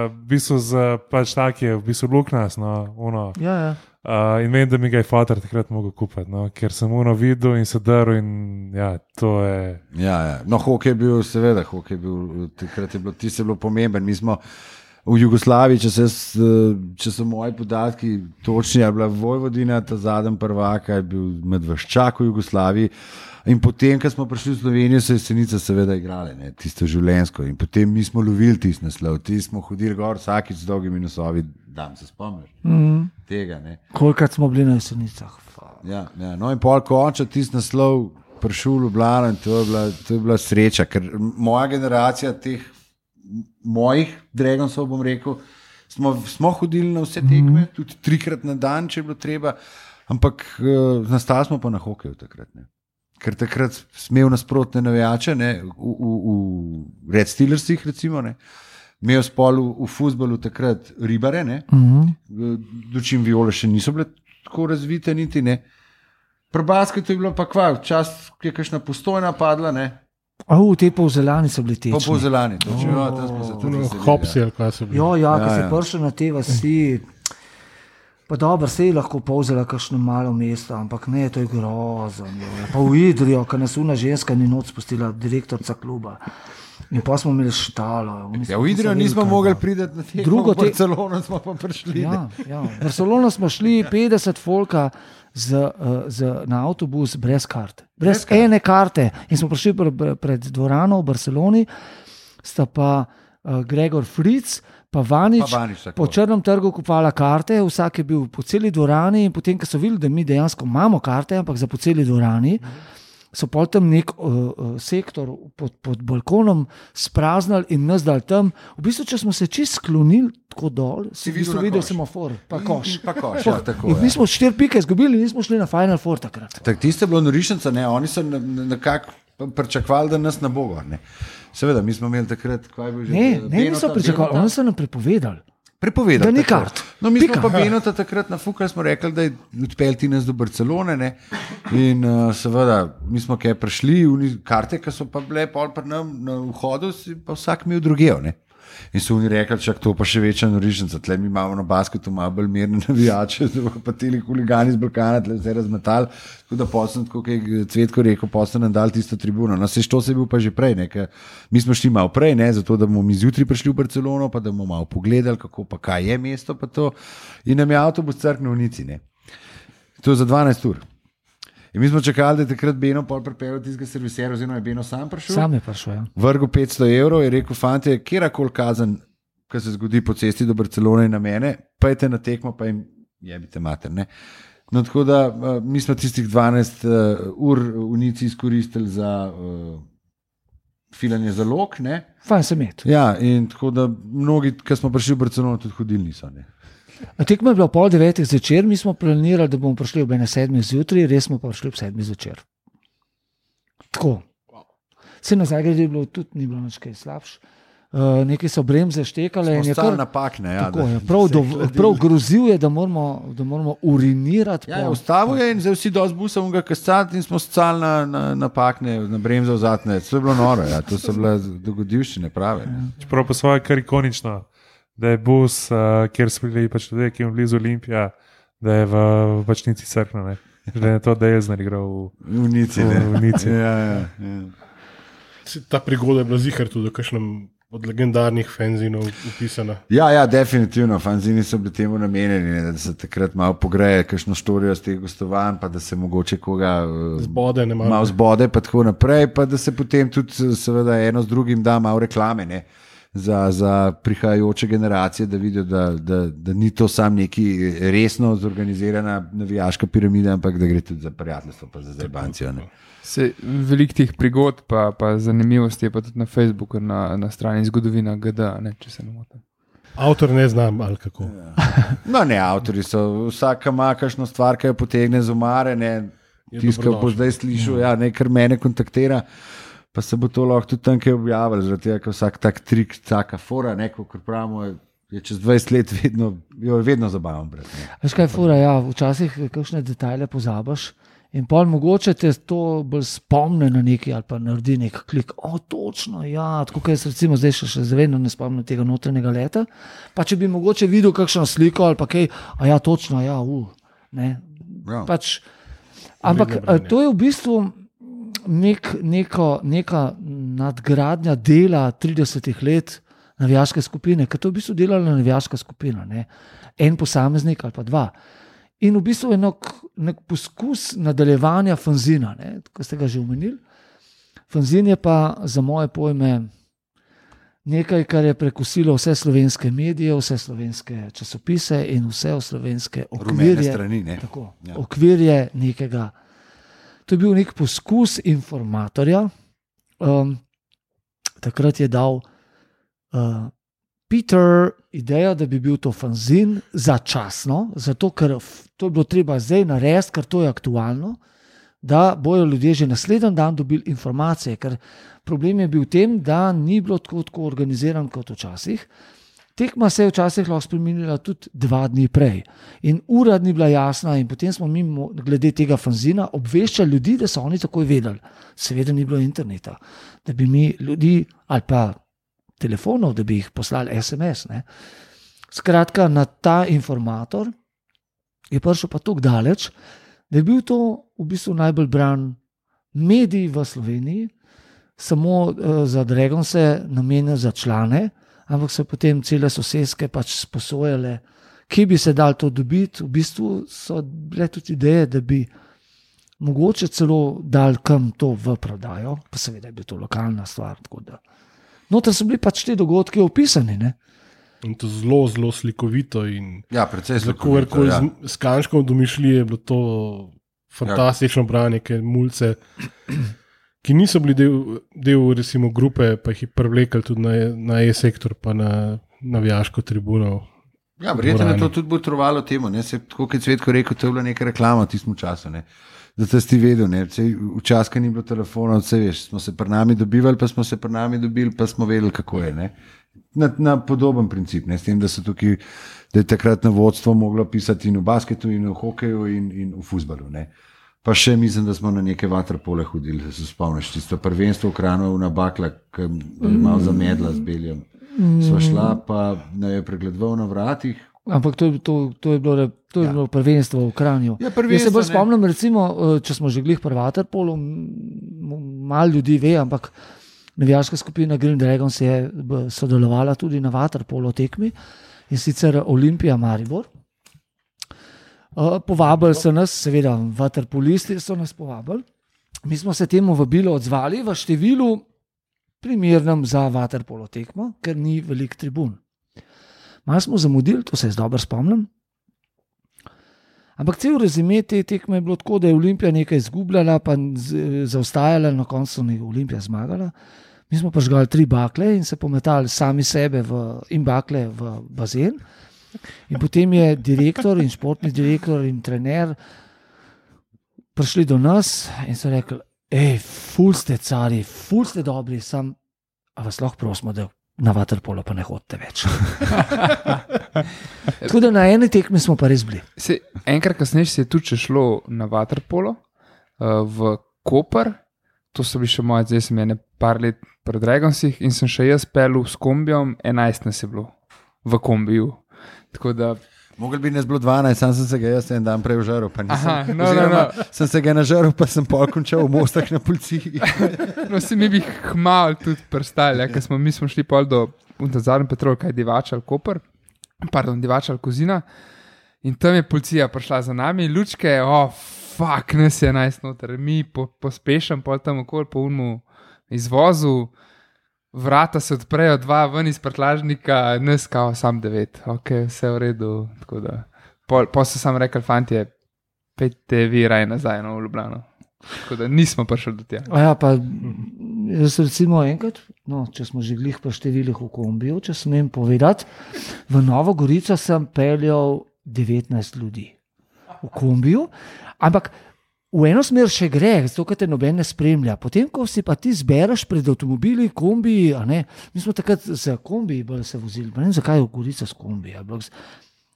v bistvu z, pač tak je v bistvu luknas, no, uno. Ja, ja. Uh, in vem, da mi ga je fotor takrat mogel kupiti, no, ker sem uno videl in se drl in ja, to je... Ja, ja. No, hokej je bil, seveda, hokej je bil, takrat je bilo, ti se bilo pomemben, mi smo v Jugoslaviji, če, se, če so moji podatki točni, je bila Vojvodina, ta zadnji prvak, je bil Medveščak v Jugoslaviji. In potem, ko smo prišli v Slovenijo, so Jesenice seveda igrale, ne, tisto življenjsko. In potem mi smo lovili tisti naslov, ti smo hodili gor vsakič z dolgimi nosovi, da se spomniš mm. tega. Kolikrat smo bili na Jesenicah. Ja, ja. No in pol konča tisti naslov prišel v Ljubljano in to je bila, to je bila sreča, ker moja generacija teh mojih Dragonsov, bom rekel, smo, smo hodili na vse tekme, mm. tudi trikrat na dan, če je bilo treba, ampak uh, nastali smo pa na hokeju takrat, ne. Ker takrat smel nasprotne navijače, ne, v, v, v Red Steelersih recimo, ne, imel spol v, v fuzbalu takrat ribare, ne, mm-hmm. dočim viole še niso bile tako razvite niti, ne. Pri basketu je bilo pa kva, čas, ki je kakšna Postojna padla, ne. A v te Polzelani so bili tečni. Po Polzelani, točno, oh. ja, tam smo se tudi veselili. Hopsi, ali kaj so bili. Jo, ja, ja, ko ja. se pršel na te vasi, pa dobro, se je lahko Polzela kakšno malo mesto, ampak ne, to je grozno. Pa v Idrijo, ko nas una ženska ni noč spustila, direktorca kluba. In pa smo imeli štalo. Ja, v Idrijo nismo mogli priti na te drugo, v Barcelono smo pa prišli. Ja, ja. V Barcelono smo šli petdeset folka z, z, na avtobus brez karte. Brez, brez ene karte. In smo prišli pre, pred dvorano v Barceloni, sta pa uh, Gregor Fritz, pa Vanič, pa Vanič po Črnem trgu kupovala karte, vsak je bil po celi dvorani in potem, ko so videli, da mi dejansko imamo karte, ampak za po celi dvorani, so pol tam nek uh, sektor pod, pod balkonom spraznali in nas dali tam. V bistvu, če smo se čist sklonili tako dol, si v bistvu videl semafor, pa koš. Pa koš, ja, tako, in mi smo štiri pike izgubili in nismo šli na Final Four takrat. Tak, tiste je bilo norišnica, ne, oni so nekako pričakovali, da nas ne bo gor, ne. Seveda, mi smo imeli takrat, kaj bi že... Ne, ne, niso pričakovali, oni so nam prepovedali. Prepovedali. Da ni kart. No, mi Pika. smo pa Benota takrat nafukali, smo rekli, da je odpeljati nas do Barcelone, ne, in uh, seveda, mi smo kaj prišli, karte, ki so pa bile pol pri nam na vhodu, si pa vsak imel drugejo, ne. In so oni rekli, čak to pa še večja norišnica, tle mi imamo na basketu malo bolj mirne navijače, pa teli huligani z Balkana, tle vse razmetali, tako da posem, tako je Cvetko rekel, posem nam dal tisto tribuno. No, se što se je bil pa že prej, ne, ker mi smo šli malo prej, ne, zato da bomo mi zjutraj prišli v Barcelono, pa da bomo malo pogledali, kako pa kaj je mesto, pa to. In nam je avtobus crknil v Nici, ne. To je za dvanajst ur. In mi smo čakali, da je takrat Beno pol pripeljal tistega serviserja, oziroma je Beno sam prišel. Sam je prišel, ja. Vrgu petsto evrov je rekel, fante, kjerakoli kazen, ki se zgodi po cesti do Barcelone na mene, pejte na tekmo, pa jim jebite mater, ne. No, tako da mi smo tistih dvanajst uh, ur v Nici izkoristili za uh, filanje zalog, ne. Fajn se met. Ja, in tako da mnogi, ki smo prišli v Barcelono, tudi hodili niso, ne. Tekma je bila pol devetih zvečer, mi smo planirali, da bomo prišli ob ene sedmih zjutraj, res smo pa prišli ob sedmih zvečer. Tako. Vse na Zagrebu je bilo tudi, ni bilo nič kaj slabš. Uh, nekaj so bremze štekale. Smo stali napakne, ja. Tako, ja prav, do, prav grozil je, da moramo, da moramo urinirati. Ja, ustavil je in zdaj vsi dosti busam ga kascati in smo stali na, na, napakne, na bremze vzatne. To je bilo noro, ja. To so bile dogodivščine prave. Ja. Čeprav pa svoje kar ikonično, da je bus, uh, kjer so bili pač ljudje, ki je blizu Olimpija, da je v, v pač Nici crkno, da je to Dejezner igral v, v Nici. V, v Nici. Ja, ja, ja. Ta prigoda je bila zihar tudi v kakšnem od legendarnih fanzinov upisana. Ja, ja, definitivno. Fanzini so bili temu namenjeni, da se takrat malo pogreje, kakšno štorijo z teh gostovanj, pa da se mogoče koga zbode, ne malo. Malo zbode, pa tako naprej, pa da se potem tudi seveda eno z drugim da malo reklame, ne. Za, za prihajajoče generacije, da vidijo, da, da, da ni to sam neki resno zorganizirana navijaška piramida, ampak da gre tudi za prijateljstvo, pa za zajbancijo. Veliko teh prigod, pa, pa zanimivosti je pa tudi na Facebooku, na, na strani Zgodovina G D, ne, če se ne motim. Avtor ne znam, ali kako. Ja. No, ne, avtori so, vsaka ima kakšno stvar, ki jo potegne z omare, ne, tiskal bo zdaj slišal, ja, ne, kar mene kontaktira. Pa se bo to lahko tudi tam kaj objavili, zaradi tega, ker vsak tak trik, taka fora, neko, kar pravimo, je čez dvajset let vedno, jo vedno zabavam. Brez, veš kaj je fora, ja, včasih kakšne detajle pozabaš in pol mogoče te to bolj spomne na nekaj ali pa naredi nek klik, o, točno, ja, tako kaj se recimo zdaj še, še zavedno ne spomnim tega notranjega leta, pa če bi mogoče videl kakšno sliko ali pa kaj, a ja, točno, ja, u, ne, ja. Pač, ampak to je v bistvu Nek, neko, neka nadgradnja dela tridesetih let navijaške skupine, ker to je v bistvu delala navijaška skupina, ne? En posameznik ali pa dva. In v bistvu je nek, nek poskus nadaljevanja fanzina, kot ste ga že omenili. Fanzin je pa za moje pojme nekaj, kar je prekusilo vse slovenske medije, vse slovenske časopise in vse slovenske okvirje. Strani, ne? Tako, ja. Okvirje nekega. To je bil nek poskus informatorja. Um, takrat je dal uh, Peter idejo, da bi bil to fanzin začasno, zato ker to je bilo treba zdaj narediti, ker to je aktualno, da bojo ljudje že naslednji dan dobili informacije, ker problem je bil v tem, da ni bilo tako, tako organiziran kot včasih. Tekma se je včasih lahko spremenila tudi dva dni prej in ura ni bila jasna in potem smo mi glede tega fanzina obveščali ljudi, da so oni takoj vedeli. Seveda ni bilo interneta, da bi mi ljudi ali pa telefonov, da bi jih poslali es em es. Ne. Skratka, na ta informator je prišel pa tako daleč, da je bil to v bistvu najbolj bran medij v Sloveniji, samo uh, za Dragonse namenjen za člane, ampak so potem cele soseske pač sposojale, kje bi se dal to dobiti. V bistvu so bile tudi ideje, da bi mogoče celo dal kam to v prodajo, pa seveda je bila to lokalna stvar. Noter so bili pač te dogodke opisani. Ne? In to zelo, zelo slikovito. Ja, precej slikovito. Ja. S, s kančkom domišljije je bilo to fantastično ja. branje, ker mulce, ki niso bili del, del recimo, grupe, pa jih je privlekli tudi na, na E-sektor, pa na navijaško tribuno. Ja, verjetno je to tudi botrovalo temu. Ne? Se, tako kot Cvetko rekel, to je bila neka reklama v tistem času. Ne? Da si vedel, včasih, ko ni bilo telefona, vse veš, smo se pri nami dobivali, pa smo se pri nami dobili, pa smo vedeli, kako je. Ne? Na, na podoben princip, ne? S tem, da, tukaj, da je takrat na vodstvo moglo pisati in v basketu, in v hokeju, in, in v fuzbalu. Ne? Pa še mislim, da smo na neke vaterpole hodili, da se spomniš, tisto prvenstvo v Kranju na bakla, ki je malo zamedla z beljem. Sva šla, pa ne je pregledoval na vratih. Ampak to, to, to je bilo, to je ja. bilo prvenstvo v Kranju. Ja, Jaz se bolj spomnim, recimo, če smo že glih pri vaterpolu, malo ljudi ve, ampak navijaška skupina Green Dragons je sodelovala tudi na vaterpolo tekmi in sicer Olimpija Maribor. Povabili so nas, seveda vaterpolisti so nas povabili. Mi smo se temu vabilu odzvali v številu primernem za vaterpolo tekmo, ker ni velik tribun. Malo smo zamudili, to se jaz dobro spomnim. Ampak cel rezime te tekme je bilo tako, da je Olimpija nekaj izgubljala, pa zaostajala, na koncu je Olimpija zmagala. Mi smo pa žgali tri bakle in se pometali sami sebe v, in bakle v bazen. In potem je direktor in športni direktor in trener prišli do nas in so rekli, ej, ful ste cari, ful ste dobri, sam, a vas lahko prosimo, da na vaterpolo pa ne hodite več. Tako da na eni tekmi smo pa res bili. Se, enkrat kasneje se je tudi šlo na vaterpolo uh, v Koper, to so bili še moje, zdaj sem je ne par let pred Dragonsih in sem še jaz pelil s kombijom, enajst nas je bilo v kombiju. Tako da mogel bi nas bilo dvanajst, sam sem se ga jaz en dan prej vžaril, pa nisem. Aha, no, no, no. Sem se ga nažaril, pa sem pol končal v Mostah na policiji. No, si mi bi hmal tudi prstali, ja, ker smo, mi smo šli pol do Zadnji Petrol, kaj Divača ali Koper, pardon, Divača ali Kozina in tam je policija prišla za nami, lučke, oh, fuck, nas je enajst noter, mi po, pospešam pol tam okoli po unmu izvozu, vrata se odprejo, dva ven iz prtlažnika, nas kao sam devet. Ok, vse v redu. Tako da, pol, pol so sam rekli, fantje, pejte vi raj nazaj no, v Ljubljano. Tako da nismo prišli do tega. Ja, pa jaz recimo enkrat, no, če smo že glih po številih v kombiju, če smem povedati, v Novo Gorico sem peljal devetnajst ljudi v kombiju, ampak v eno smer še gre, zato ker te noben ne spremlja. Potem, ko si pa ti zbereš pred avtomobili, kombiji, a ne, mi smo takrat za kombiji bolj se vozili, pa ne vem, zakaj je v Gorica s kombiji.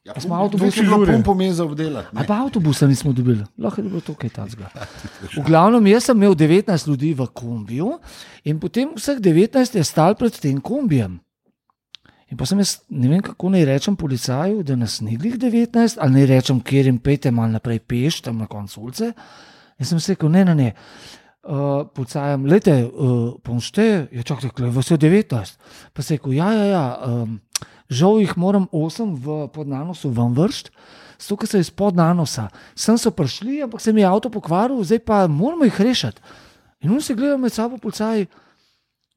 Ja, smo avtobusi bilo pumpo meza obdelati. A pa avtobusa nismo dobili, lahko je bilo to kaj tacga. V glavnem, jaz sem imel devetnajst ljudi v kombiju in potem vseh devetnajst je stal pred tem kombijem. In pa sem jaz, ne vem, kako naj rečem policaju, da nas ni glih devetnajst, ali naj rečem, kjer jim pejte malo naprej peš, tam na koncu ulice. Jaz sem se rekel, ne, ne, ne, uh, policajem, lejte, uh, pomšte, je čakaj, vas je devetnajst. Pa se je rekel, ja, ja, ja, um, žal jih moram osem v podnanosu vam vršt, zato ker so iz podnanosa. Sem so prišli, ampak se mi je avto pokvaril, zdaj pa moramo jih rešiti. In on se gleda med sabo policaj,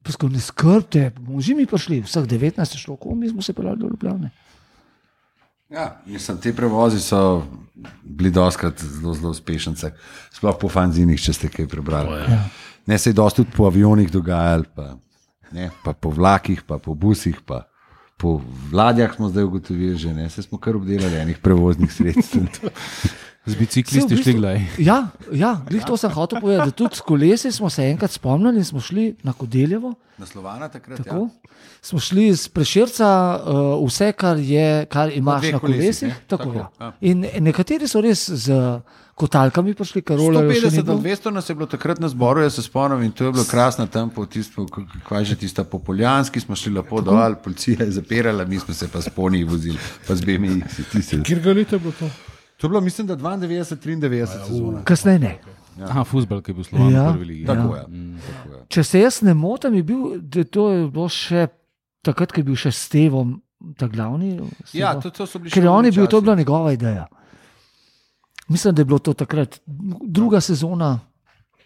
pa sko ne skrbte, bomo že mi prišli, vseh devetnajst je šlo, ko mi smo se pelali do Ljubljane. Ja, mislim, te prevozi so bili doskrat zelo, zelo uspešnice, sploh po fanzinih, če ste kaj prebrali. Ja. Ne, se je dosti tudi po avionih dogajalo, pa, ne, pa po vlakih, pa po busih, pa po ladjah smo zdaj ugotovili že, ne, se smo kar obdelali enih prevoznih sredstv. Z biciklisti šli gledaj. Ja, ja, glih to sem hotel povedati, da tudi s kolesi smo se enkrat spomnili in smo šli na Kodeljevo. Na Slovana takrat, Tako, ja. Smo šli z Prešerca, uh, vse, kar, je, kar imaš dveh na kolesih. kolesih, ne? Tako, Tako, ja. ja. In nekateri so res z kotalkami prišli, kar rolajo še sto petdeset ni do bilo. dvesto nas je bilo takrat na zboru, jaz se spomnim, in to je bilo krasno tam po tisto, kaj že tista po Poljanski, smo šli lepo dol, policija je zapirala, mi smo se pa s poniji vozili, pa z B M X. Kjer ga leta je bilo to? To je bilo, mislim, da dvaindevetdeset triindevetdeset sezona. Kasneje ne. Ja. Aha, fuzbal, ki je bil Slovan Ja. v prvi ligi. Tako Ja. je. Mm. Tako je. Če se jaz ne motim, je bil, da to je bilo še takrat, ko je bil še Stevom ta glavni. Ja, Stevo. to, to so bili Ker je on je bil, to je časi. bila njegova ideja. Mislim, da je bilo to takrat druga sezona.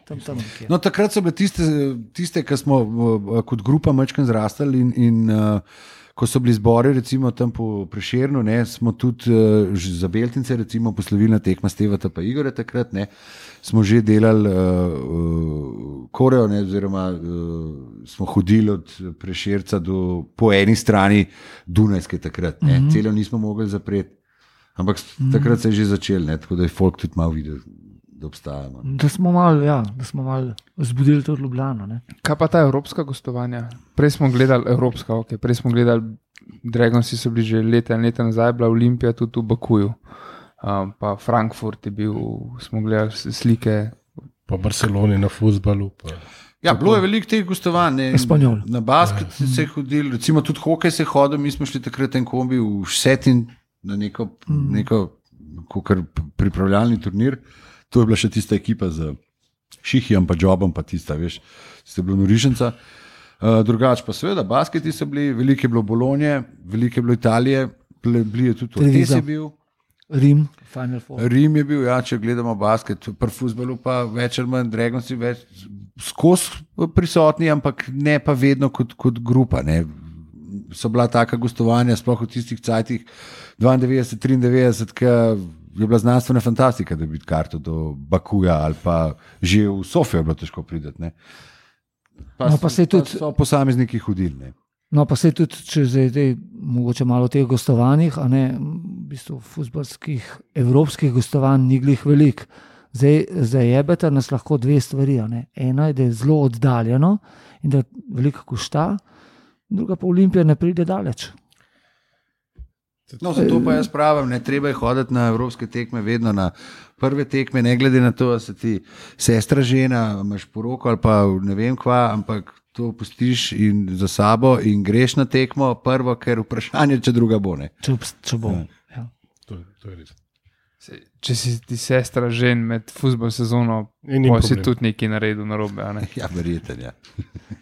Tam, tam nekje. No, takrat so bile tiste, tiste ki smo uh, kot grupa majčkeno zrastali in, in uh, ko so bili zbori, recimo tam po Prešernu, ne, smo tudi uh, za Beltince, recimo poslovilna tekma Stevata pa Igore takrat, ne, smo že delali uh, uh, koreo, ne, oziroma uh, smo hodili od Prešerca do po eni strani Dunajske takrat, ne, mm -hmm. celo nismo mogli zapreti, ampak mm -hmm. takrat se je že začel, ne, tako da je folk tudi malo videl, da obstajamo. Da smo malo ja, mal zbudili to Ljubljano. Ne? Kaj pa ta evropska gostovanja? Prej smo gledali evropska, okay. Prej smo gledali Dragonsi, so bili že leta in leta nazaj, bila Olimpija tudi v Bakuju. Um, pa Frankfurt je bil, smo gledali slike. Pa Barceloni na fuzbalu. Pa. Ja, bilo je veliko teh gostovanj. ne, Espanjol. Na basket ja. se je hodil, recimo tudi hokej se je hodil, mi smo šli takrat en kombi v Šetin na neko, mm. neko kakor pripravljalni turnir. To je bila še tista ekipa z Šihijem, pa Jobom, pa tista, veš, tista je bila Norišenca. Uh, drugač pa seveda, basketi so bili, veliko je bilo Bolonje, veliko je bilo Italije, bili je tudi Ortiz je bil. Rim, Final Four. Rim je bil, ja, če gledamo basket, pri fuzbalu pa več ali manj Dragonsi več skozi prisotni, ampak ne pa vedno kot, kot grupa. Ne. So bila taka gostovanja, sploh v tistih cajtih dvaindevetdeset triindevetdeset, ki je bila znanstvena fantastika, da bi bil karto do Bakuja ali pa že v Sofijo je bilo težko priti. Ne. Pa, No, pa se je pa tudi- so posamezniki hodili. Ne. No, pa se tudi, če zdaj, zdaj mogoče malo o teh gostovanjih, a ne, v bistvu futbalskih, evropskih gostovanj ni glih veliko. Zdaj, zdaj jebeta nas lahko dve stvari. a ne. Ena je, da je zelo oddaljeno in da veliko košta, druga pa Olimpija ne pride daleč. No, zato pa jaz pravim, ne treba je hoditi na evropske tekme, vedno na prve tekme, ne glede na to, da si ti sestra žena, imaš poroko ali pa ne vem kva, ampak to pustiš in za sabo in greš na tekmo prvo, ker vprašanje, če druga bo. Ne. Če, obst- če bo. Ja. To, je- to je res. Se- Če si ti sestra žen med futbol sezono, In ni pa si problem. tudi nekaj naredil narobe. a ne? Ja, verjeten, ja.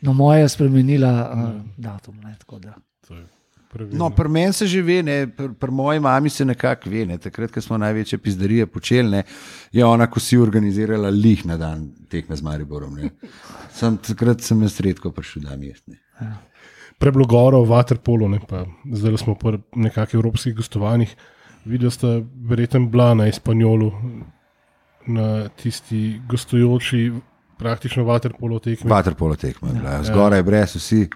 No, moja je spremenila uh, datum. Ne, tako da. To je pravilno. No, pri meni se že ve, ne, pri, pri moji mami se nekako ve. Ne. Takrat, ko smo največje pizdarije počeli, ne, je ona, ko si organizirala lih na dan tekme z Mariborom. Ne. Sem, takrat sem jaz redko prišel dan jesti. Preblo goro v Waterpolu, ne, pa zdaj smo po nekakšnih evropskih gostovanjih. Videla sta verjetno bila na Espanjolu, na tisti gostujoči praktično Waterpolo tekmi. Vaterpolo tekma je bila, zgoraj brez vsi.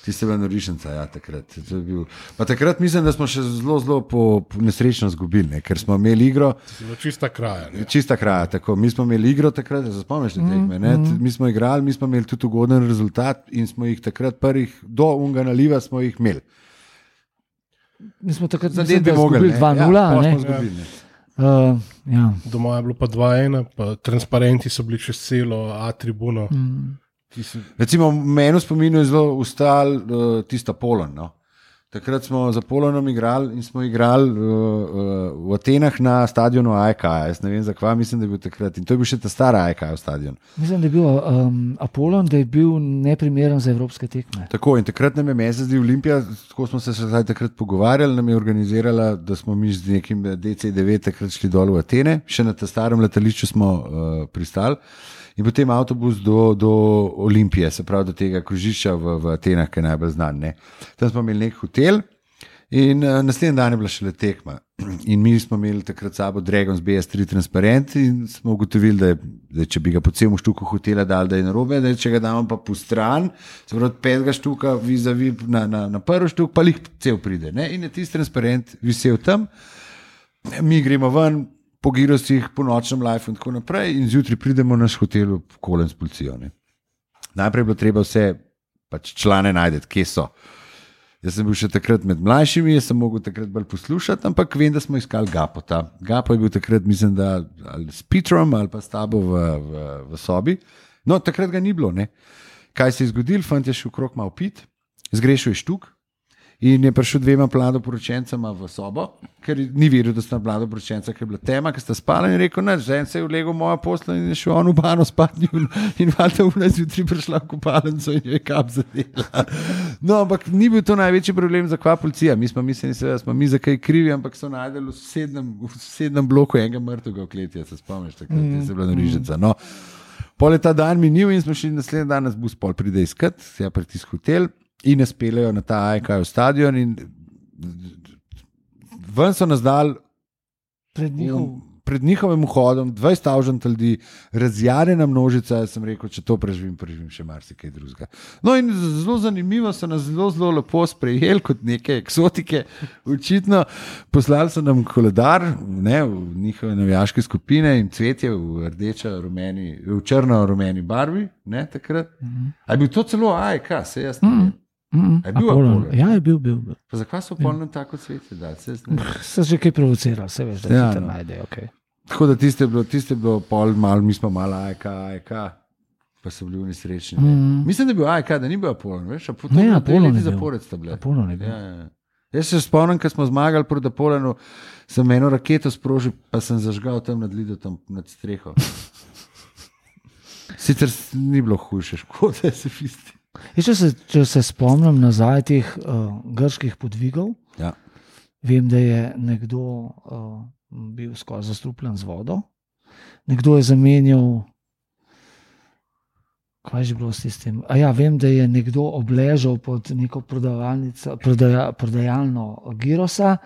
Tiste bila Norišenca, ja, takrat. To je bil. Pa takrat mislim, da smo še zelo, zelo po, po nesrečno izgubili, ne, ker smo imeli igro, Zelo čista kraja. Ne. čista kraja, tako. Mi smo imeli igro takrat, da se spomniš te tekme, ne, mi smo igrali, mi smo imeli tudi ugoden rezultat in smo jih takrat prvih, do unga naliva smo jih imeli. Mi smo takrat Zadeti mislim, bi da mogli, izgubili ne. dva nula. Ja, pol ne. smo izgubili, ne. Uh, ja. Doma je bilo pa dva ena, pa transparenti so bili čez celo A tribuno. Mm. Ti si- Recimo, meni v spominu je zelo ustal uh, tista Polen. No. Takrat smo za Polonom igrali in smo igrali uh, uh, v Atenah na stadionu A E K. Jaz ne vem, zakaj, mislim, da je bil takrat. In to je bil še ta stara A E K stadion. Mislim, da je bil um, Apollon, da je bil neprimeren za evropske tekme. Tako, in takrat nam je mesec Olimpija, tako smo se zdaj takrat pogovarjali, nam je organizirala, da smo mi z nekim D C devet takrat šli dol v Atene, še na ta starem letališču smo uh, pristali. In potem avtobus do, do Olimpije, se pravi do tega krožišča v, v Atenah, ki je najbolj znan. Ne. Tam smo imeli nek hotel in uh, naslednji dan je bila šele tekma. In mi smo imeli takrat sabo Dragons B S tri transparent in smo ugotovili, da, je, da če bi ga po celem štuku hotela dali, da je narobe, da je, če ga damo pa po stran, se pravi od petega štuka vizavi na, na, na prvi štuk, pa jih cel pride. Ne. In je tisti transparent visel tam, mi gremo ven, po girosih, po nočnem live in tako naprej in zjutraj pridemo na naš hotel v Kolen s policijo. Ne. Najprej je bilo treba vse pač člane najdeti, kje so. Jaz sem bil še takrat med mlajšimi, jaz sem mogel takrat bolj poslušati, ampak vem, da smo iskali Gapota. Gapo je bil takrat, mislim, da ali s Petrom ali pa s tabo v, v, v sobi. No, takrat ga ni bilo. Ne. Kaj se je zgodilo? Fant je šel krok malo pit, zgrešil je štuk. In je prišel dvema mladoporočencama v sobo, ker ni vedel, da sta mladoporočenca, ker je bila tema, ker sta spala in rekel, ne, žen se je vlegel moja posla in je šel on v bano spati in, in valjda v nas jutri prišla v kopalnico in je kap zadela. No, ampak ni bil to največji problem za kva policija. Mi smo mislili, da smo mi za kaj krivi, ampak so najdeli v sosednjem, v sosednjem bloku enega mrtvega v kleti, se spomniš, takrat mm. je se bila norižica. No, pol je ta dan minil in smo šli naslednji dan, nas bus pol pride iskat, se je pritisk hotel. In nas peljejo na ta A E K stadion in ven so nas dali pred, njihov... pred njihovim vhodom, dvajset avžant ljudi, razjarjena množica, jaz sem rekel, če to preživim, preživim še marsikaj drugega. No in zelo zanimivo so nas zelo, zelo lepo sprejeli kot neke eksotike, očitno poslali so nam koledar, ne, v njihove navijaške skupine in cvetje v rdeča, rumeni, v črno-rumeni barvi, ne, takrat. Mm-hmm. A je bil to celo A E K, se jaz ne vem. Mm-hmm. Mm, je bil Apollon. Ja, je bil, bil. bil. Zakaj so polno tako cvetje? Se, se že kaj provocirali, se veš, da ja, se tam no. najde. Okay. Tako da tiste je bilo, tiste je bilo pol malo, mi smo malo A E K, A E K, pa so bili nesrečni. Mm. Mislim, da je bil A E K, da ni bil Apollon, veš? A ne, Apollon je bil. Apollon je bil. Ja, ja. Jaz se spomnim, ko smo zmagali proti Apollonu, sem eno raketo sprožil, pa sem zažgal tam nad lido, tam nad streho. Sicer ni bilo hujše, škoda se fisti. Če se, če se spomnim nazaj teh uh, grških podvigov, ja. Vem, da je nekdo uh, bil skoraj zastrupljen z vodo, nekdo je zamenjal, kaj je že bilo s tistim? A ja, vem, da je nekdo obležal pod neko prodaja, prodajalno girosa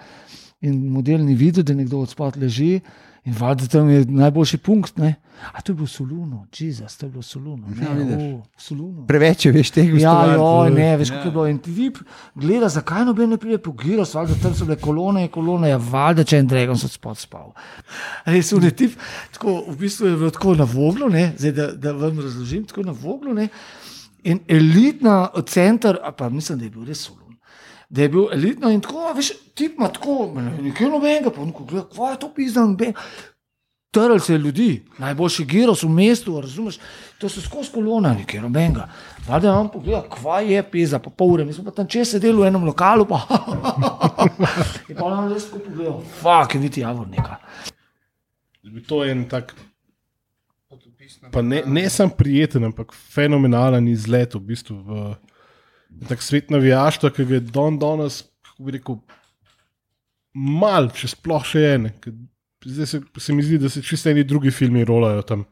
in model ni videl, da nekdo od spod leži. In valjda tam je najboljši punkt, ne? A to je bilo Soluno, Jezus, to je bilo Soluno. Ne, o, Soluno. Preveč je, veš, tega ja, joj, ne, veš, kako je bilo. In ti gleda, zakaj noben ne pride po giros, valjda tam so bile kolone in kolone, ja, valjda, če en Dragon so spod spal. Res, v tip, tako, v bistvu je bilo tako na voglu, ne, zdaj, da, da vam razložim, tako na voglu, ne, in elitna center, a pa mislim, da je bil res Soluno. Da je bil elitno in tako, veš, tip ima tako, nekaj nobenega, pa neko gleda, kva je to pizdan, trl se ljudi, najboljši giros v mestu, razumeš, to so skozi kolona, nekaj nobenega. Valjda vam pogleda, kva je pizda, pa pol ure, mi smo pa tam čez sedeli v enem lokalu, pa in pa nam res tako pogledal, fak, je niti javor neka. To je en tak, pa ne, ne sam prijeten, ampak fenomenalen izlet v bistvu v tak svet navijaštva, ki ga je don danes, kako bi rekel, mal, če sploh še ene. Zdaj se, se mi zdi, da se čisto eni drugi filmi rolajo tam,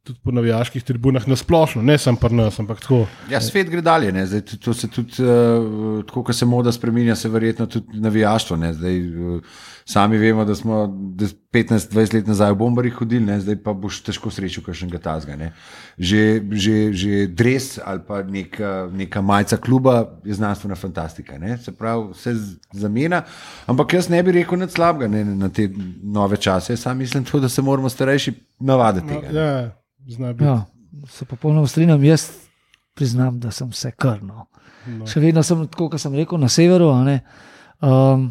tudi po navijaških tribunah, nasplošno, ne sam pri nas, ampak tako. Ja, svet gre dalje, ne? Zdaj, to se tudi, uh, tako ko se moda spreminja, se verjetno tudi navijaštvo, ne? Zdaj, uh, sami vemo, da smo petnajst dvajset let nazaj v bombarjih hodili, ne? Zdaj pa boš težko srečal kakšnega tazga, ne? Že, že, že dres ali pa neka, neka majica kluba je znanstvena fantastika, ne? Se pravi, vse zamena, ampak jaz ne bi rekel nič slabega, ne? Na te nove čase, jaz sam mislim to, da se moramo starejši navaditi tega. No, ja. Ja, se popolnoma strinjam, jaz priznam, da sem vse krno. No. Še vedno sem, tako kot sem rekel, na severu. Um,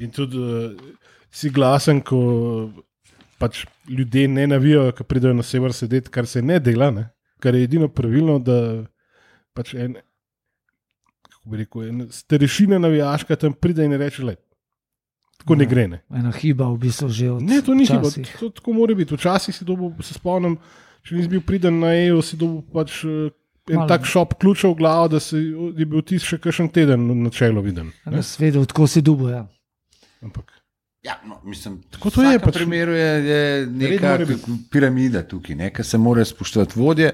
In tudi uh, si glasen, ko pač ljudje ne navijajo, ko pridejo na sever sedeti, kar se ne dela, ne? Kar je edino pravilno, da pač en, kako bi rekel, starešina navijaška tam pride in reče, le, tako ne, ne gre. Ne. Ena hiba v bistvu že od Ne, to ni hiba, včasih. to, to tako mora biti. Včasih si dobil, se spomnim, če nisi bil priden na E U, si dobil pač eh, en Malo. tak šop ključev v glavo, da si, je bil tis še kakšen teden na čelo viden. Da si vedel, tako si dubo. Ja. Ampak Ja, no, mislim, Tako to je, v vsakem pač. primeru je, je neka mora biti. piramida tukaj, ne, ki se mora spoštovati vodje.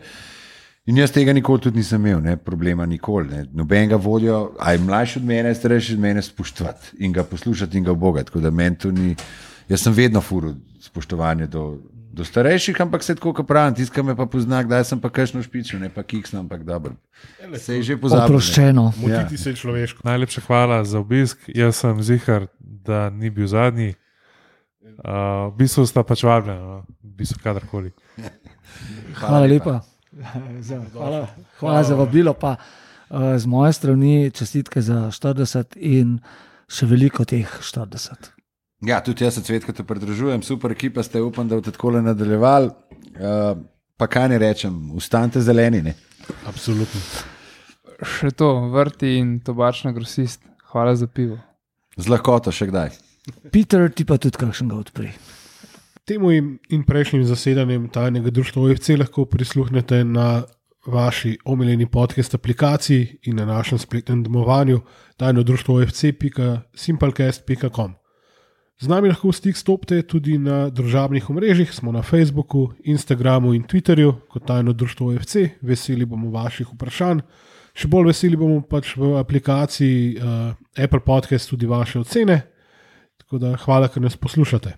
In jaz tega nikoli tudi nisem imel, ne, problema nikoli. Ne. Nobenega vodjo, a je mlajši od mene, starejši od mene, spoštovati in ga poslušati in ga obogati. Tako da meni to ni. Jaz sem vedno furil spoštovanje do, do starejših, ampak se tako, kot pravim, tiska me pa pozna, da sem pa kakšno špičil, ne pa kiksno, ampak dobro. Se je že pozabil. Oproščeno. motiti se je človeško. Najlepša hvala za obisk. Jaz sem zihar, da ni bil zadnji. Uh, v bistvu sta pač vabljena, no? v bistvu kadarkoli. Hvala lepa. Za, hvala, hvala za vabilo. Pa, uh, z moje strani čestitke za štirideset in še veliko teh štirideset. Ja, tudi jaz se Cvetka te pridružujem, super ekipa ste, upam, da boste tako nadaljevali. Uh, pa kaj ne rečem, ustanite zeleni. Ne? Absolutno. Še to, vrti in tobačna grosist. Hvala za pivo. Z lahkoto še kdaj. Peter, ti pa tudi kakšnega odpri. Temu in, in prejšnjim zasedanjem tajnega društva O F C lahko prisluhnete na vaši omiljeni podcast aplikaciji in na našem spletnem domovanju tajno društvo O F C pika simplecast pika com. Z nami lahko v stik stopite tudi na družabnih omrežjih, smo na Facebooku, Instagramu in Twitterju kot tajno društvo O F C. Veseli bomo vaših vprašanj. Še bolj veseli bomo pač v aplikaciji uh, Apple Podcast tudi vaše ocene. Tako da hvala, ker nas poslušate.